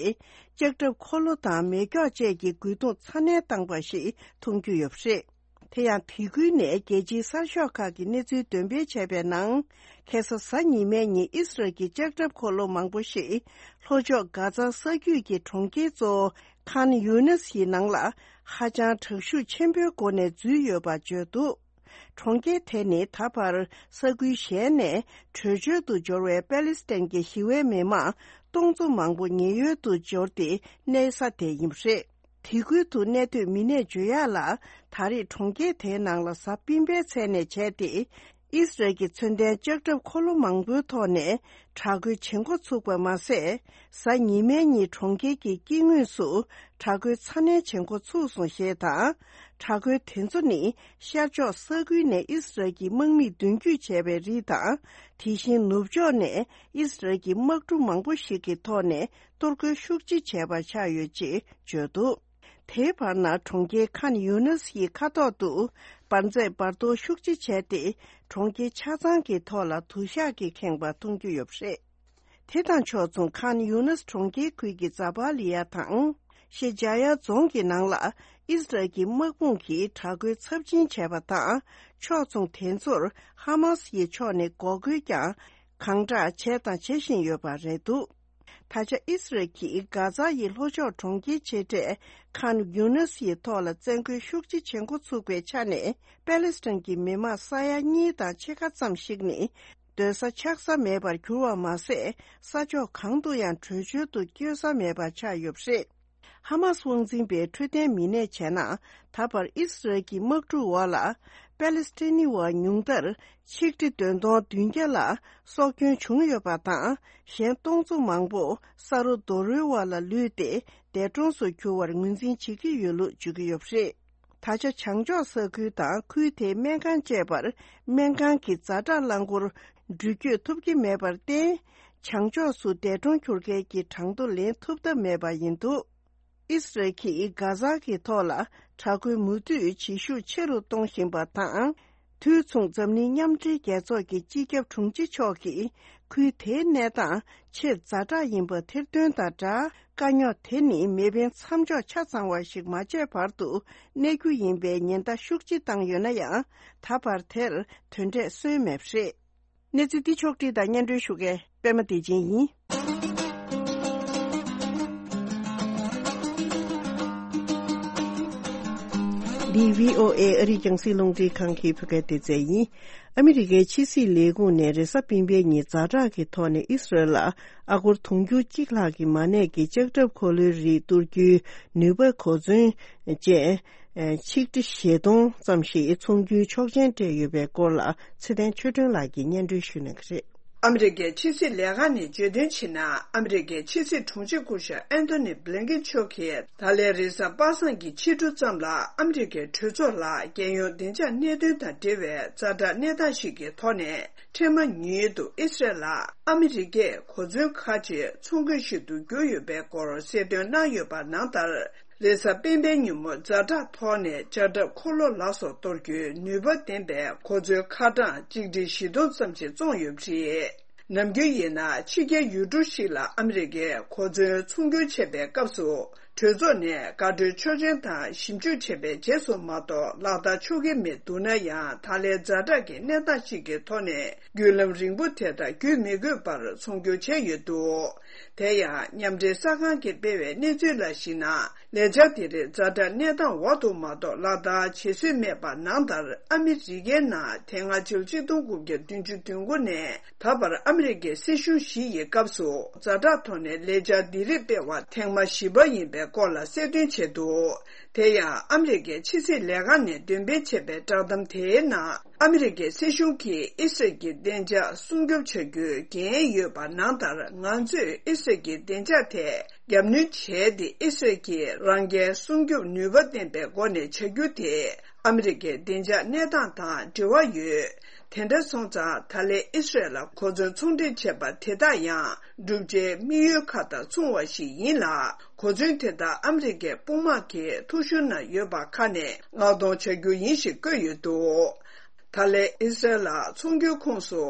ལྕགས་ཁྲབ་འཁོར་ལོ་དང་མེ་སྒྱོགས་བཅས་ཀྱི་རྒོལ་རྡུང་ཚ་ནན་བཏང་པ་ཞིག་མཐོང་རྒྱུ་ཡོད་པ་རེད། དེ་ཡང་དེ་ཁུལ་ནས་རྒྱལ་སྤྱིའི་གསར་ཤོག་ཁག་གིས་གནས་ཚུལ་འདོན་སྤེལ་བྱས་པའི་ནང་། ཁ་སང་གཟའ་ཉི་མའི་ཉིན་ཨིས་རལ་གྱི་ལྕགས་ཁྲབ་འཁོར་ལོ་མང་པོ་ཞིག་ལྷོ་ཕྱོགས་གྷ་ཛ་ས་རྒྱུད་ཀྱི་གྲོང་ཁྱེར་གཙོ་བོ་ཁཱན་ཡུ་ནིས་ཡི་ནང་ལ་ཧ་ཅང་དྲག་ཤུགས་ཆེན་པོའི་སྒོ་ནས་འཛུལ་ཡོད་པ་བརྗོད་འདུག་གྲོང་ཁྱེར་དེ་ནི་ད་བར་ས་ཁུལ་གཞན་ནས་བྲོས་བྱོལ་དུ་འབྱོར་བའི་པེ་ལི་སི་ཐན་གྱི་ཞི་བའི་མི་མང་སྟོང་ཚོ་མང་པོ་ཉེན་གཡོལ་དུ་འབྱོར་ཏེ་གནས་ས་དེ་ཡིན་པ་རེད། དེ་ཁུལ་དུ་གནས་སྡོད་མི་སྣས་བརྗོད་ཡག་ལ། ད་རེས་གྲོང་ཁྱེར་དེའི་ནང་ལ་གཟའ་སྤེན་པའི་མཚན་ནས་བྱས་ཏེ། ཨིས་རལ་གྱི་མཚོན་ལྡན་ལྕགས་ཁྲབ་འཁོར་ལོ་མང་པོའི་ཐོག་ནས་དྲག་རྒོལ་བྱེད་འགོ་ཚུགས་པ་མ་ཟད། གཟའ་ཉི་མའི་ཉིན་གྲོང་ཁྱེར་གྱི་དཀྱིལ་ངོས་སུ་དྲག་རྒོལ་ཚ་ནན་བྱེད་འགོ་ཚུགས་སོང་ཞེས་དང་། དྲག་རྒོལ་དེ་ཚོ་ནི་ཤར་ཕྱོགས་ས་ཁུལ་ནས་ཨིས་རལ་གྱི་དམག་མིས་མདུན་སྐྱོད་བྱས་པའི་རིགས་དང་། དེ་བཞིན་ནུབ་ཕྱོགས་ནས་ཨིས་རལ་གྱི་དམག་གྲུ་མང་པོ་ཞིག་གི་ཐོག་ནས་གཏོར་རྒོལ་ཤུགས་ཆེ་བྱས་པ་ཆགས་ཡོད་ཅེས་བརྗོད་འདུག་དེའི་བར་ན་གྲོང་ཁྱེར་ཁཱན་ཡུ་ནས་ཡི་མཁའ་ཐོག་ཏུ་འབར་རྫས་འབར་གཏོར་ཤུགས་ཆེ་བྱས་ཏེ། གྲོང་ཁྱེར་ཆ་ཚང་གི་ཐོག་ལ་དུ་ཞག་གིས་ཁེངས་པ་མཐོང་རྒྱུ་ཡོད་པ་རེད། དེ་དང་ཕྱོགས་མཚུངས་ཁཱན་ཡུ་ནས་གྲོང་ཁྱེར་ཁུལ་གྱི་ཛ་པ་ལི་ཡ་དང་། ཤེ་ཇ་ཡ་རྫོང་གི་ནང་ལ་ཨིས་རལ་གྱི་དམག་དཔུང་གིས་དྲག་རྒོལ་ཚབས་ཆེན་བྱས་པ་དང་། ཕྱོགས་མཚུངས་དེ་ཚོར་ཧ་མ་སི་ཡི་ཕྱོགས་ནས་འགོག་རྒོལ་ཀྱང་གང་དྲག་བྱས་དང་བྱེད་བཞིན་ཡོད་པ་རེད་འདུག་ད་ཆ་ཨིས་རལ་གྱིས་གྷ་ཛ་ཡི་ལྷོ་ཕྱོགས་གྲོང་ཁྱེར་ཆེ་གྲས་ཁཱན་ཡུ་ནས་ཡི་ཐོག་ལ་བཙན་རྒོལ་ཤུགས་ཆེ་བྱེད་འགོ་ཚུགས་པའི་ཆ་ནས། པེ་ལེ་སི་ཐན་གྱི་མི་མང་ས་ཡ་གཉིས་དང་ཕྱེད་ཀ་ཙམ་ཞིག་ནི་སྡོད་ས་ཆགས་ས་མེད་པར་གྱུར་བ་མ་ཟད། ས་ཕྱོགས་གང་དུ་ཡང་བྲོས་བྱོལ་དུ་བསྐྱོད་ས་མེད་པ་ཆགས་ཡོད་པ་རེད། ཧ་མ་སི་དབང་འཛིན་པའི་འཕྲོད་བསྟེན་མི་སྣས་བྱས་ན། ད་བར་ཨིས་རལ་གྱི་དམག་འཁྲུག་འོག་ལ་པེ་ལེ་སི་ཐན་ནི་བ་ཉུང་མཐར་ཆིག་ཁྲི་བདུན་སྟོང་བདུན་བརྒྱ་ལ་སྲོག་སྐྱོན་བྱུང་ཡོད་པ་དང་། གཞན་སྟོང་ཚོ་མང་པོ་ས་རུ་རྡོ་རོལ་བ་ལ་ལུས་ཏེ་འདས་གྲོངས་སུ་གྱུར་བར་ངོས་འཛིན་བྱེད་ཀྱི་ཡོད་ལུགས་བརྗོད་ཀྱི་ཡོད་པ་རེད། ད་ཆ་བྱང་ཕྱོགས་ས་ཁུལ་དང་ཁུལ་དེའི་སྨན་ཁང་བཅས་པར་སྨན་ཁང་གི་ཛ་དྲག་རླངས་འཁོར་འགྲུལ་སྐྱོད་ཐུབ་ཀྱི་མེད་པར་བརྟེན། བྱང་ཕྱོགས་སུ་འདས་གྲོངས་གྱུར་མཁན་གྱི་གྲངས་ཐོ་ལེན་ཐུབ་ཐབས་མེད་པ་ཡིན་འདུག་ཨིས་རལ་གྱིས་གྷ་ཛ་གི་ཐོག་ལ་དྲག་རྒོལ་མུ་མཐུད་བྱེད་ཤུགས་ཆེ་རུ་གཏོང་བཞིན་པ་དང་། དུས་མཚུངས་འཛམ་གླིང་མཉམ་འབྲེལ་རྒྱལ་ཚོགས་ཀྱི་སྤྱི་ཁྱབ་དྲུང་ཆེ་མཆོག་གིས་ཁུལ་དེའི་གནས་སྟངས་ཆེས་ཛ་དྲག་ཡིན་པ་ཐེར་འདོན་དང་སྦྲགས། དཀའ་རྙོག་དེ་ནི་མེ་འཕེན་མཚམས་འཇོག་ཆ་ཚང་བ་ཞིག་མ་བྱས་བར་དུ་གནས་རྒྱུ་ཡིན་པའི་ཉེན་བརྡ་ཤུགས་ཆེ་བཏང་ཡོད་ན་ཡང་། ད་བར་དེར་དོན་འབྲས་སོན་མེད་པ་རེད། གནས་ཚུལ་འདི་ཕྱོགས་བསྒྲིགས་དང་སྙན་སྒྲོན་ཞུ་མཁན་པད་མ་བདེ་ཆེན་ཡིན། འདི་བྷི་ཨོ་ཨེ་ཨ་རིའི་རྒྱང་སྲིང་རླུང་འཕྲིན་ཁང་གི་བོད་སྐད་སྡེ་ཚན་ཡིན། ཨ་མི་རི་ཀའི་ཕྱི་སྲིད་ལས་ཁུངས་ནས་རེས་གཟའ་སྤེན་པའི་ཉིན་ཛ་དྲག་གི་ཐོག་ནས་ཨི་སི་རལ་ལ་ཨ་སྒོར་དུང་ཕྱུར་གཅིག་ལྷག་གི་མ་གནས་ཀྱི་ལྕགས་ཁྲབ་འཁོར་ལོའི་རིགས་གཏོར་རྒྱུའི་ནུས་པ་གོ་མཚོན་བཅས། ཆིག་ཁྲི་བཞི་སྟོང་ཙམ་ཞིག་ཚོང་རྒྱུའི་ཆོག་མཆན་སྤྲད་ཡོད་པའི་སྐོར་ལ་ཚེ་བརྟན་ཆོས་སྒྲོན་ལགས་ཀྱིས་སྙན་སྒྲོན་ཞུ་གནང་གི་རེད། ཨ་མི་རི་ཀའི་ཕྱི་སྲིད་ལས་ཁང་ནས་བརྗོད་དོན་བྱས་ན། ཨ་མི་རི་ཀའི་ཕྱི་སྲིད་དྲུང་ཆེ་སྐུ་ཞབས་ཨན་ཐོ་ནི་བྷི་ལིན་ཀིན་མཆོག་གིས་ད་ལན་རེས་གཟའ་པ་སངས་ཀྱི་ཕྱི་དྲོ་ཙམ་ལ་ཨ་མི་རི་ཀའི་གྲོས་ཚོགས་ལ་རྒྱལ་ཡོངས་བདེ་འཇགས་གནད་དོན་དང་འབྲེལ་བའི་ཛ་དྲག་གནས་སྟངས་ཤིག་གི་ཐོག་ནས། འཕྲལ་མ་ཉིད་དུ་ཨི་སི་རལ་ལ་ཨ་མི་རི་ཀས་གོ་མཚོན་ཁག་ཅིག་ཚོང་གི་གཞི་རུ་བསྒྱུར་ཡོད་པའི་སྐོར་གསལ་སྟོན་གནང་ཡོད་པ་ནང་ལྟར། རེས་གཟའ་སྤེན་པའི་ཉིན་མོ་ཛ་དྲག་ཐོག་ནས་ལྕགས་ཁྲབ་འཁོར་ལོ་ལ་སོགས་གཏོར་རྒྱུའི་ནུས་པ་ལྡན་པའི་གོ་མཚོན་ཁ་གྲངས་གཅིག་ཁྲི་བཞི་སྟོང་ཙམ་ཞིག་བཙོངས་ཡོད་པ་རེད། ནམ་རྒྱུན་ཡིན་ན་ཕྱི་རྒྱལ་ཡུལ་གྲུ་ཞིག་ལ་ཨ་མི་རི་ཀས་གོ་མཚོན་ཚོང་སྒྱུར་བྱེད་པའི་སྐབས་སུ། གྲོས་ཚོགས་ནས་འགག་སྒྲོལ་ཆོག་མཆན་དང་ཞིབ་འཇུག་བྱས་པའི་རྗེས་སུ་མ་གཏོགས་ལག་བསྟར་ཆོག་གི་མེད་འདུག་ན་ཡང་། ད་ལན་ཛ་དྲག་གི་གནས་སྟངས་ཤིག་གི་ཐོག་ནས་བརྒྱུད་ལམ་རིང་པོ་དེ་དག་བརྒྱུད་མི་དགོས་པར་ཚོང་སྒྱུར་བྱས་ཡོད་འདུག་དེ་ཡང་མཉམ་འབྲེལ་གསར་ཁང་གིས་སྤེལ་བའི་གནས་ཚུལ་ལ་གཞིགས་ན། ལས་འཆར་དེ་རིགས་ཛ་དྲག་གནས་སྟངས་འོག་ཏུ་མ་གཏོགས་ལག་བསྟར་བྱེད་སྲོལ་མེད་པ་ནང་ལྟར། ཨ་མི་རི་ཀའི་ནང་དེ་སྔ་ཕྱི་ལོ་ཆིག་སྟོང་དགུ་བརྒྱ་བདུན་ཅུ་དོན་དགུ་ནས་ད་བར་ཨ་མི་རི་ཀའི་སྲིད་གཞུང་བཞི་ཡི་སྐབས་སུ་ཛ་དྲག་ཐོག་ནས་ལས་འཆར་འདི་རིགས་སྤེལ་བ་ཐེངས་མ་བཞི་པ་ཡིན་པའི་སྐོར་ལ་གསལ་སྟོན་བྱས་འདུག་དེ་ཡང་ཨ་མི་རི་ཀའི་ཕྱི་སྲིད་ལས་ཁང་ནས་འདོན་སྤེལ་བྱས་པའི་བསྒྲགས་གཏམ་དེའི་ནང་། ཨ་མི་རི་ཀའི་སྲིད་གཞུང་གིས་ཨི་སི་རལ་གྱི་བདེ་འཇགས་སྲུང་སྐྱོབ་བྱ་རྒྱུའི་འགན་ཡོད་པ་ནང་ལྟར། ང་ཚོས་ཨི་སི་རལ་གྱི་བདེ་འཇགས་ཐད་རྒྱབ་གནོན་བྱས་ཏེ། ཨི་སི་རལ་གྱིས་རང་འགན་སྲུང་སྐྱོབ་ནུས་པ་ལྡན་པའི་སྒོ་ནས་བྱ་རྒྱུ་དེ་ཨ་མི་རི་ཀའི་བདེ་འཇགས་གནས་སྟངས་དང་འབྲེལ་བ་ཡོད། དེ་འདྲ་སོང་ཙང་། ད་ལན་ཨི་སི་རལ་ལ་གོ་མཚོན་ཚོང་འབྲེལ་བྱས་པ་དེ་དག་ཡང་། བསྒྲུབ་བྱའི་དམིགས་ཡུལ་ཁག་དང་མཚུངས་པ་ཞིག་ཡིན་ལ། གོ་མཚོན་དེ་དག་ཨ་མི་རི་ཀའི་དཔུང་དམག་གི་ཐུགས་ཤུལ་ན་ཡོད་པ་ཁག་ནས་མངགས་གཏོང་བྱ་རྒྱུ་ཡིན་ཞེས་བཀོད་ཡོད་འདུག་ད་ལན་ཨི་སི་རལ་ལ་ཚོང་སྒྱུར་ཁོངས་སུ་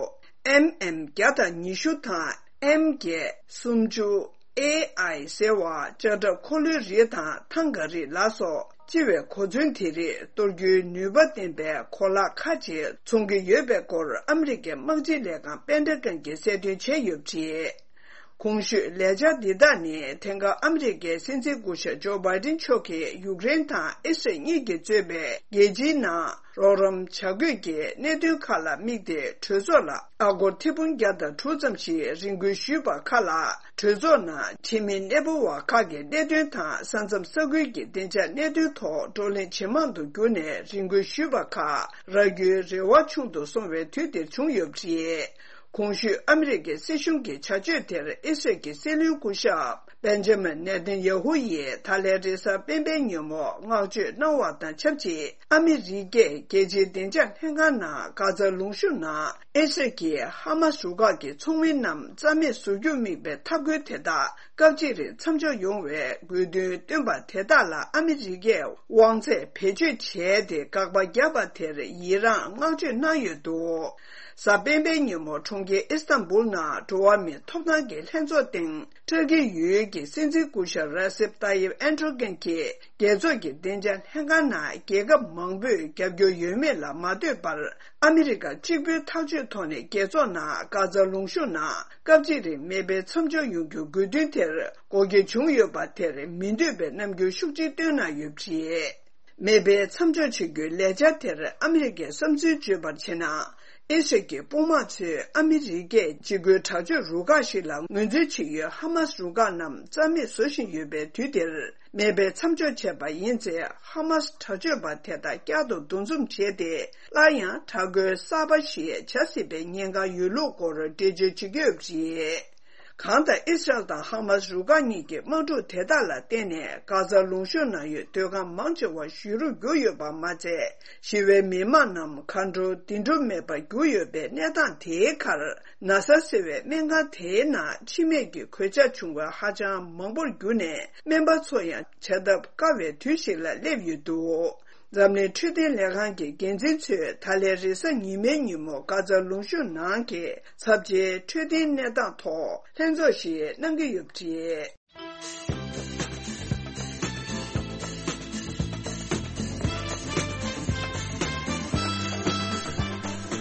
ཨེམ་ཨེམ་བརྒྱ་དང་ཉི་ཤུ་དང་ཨེམ་བརྒྱད་སུམ་ཅུ། ཨེ་ཨའི་ཟེར་བ་ལྕགས་ཁྲབ་འཁོར་ལོའི་རིགས་དང་ཐང་ག་རིགས་ལ་སོགས། སྤྱི་བའི་གོ་མཚོན་དེ་རིགས་གཏོར་རྒྱུའི་ནུས་པ་ལྡན་པའི་གོ་ལག་ཁག་ཅིག་འཚོང་གི་ཡོད་པའི་སྐོར་ཨ་མི་རི་ཀའི་དམག་སྤྱི་ལས་ཁང་པེན་ཏ་གོན་གྱིས་གསལ་སྟོན་བྱས་ཡོད་པ་རེད། གོང་ཞུས་ལས་འཆར་འདི་དག་ནི་དེང་སྐབས་ཨ་མི་རི་ཀའི་སྲིད་འཛིན་སྐུ་ཞབས་ཇོ་བྷའི་ཏིན་མཆོག་གིས་ཡུཀ་རེན་དང་ཨི་སི་རལ་གཉིས་ཀྱིས་གཙོས་པའི་རྒྱལ་སྤྱིའི་ནང་རོགས་རམ་བྱ་དགོས་ཀྱི་གནད་དོན་ཁག་ལ་དམིགས་ཏེ་གྲོས་ཚོགས་ལ་ཨ་སྒོར་ཐེར་འབུམ་བརྒྱ་དང་དྲུག་ཙམ་ཞིག་རེ་འགུལ་ཞུས་པ་ཁག་ལ། གྲོས་ཚོགས་ནང་འཐུས་མི་གནས་སྤོ་བ་ཁག་གི་གནད་དོན་དང་ས་མཚམས་ས་ཁུལ་གྱི་བདེ་འཇགས་གནད་དོན་ཐོག་བགྲོ་གླེང་ཇེ་མང་དུ་གྱུར་ནས་རེ་འགུལ་ཞུས་པ་ཁག་རག་རྒྱུའི་རེ་བ་ཆུང་དུ་སོང་བའི་དུས་དེར་བྱུང་ཡོད་པ་རེད། གོང་ཞུས་ཨ་མི་རི་ཀའི་སྲིད་གཞུང་གི་བྱ་སྤྱོད་དེར་ཨི་སི་རལ་གྱི་སྲིད་བློན་སྐུ་ཞབས་པེན་ཇ་མིན་ནེ་ཐན་ཡ་ཧུ་ཡིས་ད་ལན་རེས་གཟའ་སྤེན་པའི་ཉིན་མོ་བསྔགས་བརྗོད་གནང་བ་དང་ཆབས་ཅིག་ཨ་མི་རི་ཀས་རྒྱལ་སྤྱིའི་བདེ་འཇགས་ལྷན་ཁང་ནང་གྷ་ཛ་ལུང་གཤོང་ནང་ཨི་སི་རལ་གྱིས་ཧ་མ་སི་རུ་ཁག་གི་ཚོགས་མི་རྣམས་རྩ་མེད་བཟོ་རྒྱུར་དམིགས་པའི་ཐབས་བཀོད་དེ་དག་སྐབས་གཅིག་རིང་མཚམས་འཇོག་ཡོང་བའི་དགོས་འདུན་བཏོན་པ་དེ་དག་ལ་ཨ་མི་རི་ཀས་དབང་ཚད་བེད་སྤྱོད་བྱས་ཏེ་དགག་པ་བརྒྱབ་པ་དེར་ཡི་རངས་བསྔགས་བརྗོད་གནང་ཡོད་འདུག་གཟའ་སྤེན་པའི་ཉིན་མོ་གྲོང་ཁྱེར་ཨི་སི་ཐན་བུལ་ནང་འགྲོ་བ་མིའི་ཐོབ་ཐང་གི་ལྷན་ཚོགས་སྟེང་ཏུར་ཀི་ཡུལ་གྱི་སྲིད་འཛིན་སྐུ་ཞབས་ར་སེབ་ཏཱ་ཡིབ་ཨན་ཏྲོ་གན་གྱིས་རྒྱལ་ཚོགས་ཀྱི་བདེ་འཇགས་ལྷན་ཁང་ནང་རྒྱལ་ཁབ་མང་པོས་རྒྱབ་སྐྱོར་ཡོད་མེད་ལ་མ་ལྟོས་པར། ཨ་མི་རི་ཀ་གཅིག་པུའི་ཐག་གཅོད་ཐོག་ནས་རྒྱལ་ཚོགས་ནང་གྷ་ཛ་ལུང་གཤོང་ནང་སྐབས་གཅིག་རིང་མེ་འཕེན་མཚམས་འཇོག་ཡོང་རྒྱུའི་དགོས་འདུན་དེར་དགོངས་འགལ་བྱུང་ཡོད་པ་དེར་མི་འདོད་པའི་རྣམ་འགྱུར་ཤུགས་ཆེ་བཏོན་གནང་ཡོད་པ་རེད། མེ་འཕེན་མཚམས་འཇོག་བྱེད་རྒྱུའི་ལས་འཆར་དེར་ཨ་མི་རི་ཀས་བསམ་ཚུལ་བརྗོད་པར་བྱས་ན། ཨི་སི་རལ་གྱི་དཔུང་དམག་ཚོས་ཨ་མི་རི་ཀས་འཇིགས་སྐུལ་དྲག་སྤྱོད་རུ་ཁག་ཞིག་ལ་ངོས་འཛིན་བྱེད་ཡུལ་ཧ་མ་སི་རུ་ཁག་རྣམས་རྩ་མེད་བཟོ་བཞིན་ཡོད་པའི་དུས་འདིར། མེ་འཕེན་མཚམས་འཇོག་བྱས་པ་ཡིན་ཚེ་ཧ་མ་སི་དྲག་སྤྱོད་པ་དེ་དག་བསྐྱར་དུ་འདུ་འཛོམས་བྱས་ཏེ། སླར་ཡང་དྲག་རྒོལ་གསར་པ་ཞིག་བྱ་སྲིད་པའི་ཉེན་ཁ་ཡོད་ལུགས་སྐོར་འགྲེལ་བརྗོད་བྱེད་ཀྱི་ཡོད་པ་རེད། གང་ལྟར་ཨི་སི་རལ་དང་ཧ་མ་སི་རུ་ཁག་གཉིས་ཀྱི་དམག་འཁྲུག་དེ་དག་ལ་བརྟེན་ནས་གྷ་ཛ་ལུང་གཤོང་ནང་ཡོད་སྡོད་ཁང་མང་ཆེ་བ་ཞུ་རུ་གྱུར་ཡོད་པ་མ་ཚད། ཞི་བའི་མི་མང་རྣམས་མཁའ་འགྲོ་བདེ་འགྲོ་མེད་པར་གྱུར་ཡོད་པའི་གནས་སྟངས་དེའི་ཁར། ན་ཚ་ཟེར་བའི་སྨན་ཁང་དེའི་ནང་འཆི་རྨས་ཀྱི་གོད་ཆག་བྱུང་བ་ཧ་ཅང་མང་པོར་གྱུར་ནས། སྨན་པ་ཚོ་ཡང་བྱ་ཐབས་དཀའ་བའི་དུས་ཤིག་ལ་སླེབས་ཡོད་འདུག་འཛམ་གླིང་འཕྲོད་བསྟེན་ལས་ཁང་གི་འགན་འཛིན་ཚོས་ད་ལན་རེས་གཟའ་ཉི་མའི་ཉིན་མོ་གྷ་ཛ་ལུང་གཤོང་ནང་གི་ཚབས་ཆེའི་འཕྲོད་བསྟེན་གནས་སྟངས་ཐོག་ལྷན་ཚོགས་ཤིག་གནང་གི་ཡོད་པ་རེད།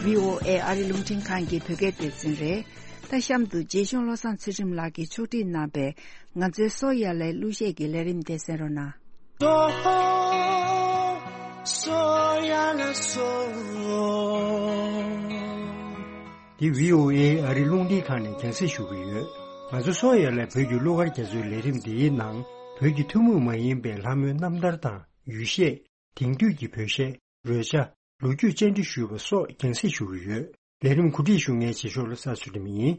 བྷི་ཨོ་ཨེ་ཨ་རི་རླུང་འཕྲིན་ཁང་གི་བོད་སྐད་སྡེ་ཚན་རེད། ད་གཤམ་དུ་རྗེ་གཞུང་བློ་བཟང་ཚུལ་ཁྲིམས་ལགས་ཀྱིས་ཕྱོགས་སྒྲིག་གནང་པའི་ང་ཚོའི་བསོད་ཡར་ལས་གླུ་གཞས་ཀྱི་ལས་རིམ་དེ་གསན་རོགས་གནང་། སོ་སོ་ཡ་ལ་སོ། འདི་བྷི་ཨོ་ཨེ་ཨ་རི་རླུང་འཕྲིན་ཁང་ནས་རྒྱང་སྲིང་ཞུ་གི་ཡོད། ང་ཚོ་སོ་སོ་ཡ་ལ་བོད་ཀྱི་གླུ་གར་རྒྱ་མཚོའི་ལས་རིམ་འདིའི་ནང་བོད་ཀྱི་ཐུན་མོང་མ་ཡིན་པའི་ལྷ་མོའི་རྣམ་ཐར་དང་ཡུལ་གཞས། དེང་དུས་ཀྱི་བོད་གཞས། རོལ་ཆ། ལོ་རྒྱུས་བཅར་འདྲི་ཞུས་པ་སོགས་རྒྱང་སྲིང་ཞུ་གི་ཡོད། ལས་རིམ་གོ་སྒྲིག་ཞུ་མཁན་རྗེས་ཕྱོགས་བློ་བཟང་ཚུལ་ཁྲིམས་ཡིན།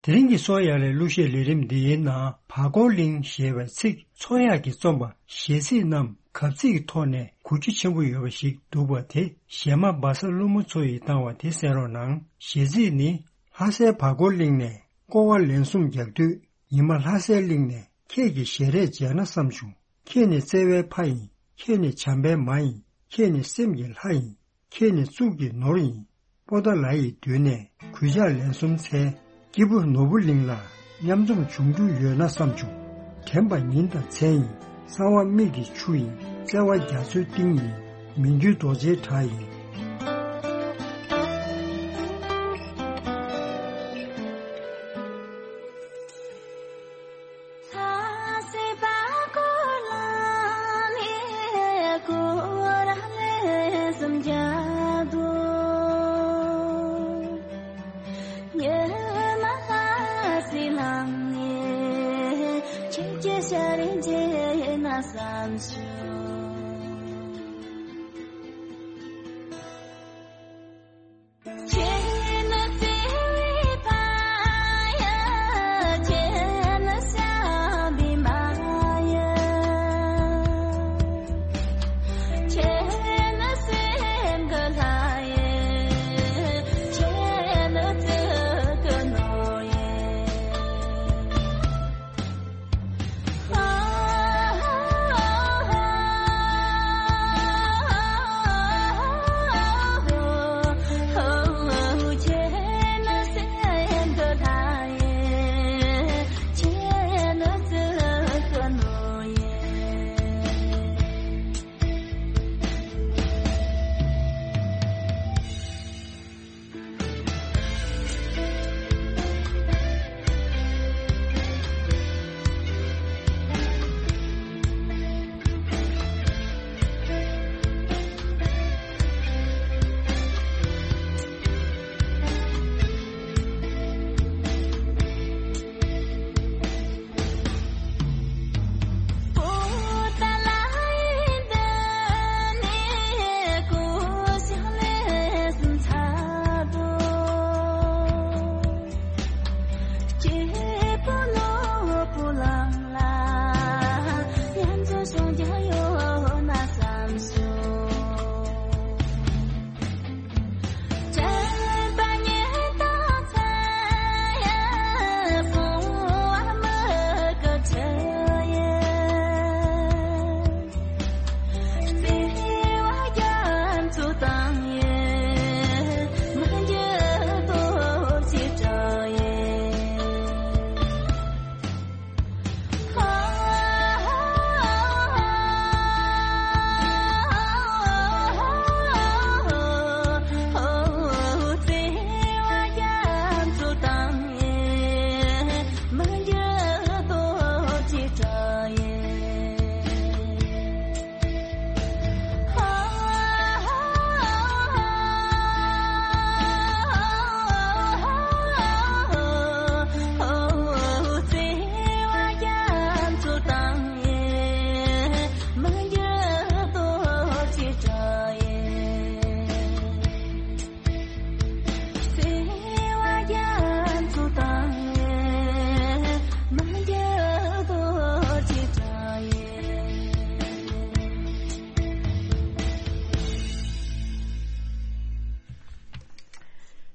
དེ་རིང་གི་སོ་སོ་ཡ་ལའི་གླུ་གཞས་ལས་རིམ་འདིའི་ནང་བར་སྐོར་གླིང་ཞེས་པའི་ཚིག་མཚོ་གཡག་གིས་རྩོམ་པ་གཞས་ཚིག་རྣམས་གབ་ཚིག་གི་ཐོག་ནས་གོ་རྒྱུ་ཆེན་པོ་ཡོད་པ་ཞིག་འདུག་པ་དེ་གཞས་མ་སྦ་ས་ཀླུ་མོ་མཚོ་ཡིས་བཏང་བ་དེ་གསན་རོགས་གནང་། གཞས་ཚིག་ནི། ལྷ་སའི་བར་སྐོར་གླིང་ནས་སྐོར་བ་ལན་གསུམ་རྒྱག་དུས། ཉི་མ་ལྷ་སའི་གླིང་ནས་ཁྱེད་ཀྱི་ཞལ་རས་མཇལ་ན་བསམ་བྱུང་། ཁྱེད་ནི་བརྩེ་བའི་ཕ་ཡིན། ཁྱེད་ནི་བྱམས་པའི་མ་ཡིན། ཁྱེད་ནི་སེམས་ཀྱི་ལྷ་ཡིན། ཁྱེད་ནི་གཙུག་གི་ནོར་ཡིན། པོ་ཏཱ་ལ་ཡི་མདུན་ནས་གུས་ཕྱག་ལན་གསུམ་འཚལ། སྐྱེས་བུ་ནོར་བུ་གླིང་ལ་མཉམ་འཛོམས་བྱུང་རྒྱུ་ཡོད་ན་བསམ་བྱུང་། དྲན་པ་ཉིན་དང་མཚན་ཡིན། གསང་བ་མིག་གི་ཆུ་ཡིན། བརྩེ་བ་རྒྱ་མཚོའི་གཏིང་ཡིན། མི་འགྱུར་རྡོ་རྗེའི་བྲག་ཡིན།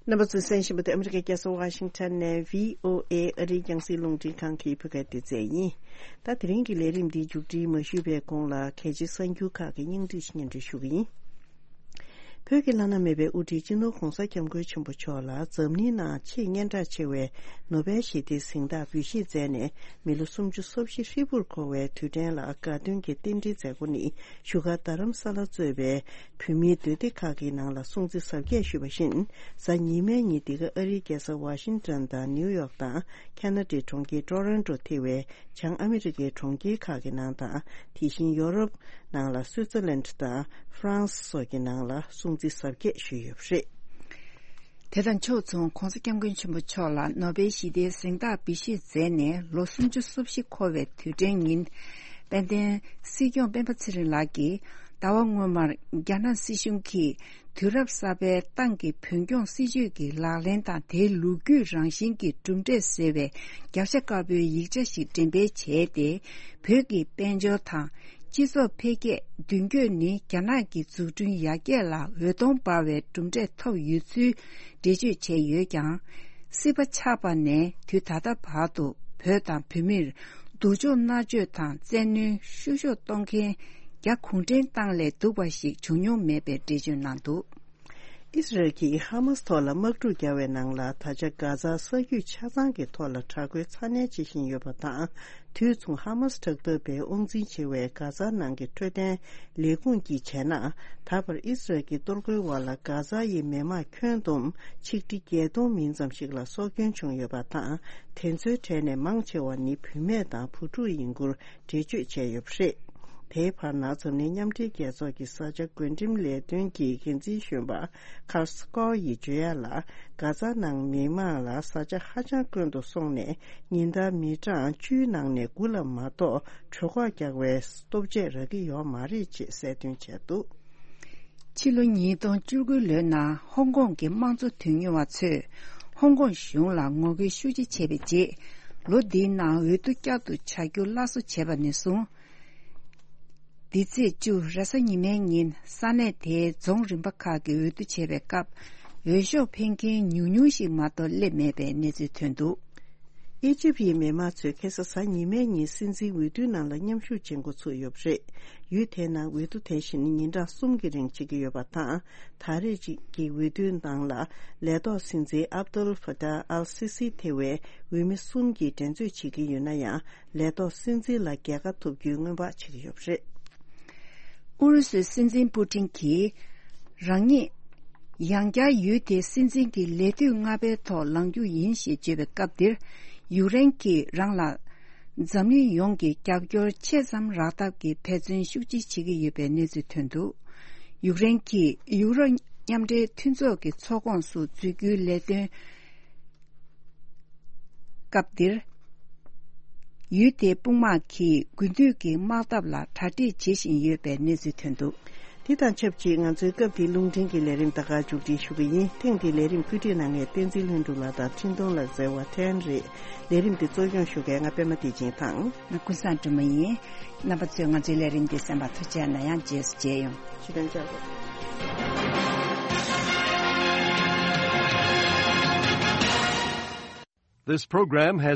རྣམ་པ་ཚོས་གསན་བཞིན་པ་དེ་ཨ་མི་རི་ཀའི་རྒྱལ་ས་ཝ་ཤིང་ཊོན་ནས་བྷི་ཨོ་ཨེ་ཨ་རིའི་རྒྱང་སྲིང་རླུང་འཕྲིན་ཁང་གི་བོད་སྐད་སྡེ་ཚན་ཡིན། ད་དེ་རིང་གི་ལས་རིམ་འདིའི་མཇུག་སྒྲིལ་མ་ཞུས་པའི་གོང་ལ་གལ་ཆེའི་གསར་འགྱུར་ཁག་གི་སྙིང་བསྡུས་ཤིག་སྙན་སྒྲོན་ཞུ་གི་ཡིན། བོད་ཀྱི་བླ་ན་མེད་པའི་དབུ་ཁྲིད་སྤྱི་ནོར་༧གོང་ས་༧སྐྱབས་མགོན་ཆེན་པོ་མཆོག་ལ་འཛམ་གླིང་ནང་ཆེས་སྙན་གྲགས་ཆེ་བའི་ནོ་བེལ་ཞི་བདེའི་གཟེངས་རྟགས་འབུལ་བཞེས་མཛད་ནས་མི་ལོ་སུམ་ཅུ་སོ་བཞི་ཧྲིལ་པོར་འཁོར་བའི་དུས་དྲན་ལ་དགའ་སྟོན་གྱི་རྟེན་འབྲེལ་མཛད་སྒོ་ནི་བཞུགས་སྒར་རྡ་རམ་ས་ལ་གཙོས་པའི་བོད་མིའི་སྡོད་སྡེ་ཁག་གི་ནང་ལ་སྲུང་བརྩི་གཟབ་རྒྱས་ཞུས་པ་བཞིན། གཟའ་ཉི་མའི་ཉིན་འདི་ག་ཨ་རིའི་རྒྱལ་ས་ཝ་ཤིང་ཊོན་དང་ནིའུ་ཡོག་དང་ཁ་ན་ཌའི་གྲོང་ཁྱེར་ཊོ་རོན་ཊོ་ཐེ་བའི་བྱང་ཨ་མི་རི་ཀའི་གྲོང་ཁྱེར་ཁག་གི་ནང་དང་། དེ་བཞིན་ཡོ་རོབ་ནང་ལ་སུའི་ཙར་ལན་དང་ཧྥ་རན་སི་སོགས་ཀྱི་ནང་ལ་སྲུང་བརྩི་གཟབ་རྒྱས་ཞུས་ཡོད་པ་རེད། དེ་དང་ཕྱོགས་མཚུངས་༧གོང་ས་༧སྐྱབས་མགོན་ཆེན་པོ་མཆོག་ལ་ནོ་བེལ་ཞི་བདེའི་གཟེངས་རྟགས་འབུལ་བཞེས་མཛད་ནས་ལོ་སུམ་ཅུ་སོ་བཞི་འཁོར་བའི་དུས་དྲན་ཉིན། དཔལ་ལྡན་སྲིད་སྐྱོང་སྤེན་པ་ཚེ་རིང་ལགས་ཀྱིས་ཟླ་བ་སྔོན་མར་རྒྱ་ནག་སྲིད་གཞུང་གིས་དུས་རབས་གསར་པའི་ཏང་གི་བོད་སྐྱོང་སྲིད་ཇུས་ཀྱི་ལག་ལེན་དང་དེའི་ལོ་རྒྱུས་རང་བཞིན་གྱི་གྲུབ་འབྲས་ཟེར་བའི་རྒྱབ་ཤ་དཀར་པོའི་ཡིག་ཆ་ཞིག་འགྲེམས་སྤེལ་བྱས་ཏེ། བོད་ཀྱི་དཔལ་འབྱོར་དང་། སྤྱི་ཚོགས་འཕེལ་རྒྱས་མདུན་སྐྱོད་ནི་རྒྱ་ནག་གི་འཛུགས་སྐྲུན་ཡར་རྒྱས་ལ་འོད་སྟོང་འབར་བའི་གྲུབ་འབྲས་ཐོབ་ཡོད་ཚུལ་འགྲེལ་བརྗོད་བྱས་ཡོད་ཀྱང་། སྲིད་པ་ཆགས་པ་ནས་དུས་ད་ལྟ་བར་དུ་བོད་དང་བོད་མིར་སྡུག་སྦྱོང་མནར་གཅོད་དང་བཙན་གནོན་བཤུ་གཞོག་གཏོང་མཁན་རྒྱ་གུང་ཁྲན་ཏང་ལས་སྡུག་པ་ཞིག་བྱུང་མྱོང་མེད་པའི་འགྲེལ་བརྗོད་གནང་འདུག། ཨི་སི་རལ་གྱིས་ཧ་མཱ་སི་ཐོག་ལ་དམག་འཁྲུག་བརྒྱབ་པའི་ནང་ལ་ད་ཆ་གྷ་ཛ་ས་རྒྱུད་ཆ་ཚང་གི་ཐོག་ལ་དྲག་རྒོལ་ཚ་ནན་བྱེད་བཞིན་ཡོད་པ་དང་། དུས་མཚུངས་ཧ་མཱ་སི་དྲག་འཐབ་པའི་དབང་འཛིན་ཆེ་བའི་གྷ་ཛ་ནང་གི་འཕྲོད་བསྟེན་ལས་ཁུངས་ཀྱིས་བྱས་ན། ད་བར་ཨི་སི་རལ་གྱི་གཏོར་རྒོལ་འོག་ལ་གྷ་ཛ་ཡི་མི་མང་ཁྱོན་བསྡོམས་ཆིག་ཁྲི་བརྒྱད་སྟོང་མིན་ཙམ་ཞིག་ལ་སྲོག་སྐྱོན་བྱུང་ཡོད་པ་དང་། དེ་ཚོའི་གྲས་ནས་མང་ཆེ་བ་ནི་བུད་མེད་དང་བུ་ཕྲུག་ཡིན་སྐོར། འགྲེལ་བརྗོད་བྱས་ཡོད་པ་རེད། དེའི་བར་ན་འཛམ་གླིང་མཉམ་འབྲེལ་རྒྱལ་ཚོགས་ཀྱི་ས་ཆ་བགོ་འགྲེམས་ལས་དོན་གྱི་འགན་འཛིན་གཞོན་པ་ཁར་སི་ཀོ་ཡིས་བརྗོད་ཡ་ལ། གྷ་ཛ་ནང་མི་མང་ལ་ས་ཆ་ཧ་ཅང་དཀོན་དུ་སོང་ནས་ཉིན་ལྟར་མི་གྲངས་བཅུའི་ནང་ནས་དགུ་ལ་མ་གཏོགས་གྲོད་ཁོག་རྒྱགས་པའི་ལྟོ་ཆས་རག་གི་ཡོད་མ་རེད་ཅེས་གསལ་སྟོན་བྱས་འདུག། ཕྱི་ལོ་ཉིས་སྟོང་བཅུ་དགུ་ལོའི་ནང་ཧོང་ཀོང་གི་དམངས་གཙོ་དོན་གཉེར་བ་ཚོས་ཧོང་ཀོང་གཞུང་ལ་ངོ་རྒོལ་ཤུགས་ཆེ་བྱས་པའི་རྗེས། ལོ་འདིའི་ནང་འོས་བསྡུ་བསྐྱར་དུ་བྱ་རྒྱུ་སླར་གསོ་བྱས་པ་ནས་བཟུང་། འདི་ཚེས་བཅུ་རེས་གཟའ་ཉི་མའི་ཉིན་ས་གནས་དེའི་རྫོང་རིམ་པ་ཁག་གི་འོས་བསྡུ་བྱས་པའི་སྐབས། འོས་ཤོག་འཕེན་མཁན་ཉུང་ཉུང་ཞིག་མ་གཏོགས་སླེབས་མེད་པའི་གནས་ཚུལ་ཐོན་འདུག། ཨི་ཇིབ་ཡི་མི་དམངས་ཚོས་ཁ་སང་གཟའ་ཉི་མའི་ཉིན་སྲིད་འཛིན་འོས་བསྡུའི་ནང་ལ་མཉམ་ཞུགས་བྱེད་འགོ་ཚུགས་ཡོད་པ་རེད། ཡུལ་དེའི་ནང་འོས་བསྡུ་དེ་བཞིན་ཉིན་གྲངས་གསུམ་གྱི་རིང་བྱེད་ཀྱི་ཡོད་པ་དང་། ད་རེས་ཀྱི་འོས་བསྡུའི་ནང་ལ་ལས་ཐོག་སྲིད་འཛིན་ཨབ་དུལ་ཧྥ་ཏཱ་ཨལ་སི་སི་ཐེ་བའི་འོས་མི་གསུམ་གྱིས་འགྲན་རྩོད་བྱེད་ཀྱི་ཡོད་ན་ཡང་། ལས་ཐོག་སྲིད་འཛིན་ལ་རྒྱལ་ཁ་ཐོབ་རྒྱུའི་སྔོན་དཔག་བྱེད་ཀྱི་ཡོད་པ་རེད། ཨུ་རུ་སུའི་སྲིད་འཛིན་པུ་ཏིན་གྱིས་རང་ཉིད་ཡང་བསྐྱར་ཡུལ་དེའི་སྲིད་འཛིན་གྱི་ལས་དུས་ལྔ་པའི་ཐོག་ལངས་རྒྱུ་ཡིན་ཞེས་བརྗོད་པའི་སྐབས་འདིར། ཡུཀ་རེན་གྱིས་རང་ལ་འཛམ་གླིང་ཡོངས་ཀྱི་རྒྱབ་སྐྱོར་ཆེ་ཙམ་རག་ཐབས་ཀྱི་འབད་བརྩོན་ཤུགས་ཆེ་བྱེད་ཀྱི་ཡོད་པའི་གནས་ཚུལ་ཐོན་འདུག། ཡུཀ་རེན་གྱིས་ཡུ་རོབ་མཉམ་འབྲེལ་མཐུན་ཚོགས་ཀྱི་ཚོགས་ཁོངས་སུ་འཛུལ་རྒྱུའི་ལས་དོན། སྐབས་འདིར། ཡུལ་དེའི་དཔུང་དམག་གིས་དགུན་དུས་ཀྱི་དམག་འཐབ་ལ་གྲ་སྒྲིག་བྱེད་བཞིན་ཡོད་པའི་གནས་ཚུལ་ཐོན་འདུག། དེ་དང་ཆབས་ཅིག་ང་ཚོའི་སྐབས་འདིའི་རླུང་འཕྲིན་གྱི་ལས་རིམ་ད་ག་མཇུག་སྒྲིལ་ཞུ་གི་ཡིན། ཐེངས་འདིའི་ལས་རིམ་བཀོད་སྒྲིག་གནང་མཁན་བསྟན་འཛིན་ལྷུན་གྲུབ་ལགས་དང་འཕྲིན་གཏོང་ལག་རྩལ་བ་ཐན་རེད། ལས་རིམ་འདི་གཙོ་སྐྱོང་ཞུ་མཁན་ང་པད་མ་བདེ་ཆེན་དང་། ང་ཀུན་བཟང་སྒྲོལ་མ་ཡིན། རྣམ་པ་ཚོས་ང་ཚོའི་ལས་རིམ་འདི་གསན་པར་ཐུགས་རྗེ་གནང་ཡང་རྗེས་སུ་མཇལ་ཡོང་། ཕྱི་དྲན་བཅར་དགོས། This program has